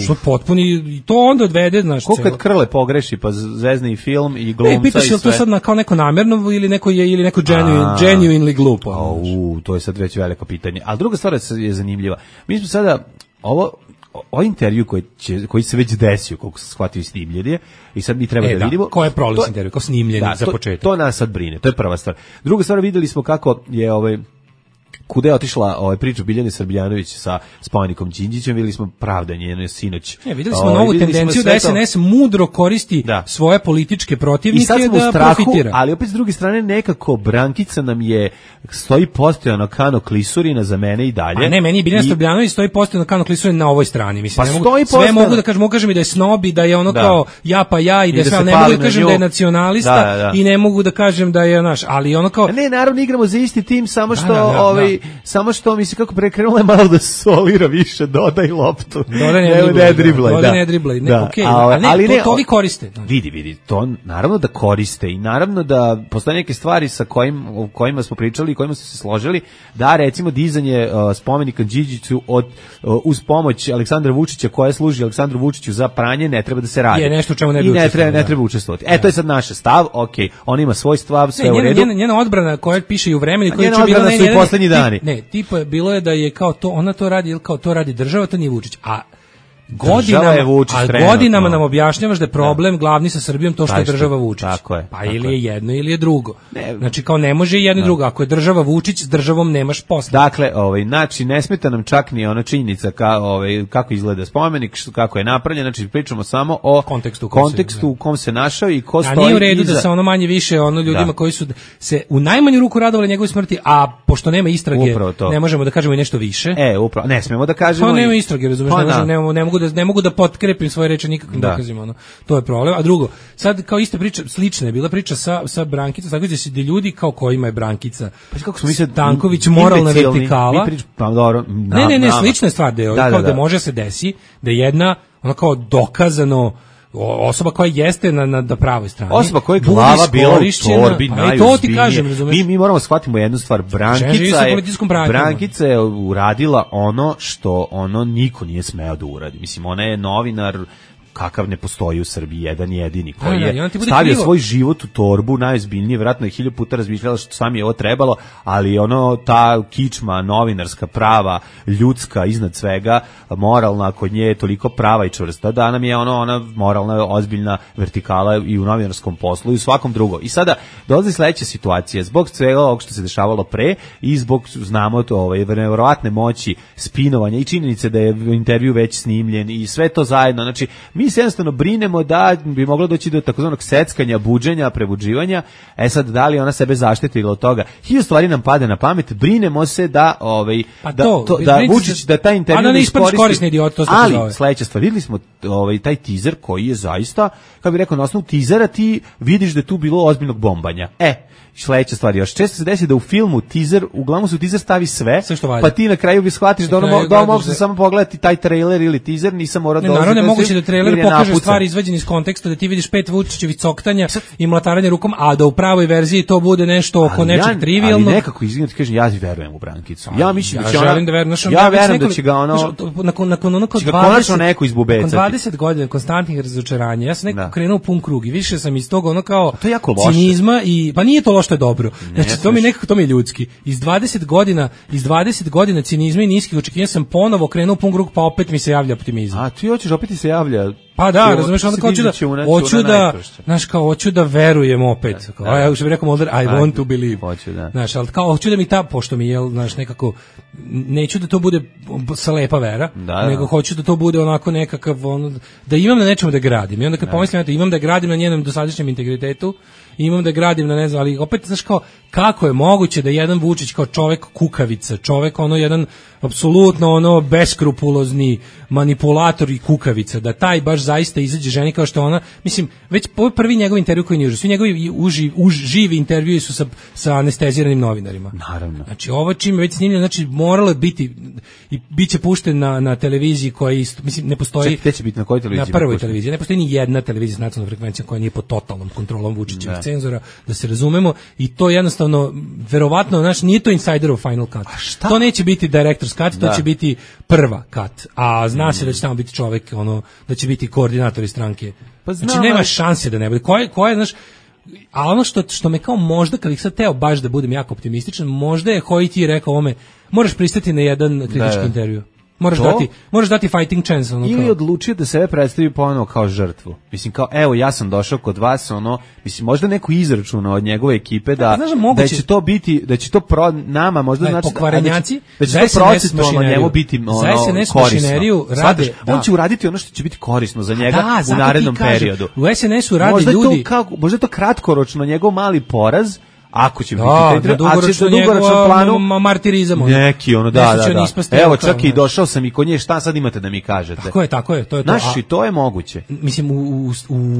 Što potpuni i to onda odvede, znaš, ko kad Krle pogreši pa zvezne i film i glumca i sve. Pitaš je li to sad kao neko namjerno ili neko genuinely glupo. To je sad već veliko pitanje. Ali druga stvar je zanimljiva. Mi smo sada o intervju koji se već desio, koliko se shvatio i snimljen je, i sad mi treba da vidimo... Ko je prolaz intervju, kao snimljeni za početak. To nas sad brine, to je prva stvar. Druga stvar, videli smo kako je kuda je otišla priča Biljane Srbljanović sa spomenikom Đinđićem, videli smo pravdanje njeno sinoć. Videli smo novu tendenciju da SNS mudro koristi svoje političke protivnike da profitira. Ali opet s druge strane nekako Brankica nam stoji postojano kano klisurina za mene i dalje. A ne, meni je Biljana Srbljanović stoji postojano kano klisurina na ovoj strani. Mislim, sve mogu da kažem, mogu kažem i da je snob i da je ono kao ja i da sve, ali ne mogu da kažem da je nacionalista i ne mogu da kažem da je naš, ali ono kao... Ne, naravno igramo za isti tim, samo što samo što mi se kako prekrenula je malo da solira više, dodaj loptu. Ne driblaj. Ali to vi koriste. Vidi, to naravno da koriste i naravno da postoje neke stvari o kojima smo pričali i kojima smo se složili, da recimo dizanje spomenika Đinđiću uz pomoć Aleksandra Vučića koja služi Aleksandru Vučiću za pranje ne treba da se radi. Je nešto čemu ne treba učestvovati. To je sad naš stav, okej, on ima svoj stav, sve u redu. Njena odbrana koja piše i u Vremenu i koja će bila su i poslednji dani. Ne, tipa bilo je da je kao to, ona to radi, ili kao to radi država, to nije Vučić. A godinama nam objašnjavaš da je problem glavni sa Srbijom to što je država Vučić. Tako je. Pa ili je jedno ili je drugo. Znači kao ne može jedno i drugo. Ako je država Vučić, s državom nemaš posla. Dakle, znači ne smeta nam čak ni ona činjenica kako izgleda spomenik, kako je napravljen, znači pričamo samo o kontekstu u kom se našao i ko stoji. A nije u redu da se ono manje više ljudima koji su se u najmanju ruku radovali njegovoj smrti, a pošto nema istrage, ne možemo da kažemo i nešto više. Upravo, ne smemo da kažemo. Pa nema istrage, razumeš, ne mogu da potkrepim svoje reči nikakvim dokazima, to je problem. A drugo, sad kao ista priča, slična je bila priča sa Brankicom, tako da se ljudi kao kojima je Brankica Stanković moralna vertikala. Ne, slična je stvar da može se desi da jedna ona kao dokazano osoba koja jeste na pravoj strani. Osoba koja je glava bila u torbi najozbiljnije. Mi moramo shvatimo jednu stvar. Brankica je uradila ono što niko nije smeo da uradi. Mislim, ona je novinar kakav ne postoji u Srbiji, jedan jedini, koji je stavio svoj život u torbu, najozbiljnije, vjerojatno je 1000 puta razmišljala što sam je ovo trebalo, ali ta kičma, novinarska, prava, ljudska, iznad svega, moralna, kod nje je toliko prava i čvrsta, da nam je ona moralna, ozbiljna vertikala i u novinarskom poslu i u svakom drugom. I sada dolazi sledeća situacija, zbog svega ovog što se dešavalo pre i zbog, znamo to, nevjerovatne moći spinovanja i činjenice da je intervju već snimljen i sve to zajedno, znači, mi se jednostavno brinemo da bi moglo doći do takozvanog seckanja, buđenja, prebuđivanja. Sad, da li ona sebe zaštitila od toga? 1000 stvari nam pade na pamet, brinemo se da Vučić, da taj intervju ne iskoristi. Ali, sledeća stvar, videli smo taj teaser koji je zaista, kako bih rekao, na osnovu teasera ti vidiš da je tu bilo ozbiljnog bombanja. Sledeća stvar, još često se desi da u filmu teaser, uglavnom se u teaser stavi sve pa ti na kraju bi shvatiš da mogu se samo pogledati taj trailer ili teaser, nisam morao da naravno, moguće da trailer jer je pokaže napucan. stvari izvađene iz konteksta, da ti vidiš 5 Vučićevih coktanja i mlataranje rukom, a da u pravoj verziji to bude nešto oko nečeg trivijalnog. Ali nekako, izvinite, ti kažem, ja verujem u Brankicu. Ja mislim da će ona... želim da verujem, ja verujem da će ga ono... Nakon ono kao 20... neko izbubecati. Nakon 20 godina konstantnih razočaranja, ja sam nekako krenuo pun krug i više sam iz toga ono kao to je jako loše. Cinizma i pa nije to loše, to je dobro. Znači to mi nekako, to mi je ljudski. Iz 20 godina cinizma i niskih očekivanja sam ponovo krenuo pun krug, pa opet mi se javlja optimizam. A ti hoćeš opet ti se javlja? Pa da, razumeš, onda kao hoću da verujem opet. Kao, ja što bih rekao Mulder, I want to believe. Znaš, ali kao hoću da mi pošto mi je, znaš, nekako, neću da to bude slepa vera, nego hoću da to bude onako nekakav, ono, da imam na nečemu da gradim. I onda kad pomislim, imam da gradim na njenom dosadašnjem integritetu, imam da gradim na ne znam, ali opet, znaš, kao, kako je moguće da jedan Vučić kao čovek kukavica, čovek ono jedan apsolutno ono beskrupulozni manipulator i kukavica, da taj baš zaista izađe ženi kao što ona, mislim, već prvi njegov intervju koji nije užas, svi njegovi živi intervjui su sa anesteziranim novinarima. Naravno. Znači, ovo čime već snimljeno, znači, moralo je biti i bit će pušten na televiziji koja isto, mislim, ne postoji... Gde će biti, na kojoj televiziji? Na prvoj televiziji. Ne postoji ni jedna televizija s nacionalnom frekvencijom koja nije pod totalnom kontrolom Vučićevih cenzora, da se razumemo, i to jednostavno, verovatno, znači, nije to Insiderov Final Cut. To neće biti Director's Cut, to će biti prva cut. A zna se da će tamo biti čovek, ono, da će biti koordinatori stranke. Pa znači, nema šanse da ne bude. Ko je, znaš, a ono što me kao možda, kad ih sad teo baš da budem jako optimističan, možda je Hojti rekao ovome, moraš pristati na jedan kritički intervju. Moraš dati fighting chance. Ono, ili odlučio da sebe predstavi ponovo kao žrtvu. Mislim, kao, evo, ja sam došao kod vas, ono, mislim, možda neku izračuna od njegove ekipe da će to biti, da će to nama možda znači pokvarenjaci, da će to procentualno njemu biti ono korisno. Rade, on će uraditi ono što će biti korisno za njega u narednom periodu. U SNS-u rade ljudi. Možda je to kratkoročno njegov mali poraz, ako će biti dugoročno planu martirizam. Neki ono, da. Evo, čak i došao sam i kod nje, šta sad imate da mi kažete? Tako je, to je to. Znaš, i to je moguće. Mislim,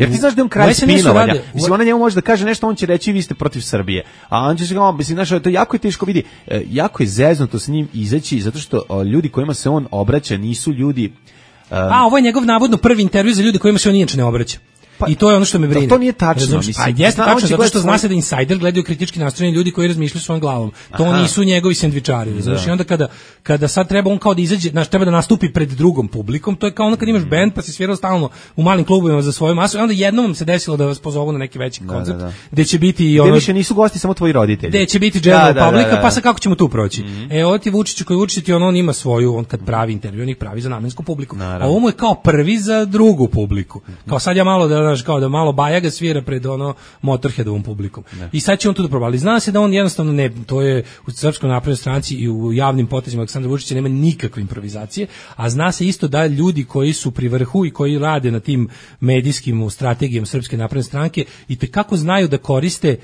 jer ti znaš da je on kraj spinovanja. Mislim, ona njemu može da kaže nešto, on će reći vi ste protiv Srbije. A on će se, mislim, znaš, to jako je teško vidi. Jako je zeznuto s njim izaći, zato što ljudi kojima se on obraća nisu ljudi... ovo je njegov navodno prvi intervju za ljudi kojima se on inače ne obraća. I to je ono što me brine. To nije tačno, mislim. Jeste tačno, zato što zna se da Insider gledaju kritički nastrojeni ljudi koji razmišljaju svojom glavom. To nisu njegovi sendvičari. Znači, onda kada sad treba on kao da izađe, znači treba da nastupi pred drugom publikom, to je kao ono kad imaš bend pa si svirao stalno u malim klubovima za svoju masu, i onda jednom vam se desilo da vas pozovu na neki veći koncert, gde će biti i ono... Gde više nisu gosti samo tvoji roditelji. Gde će biti general publika, pa sa kako ćemo tu proći. Ovo ti Vučiću koji Vučić ti on ima svoju, on kad pravi intervju, on ih pravi za namensku publiku. A ovo mu je kao prvi za drugu publiku. Kao sad ja malo da malo Bajaga svira pred ono Motorheadovom publikom. I sad će on to da proba. Ali zna se da on jednostavno ne, to je u Srpskoj naprednoj stranci i u javnim potezima Aleksandra Vučića nema nikakve improvizacije, a zna se isto da ljudi koji su pri vrhu i koji rade na tim medijskim strategijama Srpske napredne stranke i tekako znaju da koriste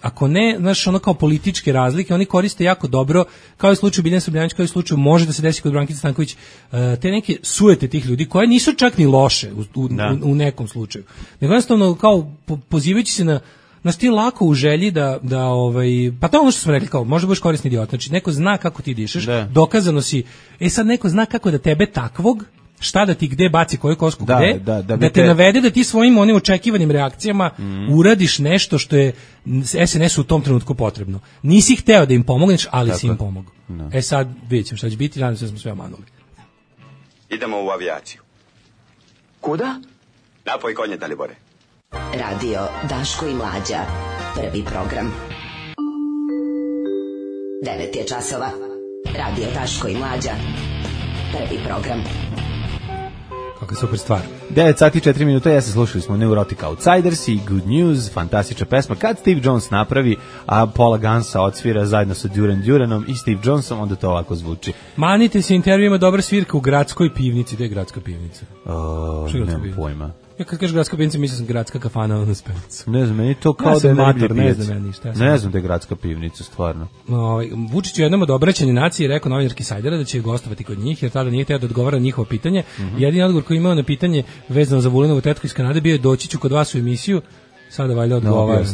ako ne, znaš, ono kao političke razlike, oni koriste jako dobro, kao i u slučaju Biljana Srbljanić, kao i u slučaju može da se desi kod Brankice Stanković, te neke sujete tih ljudi, koje nisu čak ni loše u nekom slučaju. Nego jednostavno, kao pozivajući se na ti lako u želji da pa to je ono što smo rekli, kao možda budeš korisni idiot, znači neko zna kako ti dišeš, dokazano si, sad neko zna kako da tebe takvog, šta da ti gde baci koju kosku gde, da te navede da ti svojim onim očekivanim reakcijama uradiš nešto što je SNS u tom trenutku potrebno. Nisi hteo da im pomogneš, ali si im pomogao. Sad vidjet ćemo šta će biti, nadam se da smo sve omanuli. Idemo u avijaciju. Kuda? Napoj konje, Dalibore. Radio Daško i Mlađa. Prvi program. 9 je časova. Radio Daško i Mlađa. Prvi program. Kakva super stvar. 9 sati 4 minuta, ja se slušali smo Neurotic Outsiders i Good News, fantastična pesma. Kad Steve Jones napravi, a Paula Gansa odsvira zajedno sa Duran Duranom i Steve Jonesom, onda to ovako zvuči. Manite se intervju, ima dobra svirka u gradskoj pivnici. Gde je gradska pivnica? Nemam pojma. Ja kad kažeš gradska pivnica, mislim sam gradska kafana na Spenccu. Ne znam, meni to kao da je mator, ne znam ja ništa. Ne znam da je gradska pivnica, stvarno. Vučić je jednom od obraćanja naciji rekao novinarki Sajdera da će gostovati kod njih, jer tada nije hteo da odgovara na njihovo pitanje. Jedini odgovor koji je imao na pitanje vezano za Vulinovu tetku iz Kanade bio je doći ću kod vas u emisiju. Sada valjda odgovaram.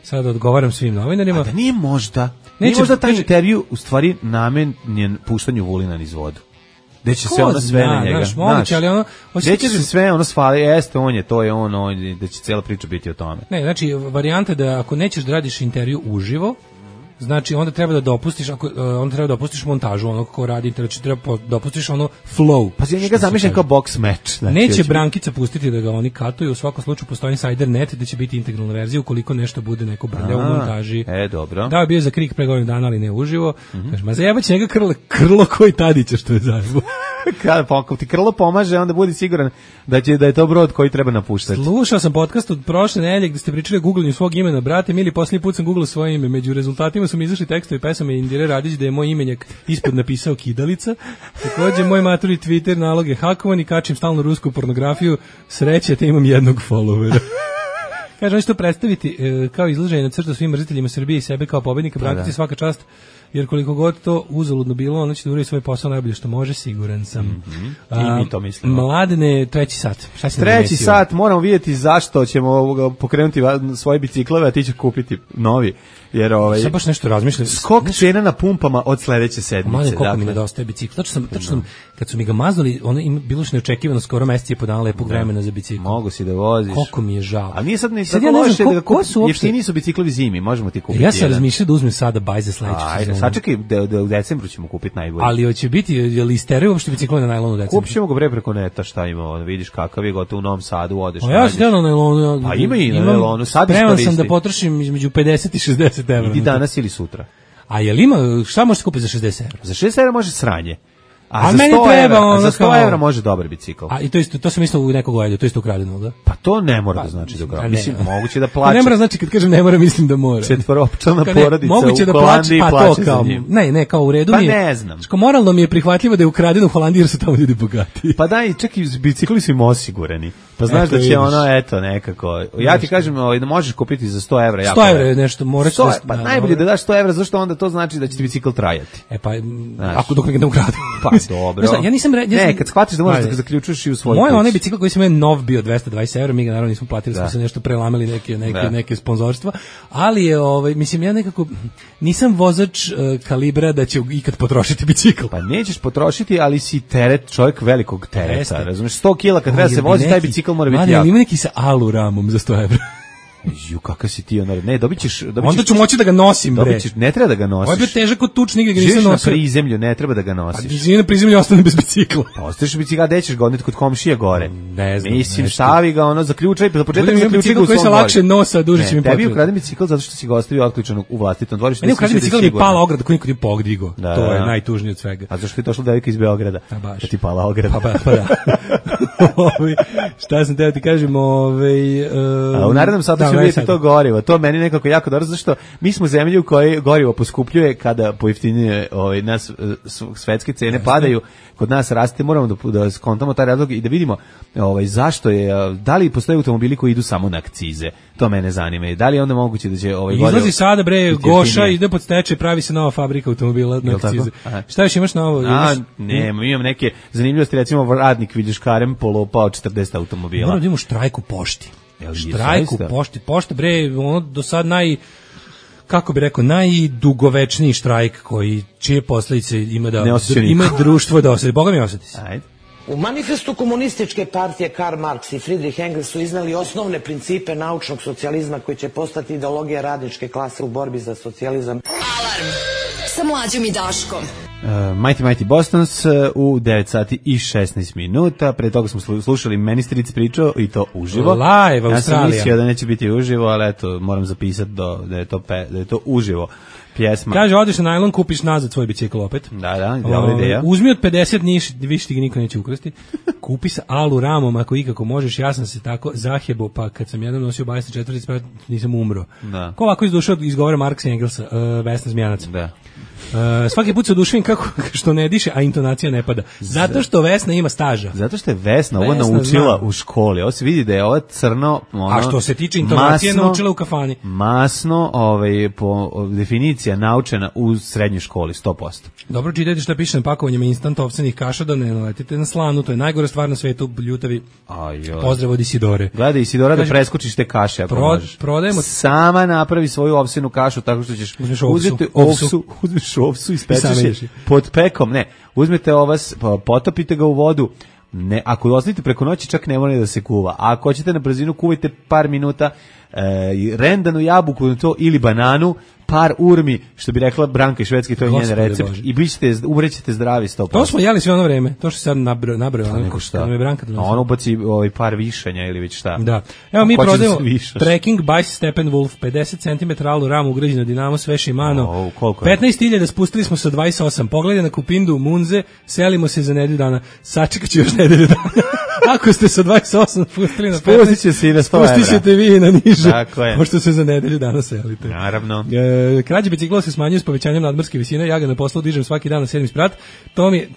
Sada odgovaram svim novinarima. A da nije možda taj intervju u stvari namenjen puštanju Vulina niz vodu. Gde će se ono sve na njega. Moguće, ali ono... Gde će se sve ono svali, jeste, to je on, da će cijela priča biti o tome. Ne, znači, varijanta da ako nećeš da radiš intervju uživo, znači onda treba da dopustiš montažu onog ko radi intervju, treba dopustiš ono flow. Pa ja njega zamišljam kao box match. Znači, neće Brankica pustiti da ga oni katuju, u svakom slučaju postoji insider net da će biti integralna verzija ukoliko nešto bude neko brlja u montaži. Dobro. Da, je bio za Krik pre godinu dana, ali ne uživo. Kaže, ma zajebaće njega krlo koji Tadića što je zajebo. Kada ti krlo pomaže, onda budi siguran da je to brod koji treba napuštati. Slušao sam podcast od prošle nedelje gde ste pričali o googlanju svog imena, brate, mili, posljednji put sam googlao svoje ime, među rezultatima su mi izašli tekstovi pesame Indire Radić da je moj imenjak ispod napisao Kidalica. Takođe, moj maturi Twitter nalog je hakovan i kačim stalno rusku pornografiju, sreće te imam jednog followera. Kaže, oni će to predstaviti kao izlaženje na crtu svim mrziteljima Srbije i sebe kao pobednika, Brankici svaka čast, jer koliko god to uzaludno bilo, ono će da uradi svoj posao najbolje što može, siguran sam. I mi to mislimo. Mladene, treći sat. Šta si treći sat, moramo vidjeti zašto ćemo pokrenuti svoje biciklove, a ti će kupiti novi. Jer sad baš nešto razmišljam. Skok cena na pumpama od sledeće sedmice. Mladen, koliko mi nedostaje bicikl. Tačno kad su mi ga maznuli, ono im bilo što neočekivano skoro mesec je po dana lepog vremena za bicikl. Mogu si da voziš. Koliko mi je žao. A nije sad ni tako loše da ga kupiš. Jeftini su biciklovi zimi, možemo ti kupiti. Ja sam razmišljao da uzmem sada baj za sledeću sezonu. Sačekaj, da u decembru ćemo kupiti najbolje. Ali hoće biti, je li isteraju uopšte biciklovi na najlonu u decembru? Kupit ćemo ga preko neta, šta ima, vidiš kakav je gotovo u Novom Sadu, odeš. A ja sam na najlonu. Pa ima i na najlonu, sad spreman sam da potrošim između 50 i 60 €. Idi danas ili sutra. A je li ima, šta možeš kupiti za 60 €? Za 60 € može sranje. A za 100 € može dobar bicikl. A i to sam isto u nekog gledao, to isto ukradeno, da? Pa to ne mora da znači da ukradeno. Mislim, moguće da plaća. Ne mora znači kad kažem ne mora, mislim da mora. Četvoropčlana porodica moguće u Holandiji plaća za njim. Ne, kao u redu mi je. Pa ne znam. Što moralno mi je prihvatljivo da je ukradeno u Holandiji jer su tamo ljudi bogati. Pa daj, čak i bicikli su im osigurani. Pa znaš da će ono, eto, nekako. Ja ti kažem da možeš kupiti za 100 €. 100 € je nešto, moraš. Pa najbolje da daš 100 €, zašto onda to znači da će ti bicikl trajati. Pa, ako dok ne ukradu. Pa dobro. Ne, kad shvatiš da možeš da ga zaključuješ i u svoj kući. Moj onaj bicikl koji sam imao nov bio 220 €, mi ga naravno nismo platili, smo se nešto prelamili neke sponzorstva, ali je mislim ja nekako nisam vozač kalibra da će ikad potrošiti bicikl. Pa nećeš potrošiti, ali si čovjek velikog tereta, razumeš? 100 kg kad treba se vozi, taj bicikl mora biti jak. Ali ima neki sa alu ramom za 100 €. Ju, kakav si ti, ne, dobit ćeš... Onda ću moći da ga nosim, bre. Ne treba da ga nosiš. Ovo je težak od tuč, nigde ga nisam nosio. Živiš na prizemlju, ne treba da ga nosiš. A živi na prizemlju, ostane bez bicikla. Pa ostaneš bez bicikla, gde ćeš ga odneti kod komšije gore? Ne znam. Mislim, stavi ga, zaključaj, za početak zaključaj ga u svom dvorištu. Koji se lakše nosa, duže će mi potrebno. Tebi ukradem bicikl zato što si ga ostavio otključanog u vlastitom dvorištu. Ne ukradem bicikl, mi pala ograda, koji niko nije pogdigo. To je najtužnije od svega. A zašto je došla devojka iz Beograda? Da ti pala ograda. Pa da. Šta sam teo ti kažem, u narednom satu ćemo vidjeti to gorivo. To meni nekako jako dobro, zašto mi smo zemlji u kojoj gorivo poskupljuje kada pojeftinjuje nas svetske cene padaju, kod nas raste, moramo da skontamo taj razlog i da vidimo zašto je, da li postoje automobili koji idu samo na akcize. To mene zanima. Da li je onda moguće da će izlazi sada bre Goša, ide pod stečaj, pravi se nova fabrika automobila na akcize. Šta još imaš novo? Ne, imam neke zanimljivosti, recimo radnik Viljuškarem polopao 40 automobila. Moramo da imamo štrajk u pošti. Štrajk u pošti. Pošta bre, do sad kako bi rekao, najdugovečniji štrajk čije posljedice ima društvo da osjeti. Boga mi osjeti se. Ajde. U manifestu komunističke partije Karl Marx i Friedrich Engels su iznali osnovne principe naučnog socijalizma koji će postati ideologija radničke klase u borbi za socijalizam. Alarm sa Mlađom i Daškom. Mighty Bostons u 9 sati i 16 minuta. Pre toga smo slušali Ministric pričao i to uživo. Live, Australija. Ja sam mislio da neće biti uživo, ali eto, moram zapisati da je to uživo. Pjesma. Kaže, odeš na najlon, kupiš nazad svoj bicikl opet. Da, dobra ideja. Uzmi od 50 više ti ga niko neće ukrasti. Kupi sa alu ramom ako ikako možeš. Ja sam se tako zahjebo, pa kad sam jednom nosio 24, nisam umro. Da. Ko ovako iz duše izgovara Marksa i Engelsa, Vesna Zmijanac. Da. Svaki put se oduševim kako što ne diše, a intonacija ne pada. Zato što Vesna ima staža. Zato što je Vesna ovo naučila u školi. Ovo se vidi da je ovo crno, a što se tiče intonacije naučila u kafani. Masno, po definicija naučena u srednjoj školi 100%. Dobro, čitajte šta piše na pakovanjima instant ovsenih kaša, da ne naletite na slanu, to je najgora stvar na svetu, ljutavi. Pozdrav od Isidore. Gledaj Isidora da preskočiš te kaše ako možeš. Prodajemo. Sama napravi svoju ovsenu kašu tako što ćeš uzeti uzmeš ovsu i spečeš je pod pekom, ne, uzmete ovas, potopite ga u vodu, ne, ako ostavite preko noći čak ne mora da se kuva, a ako hoćete na brzinu kuvajte par minuta, rendanu jabuku na to ili bananu, par urmi, što bi rekla Branka iz Švedske, to je njen recept, i umrećete zdravi 100%. To smo jeli sve ono vreme, to što se sad nabrao. Nego šta? Branka ono ubaci par višanja ili već šta. Da. Evo mi prodajemo Trekking by Steppenwolf, 50 cm alu ramu ugrađeno dinamo, sve Shimano. 15.000 spustili smo sa 28. Pogledaj na Kupindu, Munze, selimo se za nedelju dana. Sačekat ću još nedelju dana. Ako ste sa 28 spustili na 15, spustit će se i na 100 evra. Spustit ćete vi na niže, pošto se za nedelju dana selite. Naravno. Krađe bicikla se smanjuju s povećanjem nadmorske visine, ja ga na poslu dižem svaki dan na 7 sprat,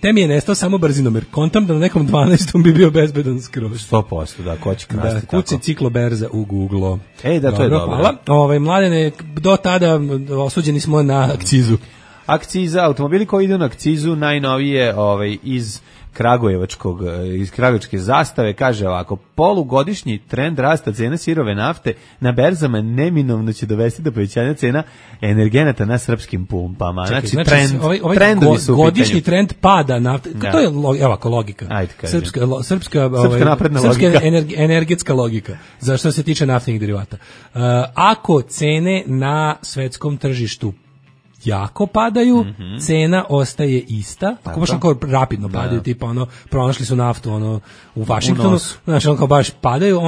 te mi je nestao samo brzinomer. Kontam da na nekom 12. bi bio bezbedan skroz. 100%, da, ko će krasti tako. Kuci cikloberza u Google. Da, to je dobro. Hvala. Mladene, do tada osuđeni smo na akcizu. Akciza, automobili koji idu na akcizu, najnovije iz kragujevačke zastave, kaže ovako: polugodišnji trend rasta cena sirove nafte na berzama neminovno će dovesti do povećanja cena energenata na srpskim pumpama. Znači trendovi su godišnji trend pada nafte. To je logika. Srpska napredna logika. Energetska logika. Za što se tiče naftnih derivata. Ako cene na svetskom tržištu jako padaju, cena ostaje ista, tako baš onako rapidno padaju, tipa pronašli su naftu u Vašingtonu, znači kao baš padaju,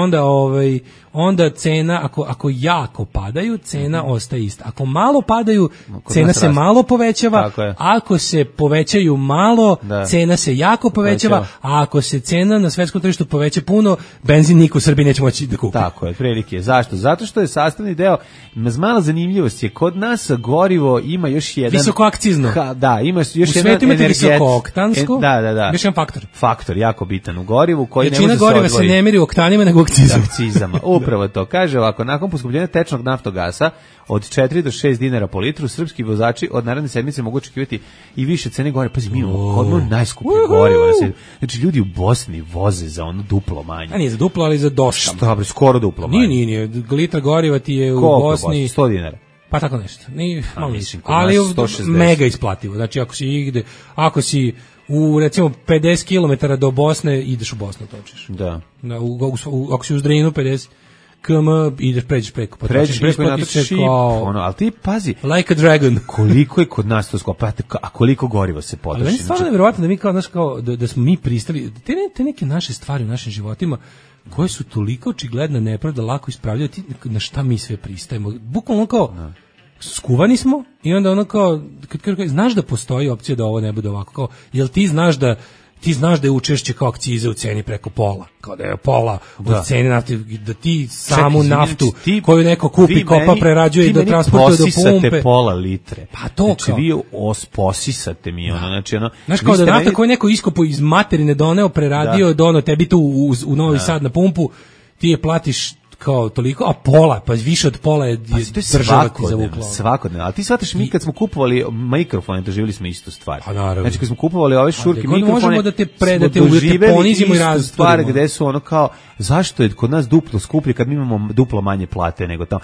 onda cena, ako jako padaju, cena ostaje ista. Ako malo padaju, cena se malo povećava, ako se povećaju malo, cena se jako povećava, a ako se cena na svetskom tržištu poveća puno, benzin niko u Srbiji neće moći da kupi. Tako je, prilike. Zašto? Zato što je sastavni deo, mala zanimljivost je, kod nas gorivo ima još jedan... Visokoakcizno. Da, ima još jedan energet. U svetu imate visokooktansko, još jedan faktor. Faktor, jako bitan u gorivu, koji ne može se odvojiti. Većina goriva se ne meri u oktanima, nego u akcizama. Upravo to. Kaže ovako: nakon poskupljenja tečnog naftogasa od 4 do 6 dinara po litru, srpski vozači od naredne sedmice mogu očekivati i više cene goriva. Pazi, mi imamo najskuplje gorivo. Znači, ljudi u Bosni voze za ono duplo manje. A nije za duplo, ali za dosta. Šta, skoro duplo manje. Nije. Litra goriva ti je u Bosni... 100 dinara. Pa tako nešto. Ali mega isplativo. Znači, ako si u recimo 50 km do Bosne, ideš u Bosnu, točiš. Da. Ako si u Zdrinu 50 km, pređeš preko ali ti pazi, like a dragon. Koliko je kod nas to skupo, a koliko goriva se potroši. Ali meni stvarno nevjerovatno da mi kao da smo mi pristali, te neke naše stvari u našim životima koje su toliko očigledna nepravda, lako ispravljaju, na šta mi sve pristajemo. Bukvalno kao skuvani smo i onda kao, kad znaš da postoji opcija da ovo ne bude ovako, kao, jel ti znaš da je učešće kao akcize u ceni preko pola, kao da je pola od cene nafte, da ti samu naftu koju neko kupi, kopa, prerađuje i da transportuje do pumpe. Ti meni pola litre. Pa to znači, kao. vi posisate mi znači znaš kao da nafta koju neko iskopo iz materine doneo, preradio, dono tebi tu u Novi Sad na pumpu, ti je platiš kao toliko, a pola, pa više od pola je država ti zavukla. Svakodnevno, ali ti shvataš, mi kad smo kupovali mikrofone, doživjeli smo istu stvar. Pa naravno. Znači kad smo kupovali ove šurke mikrofone, možemo da te ponizimo i različite stvari gde su ono kao, zašto je kod nas duplo skuplje kad mi imamo duplo manje plate nego tamo.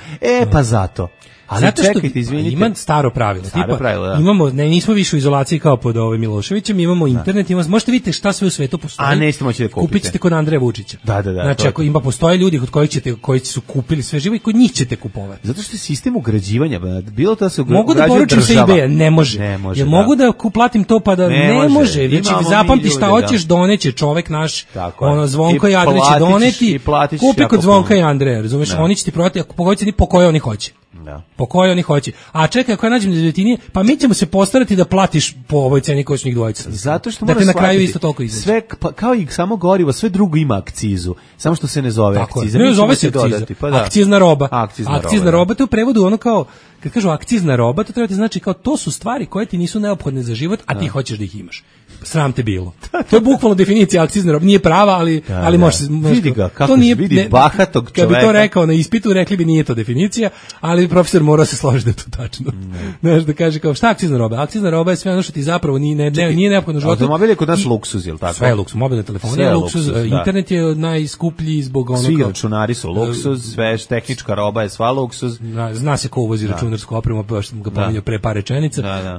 Pa zato. Ali zato što čekajte, ima staro pravilo. Imamo, nismo više u izolaciji kao pod Miloševićem, imamo internet, možete vidjeti šta sve u svetu postoji. A nećete moći da kupite. Kupit ćete kod Andreja Vučića. Da. Znači ako postoje ljudi kod koji su kupili sve živo i kod njih ćete kupovati. Zato što je sistem ugrađivanja, bilo da se mogu da poručim sa eBay-a, ne može. Jer mogu da platim to pa da ne može. Znači zapamti šta hoćeš, doneće čovek naš, Zvonko i Andrej će doneti. Kupi kod Zvonka i Andreja, razumeš? Oni će ti prodati po kojoj oni hoće. Po kojoj oni hoće. A čekaj, ako ja nađem devetinije, pa mi ćemo se postarati da platiš po ovoj ceni koju su njih dvojica. Zato što da te na kraju isto toliko izađe. Sve, kao i samo gorivo, sve drugo ima akcizu. Samo što se ne zove akciza. Ne zove se akciza. Akcizna roba. Akcizna roba, to je u prevodu ono kao, kad kažu akcizna roba, to treba ti znači kao to su stvari koje ti nisu neophodne za život, a ti hoćeš da ih imaš. Sram te bilo. To je bukvalno definicija akcizne robe. Nije prava, ali može. Vidi ga, kako se vidi bahatog čoveka. Kad bi to rekao na ispitu, rekli bi nije to definicija, ali profesor mora se složiti da je to tačno. Znaš, da kaže kao šta akcizna roba? Akcizna roba je sve ono što ti zapravo nije neophodno životu. Automobil je kod nas luksuz, je li tako? Sve je luksuz, mobilne telefone je luksuz, internet je najskuplji zbog onoga. Svi računari su luksuz, sve tehnička roba je sva luksuz. Zna se ko uvozi računar računarsku opremu, pa što sam ga pominjao pre par rečenica, Da.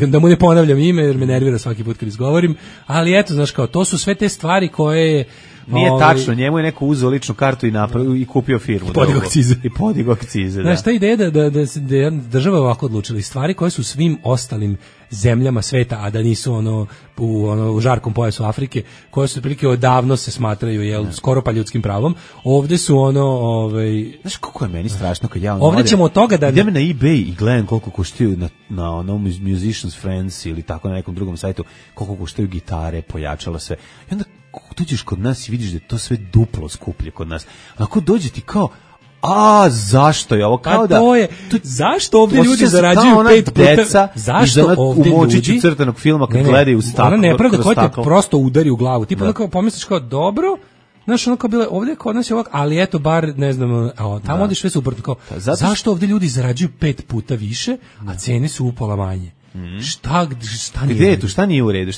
Da mu ne ponavljam ime, jer me nervira svaki put kad izgovorim, ali eto, znaš, kao, to su sve te stvari koje... Nije tačno, njemu je neko uzeo ličnu kartu i kupio firmu. Podigo akcize. Da. Znaš, ta ideja da je država ovako odlučila, stvari koje su svim ostalim zemljama sveta, a da nisu u žarkom pojasu Afrike, koje su prilike odavno se smatraju skoro pa ljudskim pravom, ovde su znaš koliko je meni strašno kad ja ovde ćemo od toga da idem na eBay i gledam koliko koštaju na onom Musicians Friends ili tako na nekom drugom sajtu, koliko koštaju gitare, pojačala sve. I onda dođeš kod nas i vidiš da je to sve duplo skuplje kod nas. Ako dođe ti kao, zašto je ovo? Kao da to je, zašto ovdje ljudi zarađuju 5 puta? Zašto ovdje ljudi crtanog filma kad gledaju u staklo? Ona nepravda koja te prosto udari u glavu. Ti pa pomisliš kao, dobro, znaš, ono kao bilo, ovdje kod nas je ovako, ali eto, bar, ne znam, tamo ovdje sve suprotno, kao, zašto ovdje ljudi zarađuju 5 puta više, a cene su upola manje? Šta nije u redu? Šta nije u redu?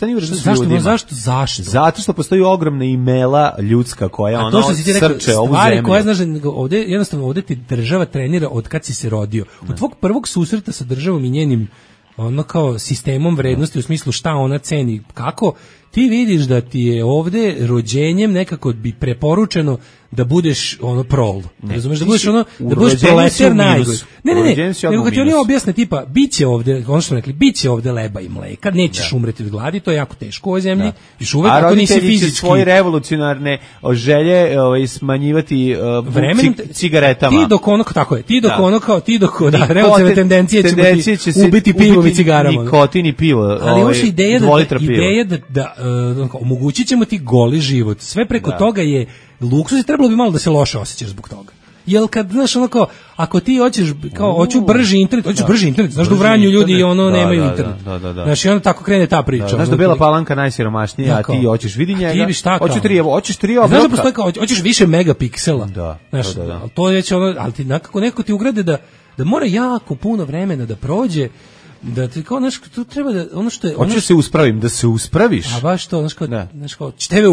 Zašto? Zato što postoji ogromna imela ljudska koja srče ovu zemlju. Koje, znaš, ovdje ti država trenira od kad si se rodio. Od tvog prvog susreta sa državom i njenim kao sistemom vrednosti u smislu šta ona ceni, kako ti vidiš da ti je ovde rođenjem nekako bi preporučeno da budeš prol. Razumeš, da budeš da budeš proletar najgore. Ne, nego kad ti oni objasne tipa biće ovde, ono što smo rekli, biće ovde leba i mleka, nećeš umreti od gladi, to je jako teško u ovoj zemlji. Još uvek ako nisi fizički svoje revolucionarne želje smanjivati cigaretama. Ti dok revolucionarne tendencije će ubiti pivom i cigarama. Nikotin i pivo. Ali još ideja da omogućit ćemo ti goli život. Sve preko toga je luksuz i trebalo bi malo da se loše osjećaš zbog toga. Jel kad, znaš, ako ti hoćeš, kao, hoću brži internet, znaš da u Vranju ljudi nemaju internet. Znaš, i onda tako krene ta priča. Znaš da Bela Palanka najsiromašnija, a ti hoćeš vidi njega, hoćeš 3 obroka. Znaš da postoji kao, hoćeš više megapiksela. Znaš, to je već ali ti neko ti ugrade da mora jako puno vremena da prođe, da ti kao, znaš, tu treba da, ono što je... Hoćeš da se uspraviš. A baš to, znaš kao, TV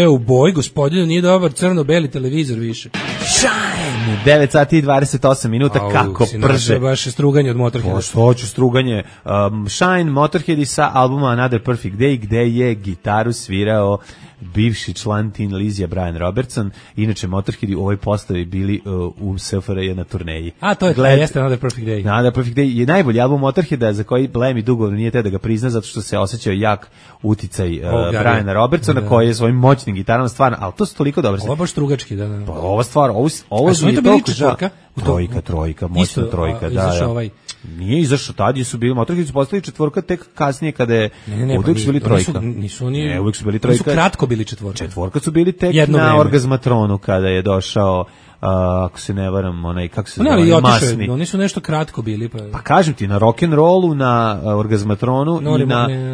u boji, gospodinu, nije dobar crno-beli televizor više. Shine! 9 sati i 28 minuta, kako prže. Baš struganje od Motorheada. Hoću struganje. Shine, Motorheadi sa albuma Another Perfect Day, gde je gitaru svirao bivši član Tin Lizzy Brian Robertson. Inače, Motorheadi u ovoj postavi bili u SFRJ na turneji. A, to jeste Another Perfect Day. Another Perfect Day je najbolji album Motorheada za koji Lemmy dugo nije te da ga prizna, zato što se osjećao jak uticaj Briana Robertsona, koji je svojim moćnim gitarama stvarno, ali to su toliko dobro. Ovo je baš strugački, da. Pa ova stvar, ovo su je toliko trojka, moćna trojka, da. Nije izašao, tad su bili Motorheadi su postali četvorka tek kasnije kada je uvijek su bili trojka. Uvijek su bili trojka. Nisu kratko bili četvorka. Četvorka su bili tek na Orgazmatronu kada je došao, ako se ne varam, kako se zove, Masni. Oni su nešto kratko bili. Pa kažem ti, na rock'n'rollu, na Orgazmatronu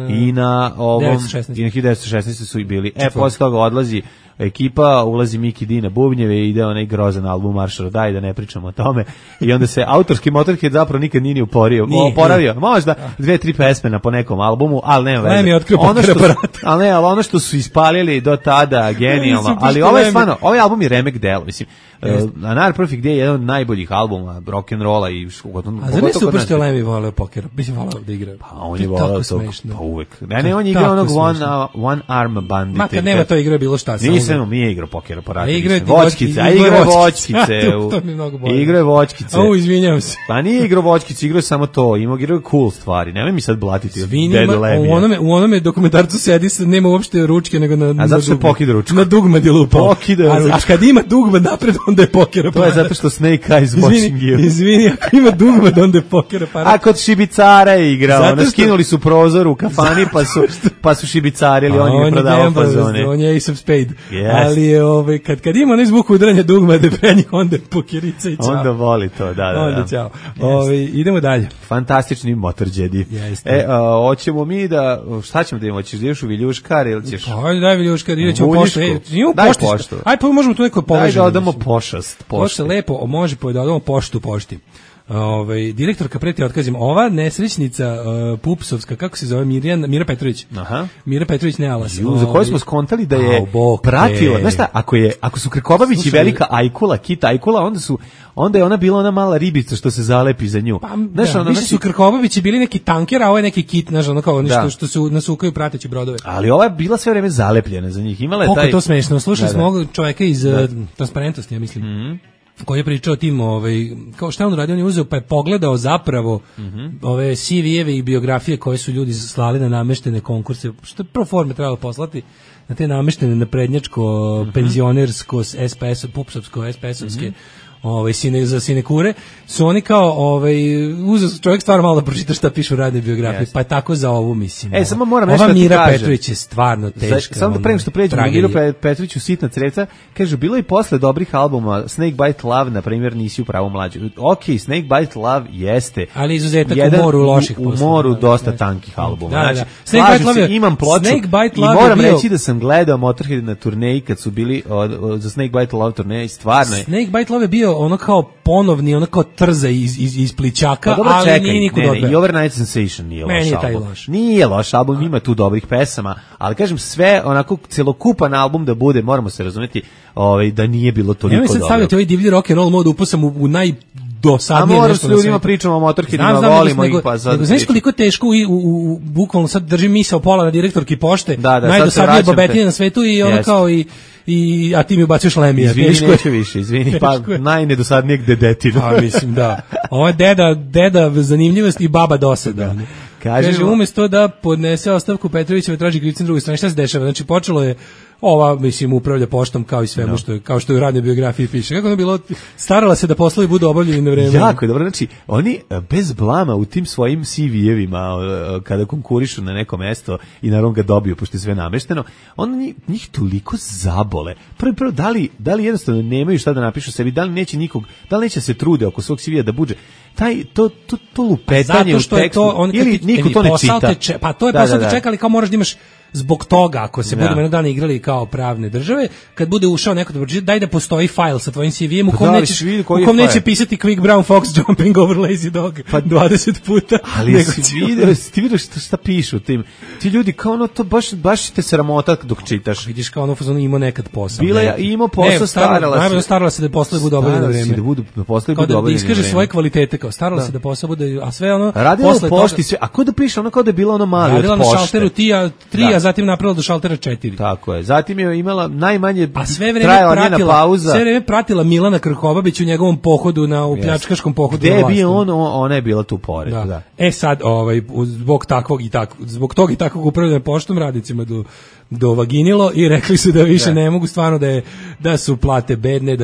i na ovom, i na 1916 su i bili. Posle toga odlazi ekipa, ulazi Miki D na bubnjeve i ide onaj grozan album Marš Rodaj, da ne pričamo o tome. I onda se autorski Motorhead zapravo nikad nije oporavio. Možda 2-3 pesme po nekom albumu, ali nema veze. Ali ono što su ispalili do tada, genijalno. Ali ovaj album je remek delo, mislim. Another Perfect Day je jedan od najboljih albuma rock'n'rolla i a zar ne super što Lemmy voleo pokera? Mislim, voleo da igra. Pa on je voleo to, pa uvek. Ne, on je igrao onog One Arm Bandit. Ma kad nema to igra bilo šta. Nije igrao pokera po ratu. Voćkice, a igra je voćkice. Igra je voćkice. Izvinjavam se. Pa nije igrao voćkice, igrao je samo to. Igrao je cool stvari. Nemoj mi sad blatiti dedu Lemmija. U onome dokumentarcu sedi, nema uopšte ručke, nego na... A zato što pokida ručku. Na dugmad je lupao. A kad ima dugmad napred, onda je pokera para. To je zato što Snake Eyes watching you. Izvini, ako ima dugmad, onda je pokera para. A kod šibicara je igrao. Skinuli su prozor u kafani, pa su šibicarili, on je prodavao fazone. On je Ace of Spade. Ali je, kad ima onaj zvuk udaranja dugmade pre njih, onda je pokerica i čao. Onda voli to, da. Onda čao. Idemo dalje. Fantastični Motorheadi. Hoćemo mi da, šta ćemo da imamo? Ćeš da ideš u Viljuškar ili ćeš? Ajde, daj Viljuškar, idemo poštu. Daj poštu. Ajde, pa možemo tu neko povežemo. Daj da odamo pošast. Pošte lepo, može da odamo poštu pošti. Direktorka preti otkazima. Ova nesrećnica pupsovska, kako se zove, Mira Petrović. Aha. Mira Petrović Nealas. Za koju smo skontali da je pratila. Znaš šta, ako su Krkobabić i velika Ajkula, Kit Ajkula, onda je ona bila ona mala ribica što se zalepi za nju. Pa, više su Krkobabići bili neki tanker, a ovo je neki kit, znaš, ono kao nešto što se nasukaju prateći brodove. Ali ova je bila sve vreme zalepljena za njih. Imala je koliko je to smešno. Slušali smo ovog čoveka iz Transparentnosti, ja mislim. Koji je pričao o tim, kao šta on radio, on je uzeo pa je pogledao zapravo ove CV-eve i biografije koje su ljudi slali na nameštene konkurse, što je pro forme trebalo poslati na te nameštene naprednjačko, penzionersko, SPS, pupsovsko, SPS-ovske, za sinekure, su oni kao uzeo čovjek stvarno malo da pročita šta piše u radnoj biografiji, pa je tako za ovu mislim. Samo moram nešto da ti kažem. Mira Petrović je stvarno teška. Samo da pre nego što pređemo na Miru Petroviću Sitna crevca, kaže, bilo i posle dobrih albuma, Snakebite Love, na primjer, nisi u pravu mlađu. Ok, Snakebite Love jeste. Ali izuzetak u moru loših posla. U moru dosta tankih albuma. Znači, slažem se, imam ploču i moram reći da sam gledao Motorhead na turneji kad su bili za Snakebite Love turneji, stvarno je. Snakebite Love je bio ono kao ponovni, ono kao trza iz plićaka, pa ali nije nikud odveo. I Overnight Sensation nije loš album. Nije loš album, ima tu dobrih pesama, ali kažem sve, onako celokupan album da bude, moramo se razumjeti da nije bilo toliko dobro. Ja mi sad stavljate ovaj divlji rock and roll mod, upusam u najdosadnije nešto na svijetu. A moram s ljudima pričamo o Motorheadima, volimo ih pa sad. Nego znaš koliko teško bukvalno sad držim misao pola na direktorki pošte, da, najdosadnije babetinje na svetu i ono kao a ti mi ubacuješ Lemija. Izvini, neću više, izvini, pa najnedosadnijeg dedetina. Pa mislim, da. Ovo je deda zanimljivost i baba dosada. Kaže, umjesto da podnese ostavku Petrovićeva, traži krivca na drugoj strani. Šta se dešava? Znači, počelo je ova, mislim, upravlja poštom kao i svemu kao što je u radnoj biografiji piše. Kako je bilo, starala se da poslovi budu obavljeni na vreme. Jako je dobro, znači, oni bez blama u tim svojim CV-evima, kada konkurišu na neko mesto i naravno ga dobiju, pošto je sve namešteno, oni njih toliko zabole. Prvo, da li jednostavno nemaju šta da napišu sebi, da li neće se trude oko svog CV-a da buđe, to lupetanje u tekstu, ili niko to ne čita. Pa to je posao da čeka, ali kao moraš da imaš zbog toga, ako se budemo jednog dana igrali kao pravne države, kad bude ušao neko da pročita, daj da postoji fajl sa tvojim CV-em u kom neće pisati Quick Brown Fox jumping over lazy dog 20 puta. Ali ti vidiš šta pišu tim. Ti ljudi kao ono, to baš te sramota dok čitaš. Vidiš kao ono, imao nekad posao. Bila je, imao posao, starala se da poslovi budu obavljeni na vreme. Da iskaže svoje kvalitete, kao starala se da posao bude, a sve ono, radila u pošti sve, a ko da piše, ono kao da je bila ono mali od pošte. Radila na šalteru 3, a zatim napravila do šaltera 4. Tako je. Zatim je imala najmanje trajala njena pauza. Sve vreme pratila Milana Krkobabić u njegovom pohodu u pljačkaškom pohodu. Gde je bio ona je bila tu pored. Da. Sad, zbog tog i takvog upravljanja poštom radnicima dovaginilo i rekli su da više ne mogu, stvarno da su plate bedne,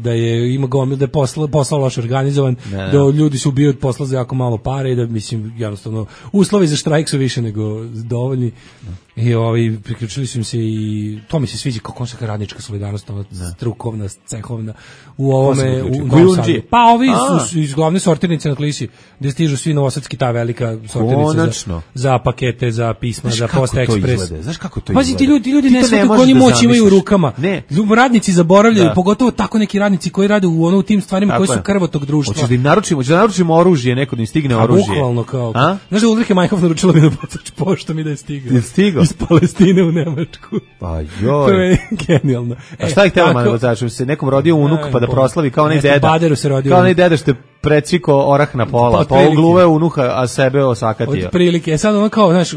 da je ima gomil, da je posao loš organizovan, da ljudi su ubili od posla za jako malo pare i da, mislim, jednostavno uslovi za štrajk su više nego dovoljni. I priključili su im se i to mi se sviđa kao konstantna radnička solidarnost, strukovna, cehovna u ovome u Novom Sadu. Pa ovi su iz glavne sortirnice na Klisi, gde stižu svi novosadski, ta velika sortirnica za pakete, za pisma, za Posta Ekspres. Znaš kako to izgleda? Pazi, ti ljudi ne znaju kako oni moć imaju u rukama. Radnici zaboravljaju, pogotovo tako neki radnici koji rade u tim stvarima koji su krvo tog društva. Hoćeš da naručimo oružje, neko da im stigne oružje. Bukvalno kao. Znaš da Ulrike Majhoff naručila mi da poslaš poštom i da je stigao. Iz Palestine u Nemačku. Pa joj. To je genijalno. A šta ih htjela malo začu? Se nekom rodio unuk pa da proslavi kao onaj deda. Baderu se rodio. Kao onaj deda što je precviko orah na pola. Pa ugluve unuha, a sebe osakatio. Od prilike. Sad ono kao, znaš,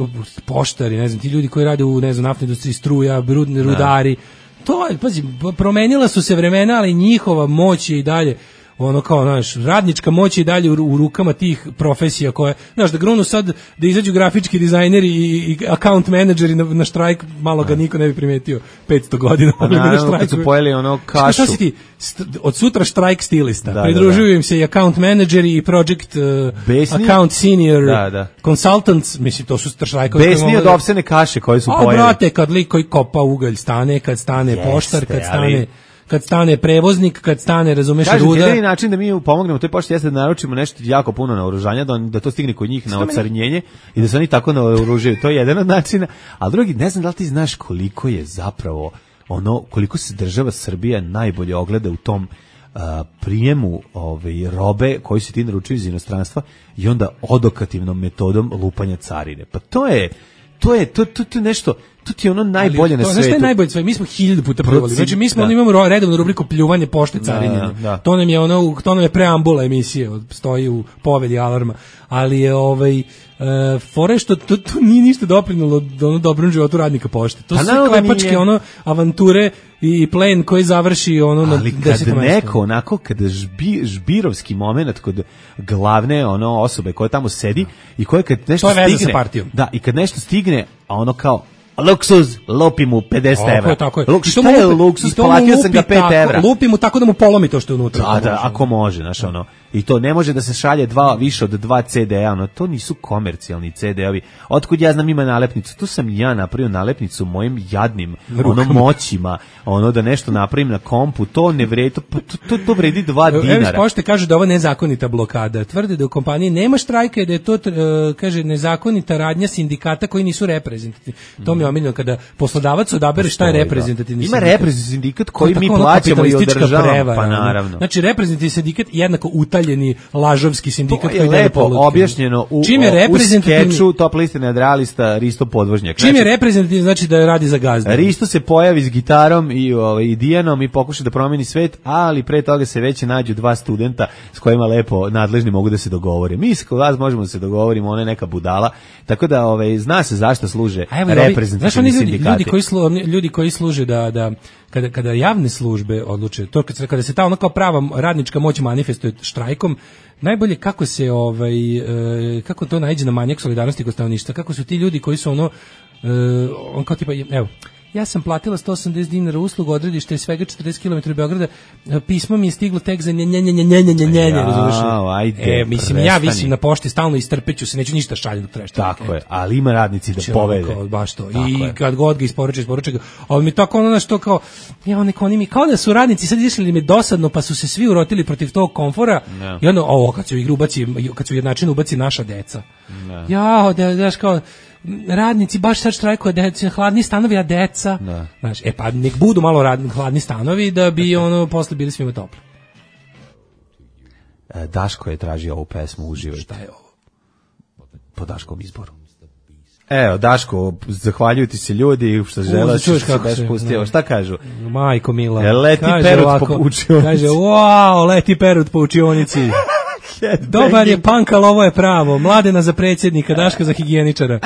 poštari, ne znam, ti ljudi koji rade u, ne znam, naftnoj industriji, struja, rudari. To je, pazi, promenila su se vremena, ali njihova moć je i dalje ono kao, znaš, radnička moć je dalje u rukama tih profesija koje, znaš, da grunu sad, da izađu grafički dizajneri i account menadžeri na štrajk, malo ga niko ne bi primetio 500 godina. Pa naravno, kad su pojeli ono kašu. Šta si ti? Od sutra štrajk stilista. Pridružuju im se i account menadžeri i project account senior consultants, mislim, to su štrajkovi. Besni od ovsene kaše koje su pojeli. A, brate, kad lik koji kopa ugalj stane, kad stane poštar, kad stane prevoznik, kad stane, razumeš, ruda. Jedini način da mi pomognemo toj pošti jeste da naručimo nešto jako puno naoružanja, da to stigne kod njih na ocarinjenje i da se oni tako naoružaju. To je jedan od načina. A drugi, ne znam da li ti znaš koliko je zapravo koliko se država Srbija najbolje ogleda u tom prijemu robe koji se ti naručuju iz inostranstva i onda odokativnom metodom lupanja carine. Pa to je nešto, to ti je ono najbolje na svetu. Znaš što je najbolje sve? Mi smo 1000 puta pljuvali. Znači mi smo imamo redovnu rubriku pljuvanje pošte carinjenja. To nam je preambula emisije, stoji u povedi Alarma. Ali je fore što to nije ništa doprinulo do dobrom životu radnika pošte. To su klepačke avanture i plen koji završi na 10. mestu. Ali kad neko onako, kada žbirovski moment kod glavne osobe koja tamo sedi i koja kad nešto stigne... To je veza sa partijom. Da, i kad nešto stigne, a ono kao luksuz, lupi mu 50 evra. Tako je. Šta je luksuz? Platio sam ga 5 evra. Lupi mu tako da mu polomi to što je unutra. Da, ako može, znaš I to ne može da se šalje više od 2 CD-a, to nisu komercijalni CD-ovi. Otkud ja znam ima nalepnicu? Tu sam ja napravio nalepnicu mojim jadnim moćima, da nešto napravim na kompu, to ne vredi, to vredi 2 dinara. Evo, pošte kažu da ovo nezakonita blokada. Tvrde da u kompaniji nema štrajka i da je to, kaže, nezakonita radnja sindikata koji nisu reprezentativni. To mi je omiljeno kada poslodavac odabere šta je reprezentativni sindikat. Ima reprezentativni sindikat koji mi plaćamo i održavamo, pa naravno. Znači, reprezentativni sindikat jednako utaljeni lažovski sindikat koji je lepo objašnjeno u skeču Top liste nadrealista Risto Podvožnjak. Čim je reprezentativni znači da radi za gazdu. Risto se pojavi s gitarom i Dijanom i pokuša da promeni svet, ali pre toga se već nađu 2 studenta s kojima lepo nadležni mogu da se dogovore. Mi s kod vas možemo da se dogovorimo, ona je neka budala, tako da zna se zašto služe reprezentativni sindikati. Ljudi koji služe da kada javne službe odluče, to kada se ta kao prava radnička moć manifestuje štrajkom, najbolje kako se kako to naiđe na manjak solidarnosti kod stanovništva, kako su ti ljudi koji su on kao tipa, evo, ja sam platila 180 dinara uslugu, odredište je svega 40 km od Beograda, pismo mi je stiglo tek za mislim, ja visim na pošti stalno i strpeću se, neću ništa šaljem dok trešta. Tako je, ali ima radnici da povede. Baš to. I kad god ga isporuče ga. Ali mi tako ono što kao, oni mi kao da su radnici sad išli mi dosadno, pa su se svi urotili protiv tog komfora i onda, kad se u igru kad se u jednačinu ubaci naša deca. Daš kao, radnici baš sad štrajkuju, hladni stanovi, a deca. Znaš, pa nek budu malo hladni stanovi da bi posle bili svima toplo. Daško je tražio ovu pesmu, uživajte. Šta je ovo? Po Daškom izboru. Evo, Daško, zahvaljuju ti se ljudi što žele što se baš pustio. Šta kažu? Majko mila. Leti Perut po učionici. Kaže, wow, leti Perut po učionici. Dobar je punk, ali ovo je pravo. Mladena za predsjednika, Daška za higijeničara.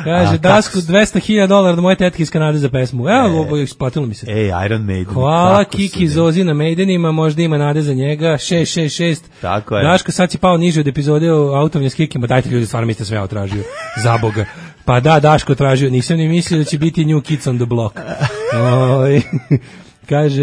Kaže, Daško, $200,000 da moje tetke iz Kanade za pesmu. Evo, ovo je isplatilo mi se. Iron Maiden. Hvala, Kiki Zozi na Maidenima, možda ima nade za njega. 666. Tako je. Daško, sad si pao niže od epizode o autovnje s Kikima. Dajte ljudi, stvarno mi ste sve tražio. Za Boga. Pa da, Daško tražio. Nisam ni mislio da će biti New Kids on the Block. Kaže,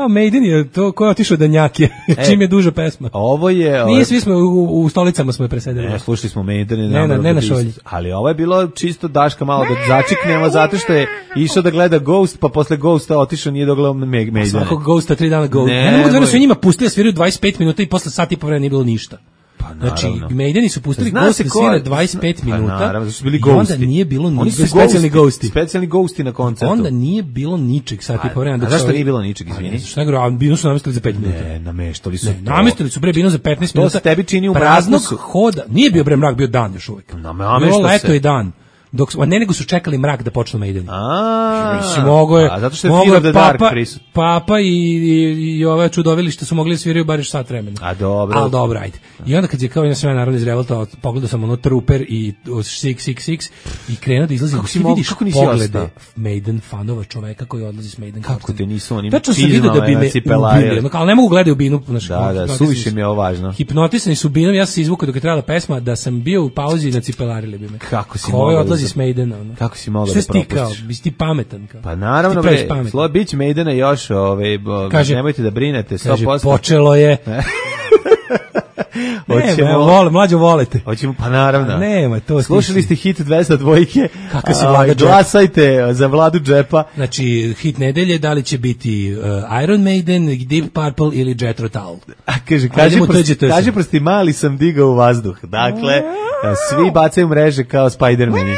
Maiden je to ko je otišao da njake, čim je duža pesma. Ovo je... Nije, svi smo u stolicama smo je presedili. Ne, slušali smo Maiden. Ne na šolji. Ali ovo je bilo čisto Daška malo da začiknemo, zato što je išao da gleda Ghost, pa posle Ghosta otišao nije dogledao Maidena. Svakog Ghosta 3 dana Ghost. Ne mogu da su njima pustili da sviraju 25 minuta i posle sat i po vremena nije bilo ništa. Znači, Maideni su pustili Ghost da svira 25 minuta. Naravno, su bili i onda nije bilo ničeg. Specijalni Ghosti. Specijalni Ghosti na koncertu. Onda nije bilo ničeg sat i po vremena. A zašto nije bilo ničeg, izvini? Šta nego, a binu su namestili za 5 minuta. Ne, nameštali su. Namestili su binu za 15 minuta. To se tebi čini u praznog hoda. Nije bio mrak, bio dan još uvijek. Bilo leto i dan. Nego su čekali mrak da počnu Maideni. Mislim, mogo je. Zato što je Fear of the Dark prisut. Papa i ove čudovilište su mogli da sviraju bar još sat vremena. A dobro. Ali dobro, ajde. I onda kad je kao sve naravno iz Revolta, pogledao sam Trooper i 666 i krenuo da izlazi. Kako nisi poglede Maiden fanova, čoveka koji odlazi s Maiden. Kako te nisu oni vidio da bi me ubili, ali ne mogu gledati u binu. Da, suviše mi je ovo važno. Hipnotisani su binom, ja sam se izvukao dok je trebala pesma, da sam bio u pauzi na cipelarili bi me. Kako si mogao? S Maidena, kako si mogao da propustiš? Bisi ti pametan kao. Pa naravno, bić Maidena još, kaže, nemojte da brinete, 100%. Kaže, počelo je. Mlađo volite. Hoćemo, pa naravno. Nema, to slušali ste hit 202. Kako se Vlada džepa. Glasajte za Vladu džepa. Znači, hit nedelje, da li će biti Iron Maiden, Deep Purple ili Jethro Tull. Kaže prosti, mali sam digao u vazduh. Dakle, svi bacaju mreže kao Spider-Mani.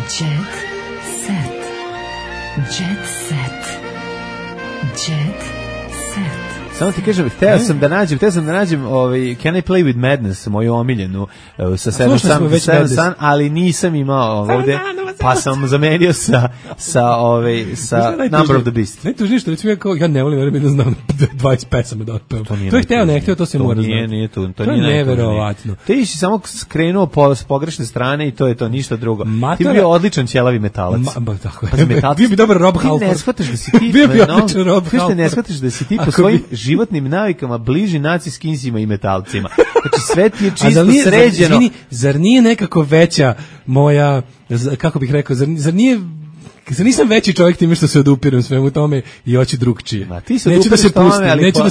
Jet set. Jet set. Jet set. Samo ti kažem, hteo sam da nađem Can I Play With Madness, moju omiljenu sa Seven Sun, ali nisam imao ovde, pa sam zamenio sa Number of the Beast. Ne tu ništa, recimo ja ne volim da znam 20 pesama da otpevam. To je hteo, ne hteo, to se mora znati. To nije neverovatno. Ti si samo skrenuo s pogrešne strane i to je to, ništa drugo. Ti bi bio odličan ćelavi metalac. Bio bi dobar Rob Halford. Ti ne shvataš da si ti... Bio bi odličan Rob Halford. Ti ne shvataš da si ti po svojim životnim navikama bliži naci skinsima i metalcima. Znači sve ti je čisto sređeno. Zar nije nekako veća moja, kako bih rekao, zar nisam veći čovjek time što se odupiram svemu tome i hoću drugčije. Neću da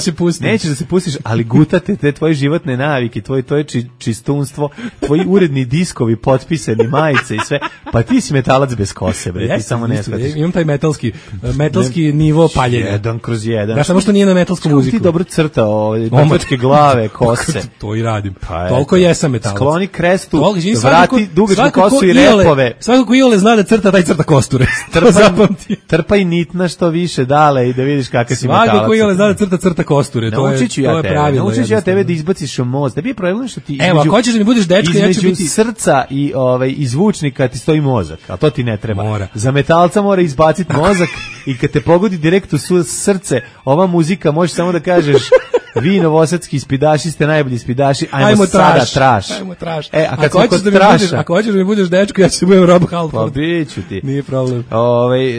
se pustim. Nećeš da se pustiš, ali gutate te tvoje životne navike, tvoje čistunstvo, tvoji uredni diskovi, potpisani, majice i sve. Pa ti si metalac bez kose, bre, ti samo ne shvatiš. Imam taj metalski nivo paljenja. 1/1. Da, samo što nije na metalsku muziku. Ti dobro crtao domačke glave, kose. To i radim. Toliko jesam metalac. Skloni krestu, vrati dugačku kosu i repove. Svako ko Iole zna da crta, taj crta kosture. Trpaj nitna što više dale i da vidiš kakav si metalac. Svako koji je zna da crta kosture, to je pravilno. Naučit ću ja tebe da izbaciš mozak. Da bi je problem što ti evo, ako hoćeš da mi budeš dečko, ja ću biti... Između srca i zvučnika ti stoji mozak, a to ti ne treba. Za metalca mora izbaciti mozak i kad te pogodi direkt u srce, ova muzika možeš samo da kažeš vi novosadski ispidaši ste najbolji ispidaši, ajmo sada traš. Ajmo traš. A kad ako hoćeš da mi budeš dečko, ja ću se budem Rob Halford. Pa biću ti. Nije problem.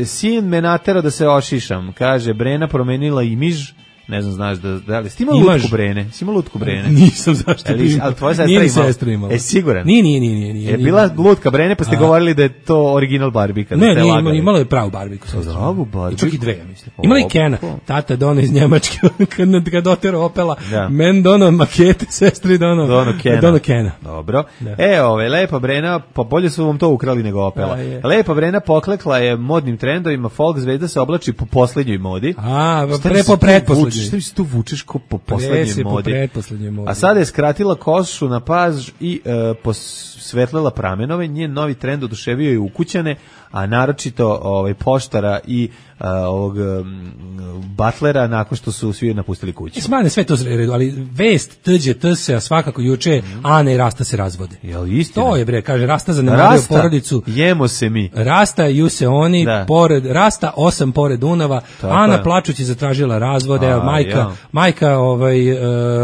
Sin me natero da se ošišam, kaže Brena promenila imiž. Ne znam, znaš da li... Si imao lutku Brene? Si imao lutku Brene? Nisam, zašto bi imao. Ali tvoja sestra imala? Siguran? Nije. Je bila lutka Brene, pa ste govorili da je to original Barbie? Ne, imala je pravu Barbie. Pravu Barbie? Čak i dve, mislim. Imala i Kena. Tata dono iz Njemačke, kad otero Opela. Men dono makete, sestri dono Kena. Dobro. Lepa Brena, pa bolje su vam to ukrali nego Opela. Lepa Brena poklekla je modnim trendovima, folk zvezda se oblači po poslednjoj modi. Po pretposlednjoj. Šta se tu vučeš ko po poslednjoj modi? A sada je skratila kosu na paž i posvetlila pramenove. Njen novi trend oduševio je ukućane, a naročito poštara i ovog butlera nakon što su svi napustili kuću. Smane sve to redu, ali vest Tđ se, a svakako juče Ana i Rasta se razvode. Jel istina? To je bre, kaže Rasta zanemario porodicu. Jemo se mi. Rasta ju se oni, Rasta 8 pored Dunava, Ana plačući zatražila razvode, majka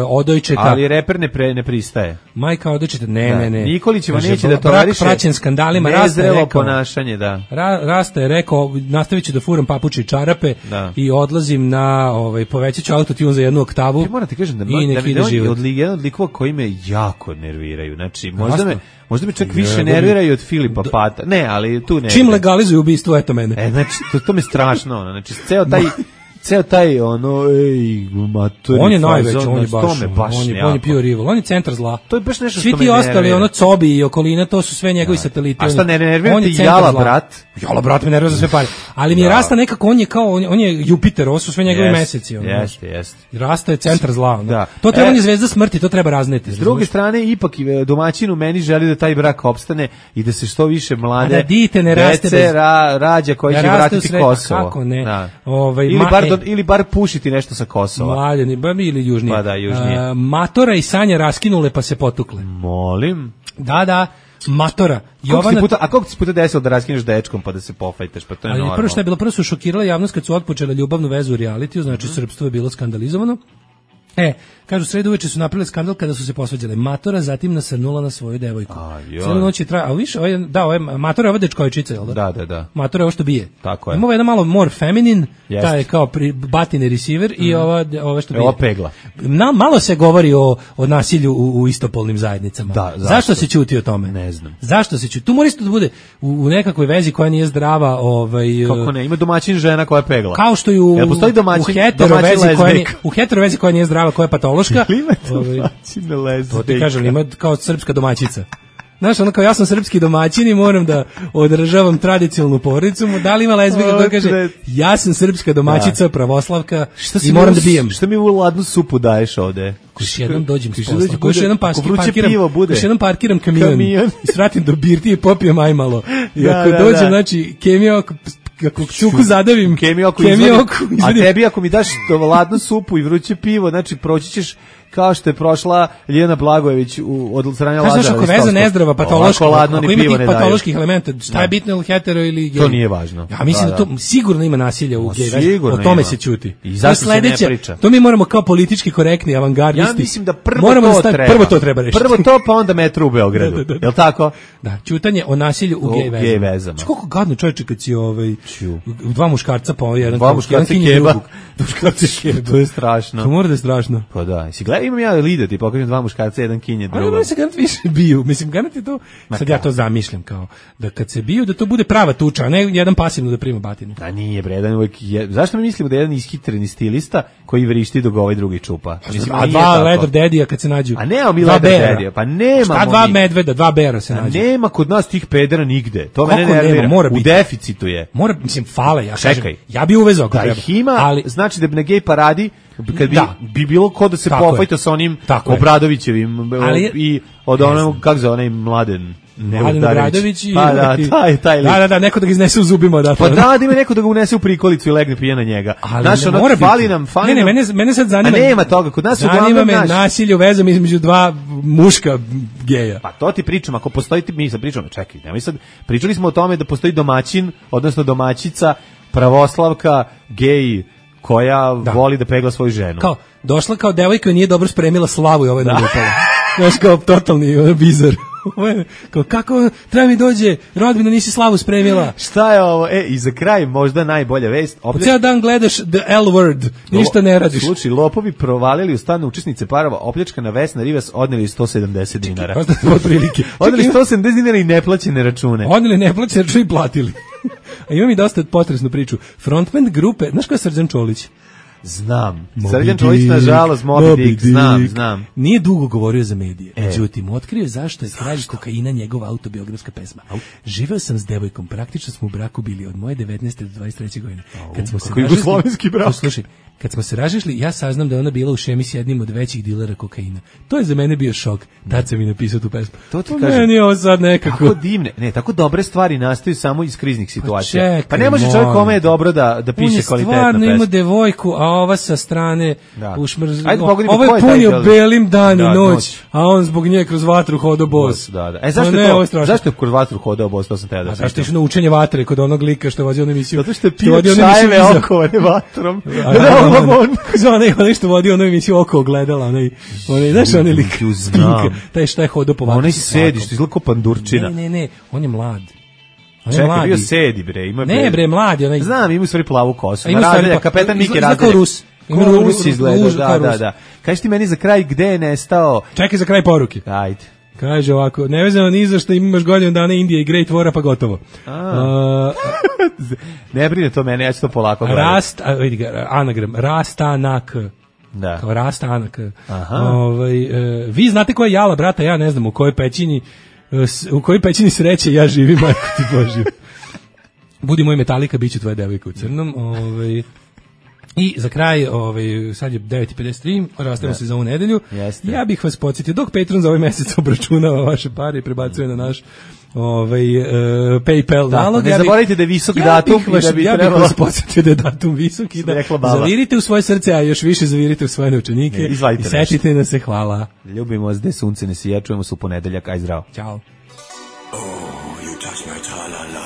Odojčeta. Ali reper ne pristaje. Majka Odojčeta, ne. Nikolićeva neće da toleriše praćen skandalima. Nezrelo ponašanje, da. Rasta je rekao, nastavit ću da furam papuče i čarape i odlazim na, povećat ću autotune za 1 oktavu. Ti moram ti kažem da jedan od likova koji me jako nerviraju. Znači, možda me čak više nerviraju od Filipa Pata. Ne, ali tu ne. Čim legalizuju ubistvo, eto mene. Znači, to mi strašno. Znači, ceo taj maturi. On je najveći, on je pio rival, on je centar zla. To je baš nešto što me nervira. Svi ti ostali, Cobi i okolina, to su sve njegovi sateliti. A šta ne nervira ti Jala brat? Jala brat me nervira za sve pare. Ali mi je Rasta nekako, on je Jupiter, ovo su sve njegovi meseci. Jeste. Rasta je centar zla. To treba, on je zvezda smrti, to treba razneti. S druge strane, ipak domaćin u meni želi da taj brak opstane i da se što više mlade dece rađa koji će vratiti Kosovo. Kako ne? Ili bar pušiti nešto sa Kosova. Mlaljani, ili južnije. Pa da, južnije. Matora i Sanja raskinule pa se potukle. Molim? Da, Matora. A koliko ti se puta desilo da raskineš dečkom pa da se pofajteš, pa to je normalno. Prvo što je bilo, prvo su šokirala javnost kad su otpočele ljubavnu vezu u realitiju, znači srpstvo je bilo skandalizovano. Kažu, sredu uveče su napravili skandal kada su se posvađale. Matora zatim nasrnula na svoju devojku. Cijelu noć je trajala. A više, Matora je ova dečkojčica, jel da? Da. Matora je ovo što bije. Tako je. Ima jedan malo more feminine, taj je kao batine receiver i ova što bije. Ova pegla. Malo se govori o nasilju u istopolnim zajednicama. Da, zašto se ćuti o tome? Ne znam. Zašto se ćuti? Tu mora isto da bude u nekakvoj vezi koja nije zdrava. Kako ne? Ima domaćin žena koja je pegla. Kao što i u hetero vezi koja nije zdrava, koja je patološka. To ti kažem, ima kao srpska domaćica. Znaš, ono kao ja sam srpski domaćin i moram da održavam tradicionalnu porodicu. Da li ima lezbijka koja kaže ja sam srpska domaćica, pravoslavka i moram da bijem. Šta mi u ladnu supu daješ ovde? Još jednom dođem s posla. Još jednom parkiram kamion i svratim do birtije i popijem ajmalo. I ako dođem, znači, kemija kako čuku zadavim, kemijoku a tebi ako mi daš ladnu supu i vruće pivo, znači proći ćeš kao što je prošla Ljiljana Blagojević od strane Lazara. Znaš, ako veza nezdrava, patološka, ako ima tih patoloških elementa, šta je bitno, ili hetero ili gej? To nije važno. Ja mislim da to sigurno ima nasilja u gej, o tome se ćuti. I zašto se ne priča? To mi moramo kao politički korektni avangardisti. Ja mislim da prvo to treba rešiti. Prvo to, pa onda metro u Beogradu. Jel' tako? Da, ćutanje o nasilju u gej vezama. Koliko gadno čovječe kad si dva muškarca pa jedan keba. To je strašno. To mora da je strašno. Pa da, imam ja lider, ti pokažem dva muškarca, jedan kinje, drugo. Ali se garant više biju, mislim, garant je to, sad ja to zamišljam kao, da kad se biju, da to bude prava tuča, a ne jedan pasivno da prima batinu. A nije bre, jedan uvijek zašto mi mislimo da je jedan ishitreni stilista koji vrišti dok ovaj drugi čupa? Mislim, a dva leather daddy-a kad se nađu. A nema mi leather daddy-a, pa nema. Šta dva medveda, dva bera se nađu? Nema kod nas tih pedera nigde, to mene nervira, u deficitu je. Mora, mislim, fale, ja kažem, ja bi uvezao ako treba. Da ih ima, ali znači da bi na gej paradi kad bi bilo ko da se pofajta sa onim Obradovićevim i od onog, kako zove, onaj Mladen Obradović i... Pa da, taj lik. Da, neko da ga iznese u zubima. Pa da ima neko da ga unese u prikolicu i legne pije na njega. Znaš, ono, fali nam... Ne, mene sad zanima... A nema toga, kod nas zanima me nasilje u vezama između dva muška geja. Pa to ti pričam, ako postoji, mi sad pričamo, čekaj, nemoj sad, pričali smo o tome da postoji domaćin, odnosno domaćica, pravoslavka, gej, koja voli da pegla svoju ženu. Kao, došla kao devojka i nije dobro spremila slavu i ovaj nalupala. Znaš, kao totalni bizar. Kao, kako treba mi dođe, rodbina, nisi slavu spremila. Šta je ovo? I za kraj možda najbolja vest. Cijel dan gledaš the L word, ništa ne radiš. Slučaj, lopovi provalili u stan učesnice parova, opljačkana Vesna Rivas, odneli 170 dinara. Odneli 170 dinara i neplaćene račune. Odneli neplaćene račune i platili. A imam i dosta potresnu priču. Frontman grupe, znaš ko je Srđan Čolić? Znam. Srđan Čolić, nažalost, Moby Dick, znam. Nije dugo govorio za medije. Međutim, otkrio zašto je Kralj kokaina njegova autobiografska pesma. Živeo sam s devojkom, praktično smo u braku bili od moje 19. do 23. godine. Kad smo se razišli, ja saznam da je ona bila u šemi s jednim od većih dilera kokaina. To je za mene bio šok. Tad sam mi napisao tu pesmu. To ti kažem. Meni je ovo sad nekako... Tako divne, tako dobre stvari nastaju samo iz kriznih situacija. Pa ne može čovjek kome je dobro da piše kvalitetna pesma. On je stvarno ima devojku, a ova sa strane ušmrz... Ovo je punio belim dan i noć, a on zbog nje kroz vatru hodao bos. Zašto je kroz vatru hodao bos? To sam te da pitam. Zašto je išao na učenje vatre kod onog lika što je vozio onu emisiju? Zato što je pio čajeve okovane vatrom. Onaj što vodi onu emisiju oko ogledala, onaj, znaš, onaj lik Spinka, taj šta je hodao po vatru. Onaj sedi, što izgleda kao pandurčina. Ne, on je mlad. Čekaj, bio sedi, bre. Ne, bre, mladi. Znam, ima u stvari plavu kosu. Kapetan Miki Razdelja. Kao Rus. Rus izgleda, da. Kaži ti meni za kraj gde je nestao... Čekaj za kraj poruke. Ajde. Kaže ovako, nevezano ni za što imaš godinu dana Indije i Great Wara, pa gotovo. Ne brine to mene, ja ću to polako gledati. Vidi ga, anagram, Rastanak. Da. Kao Rastanak. Vi znate koja je jala, brata, ja ne znam u kojoj pećini sreće ja živim, majko ti Božju. Budi moj Metallica, bit će tvoja devojka u crnom. I za kraj, sad je 9:53, rastavimo se za ovu nedelju. Jeste. Ja bih vas podsjetio, dok Patreon za ovaj mesec obračunava vaše pare i prebacuje na naš PayPal nalog. Ne zaboravite da je visok datum. Ja bih vas podsjetio da je datum visok i da zavirite u svoje srce, a još više zavirite u svoje novčanike i setite da se. Hvala. Ljubimo vas, gde sunce ne sija, čujemo se u ponedeljak, aj zdravo. Ćao.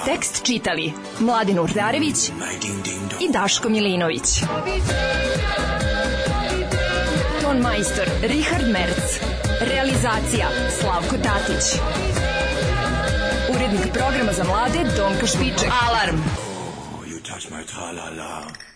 Tekst čitali Mladin Urdarević i Daško Milinović. Ton majstor Richard Merc. Realizacija Slavko Tatić. Urednik programa za mlade Donka Špiček. Alarm! You touch my tra-la-la.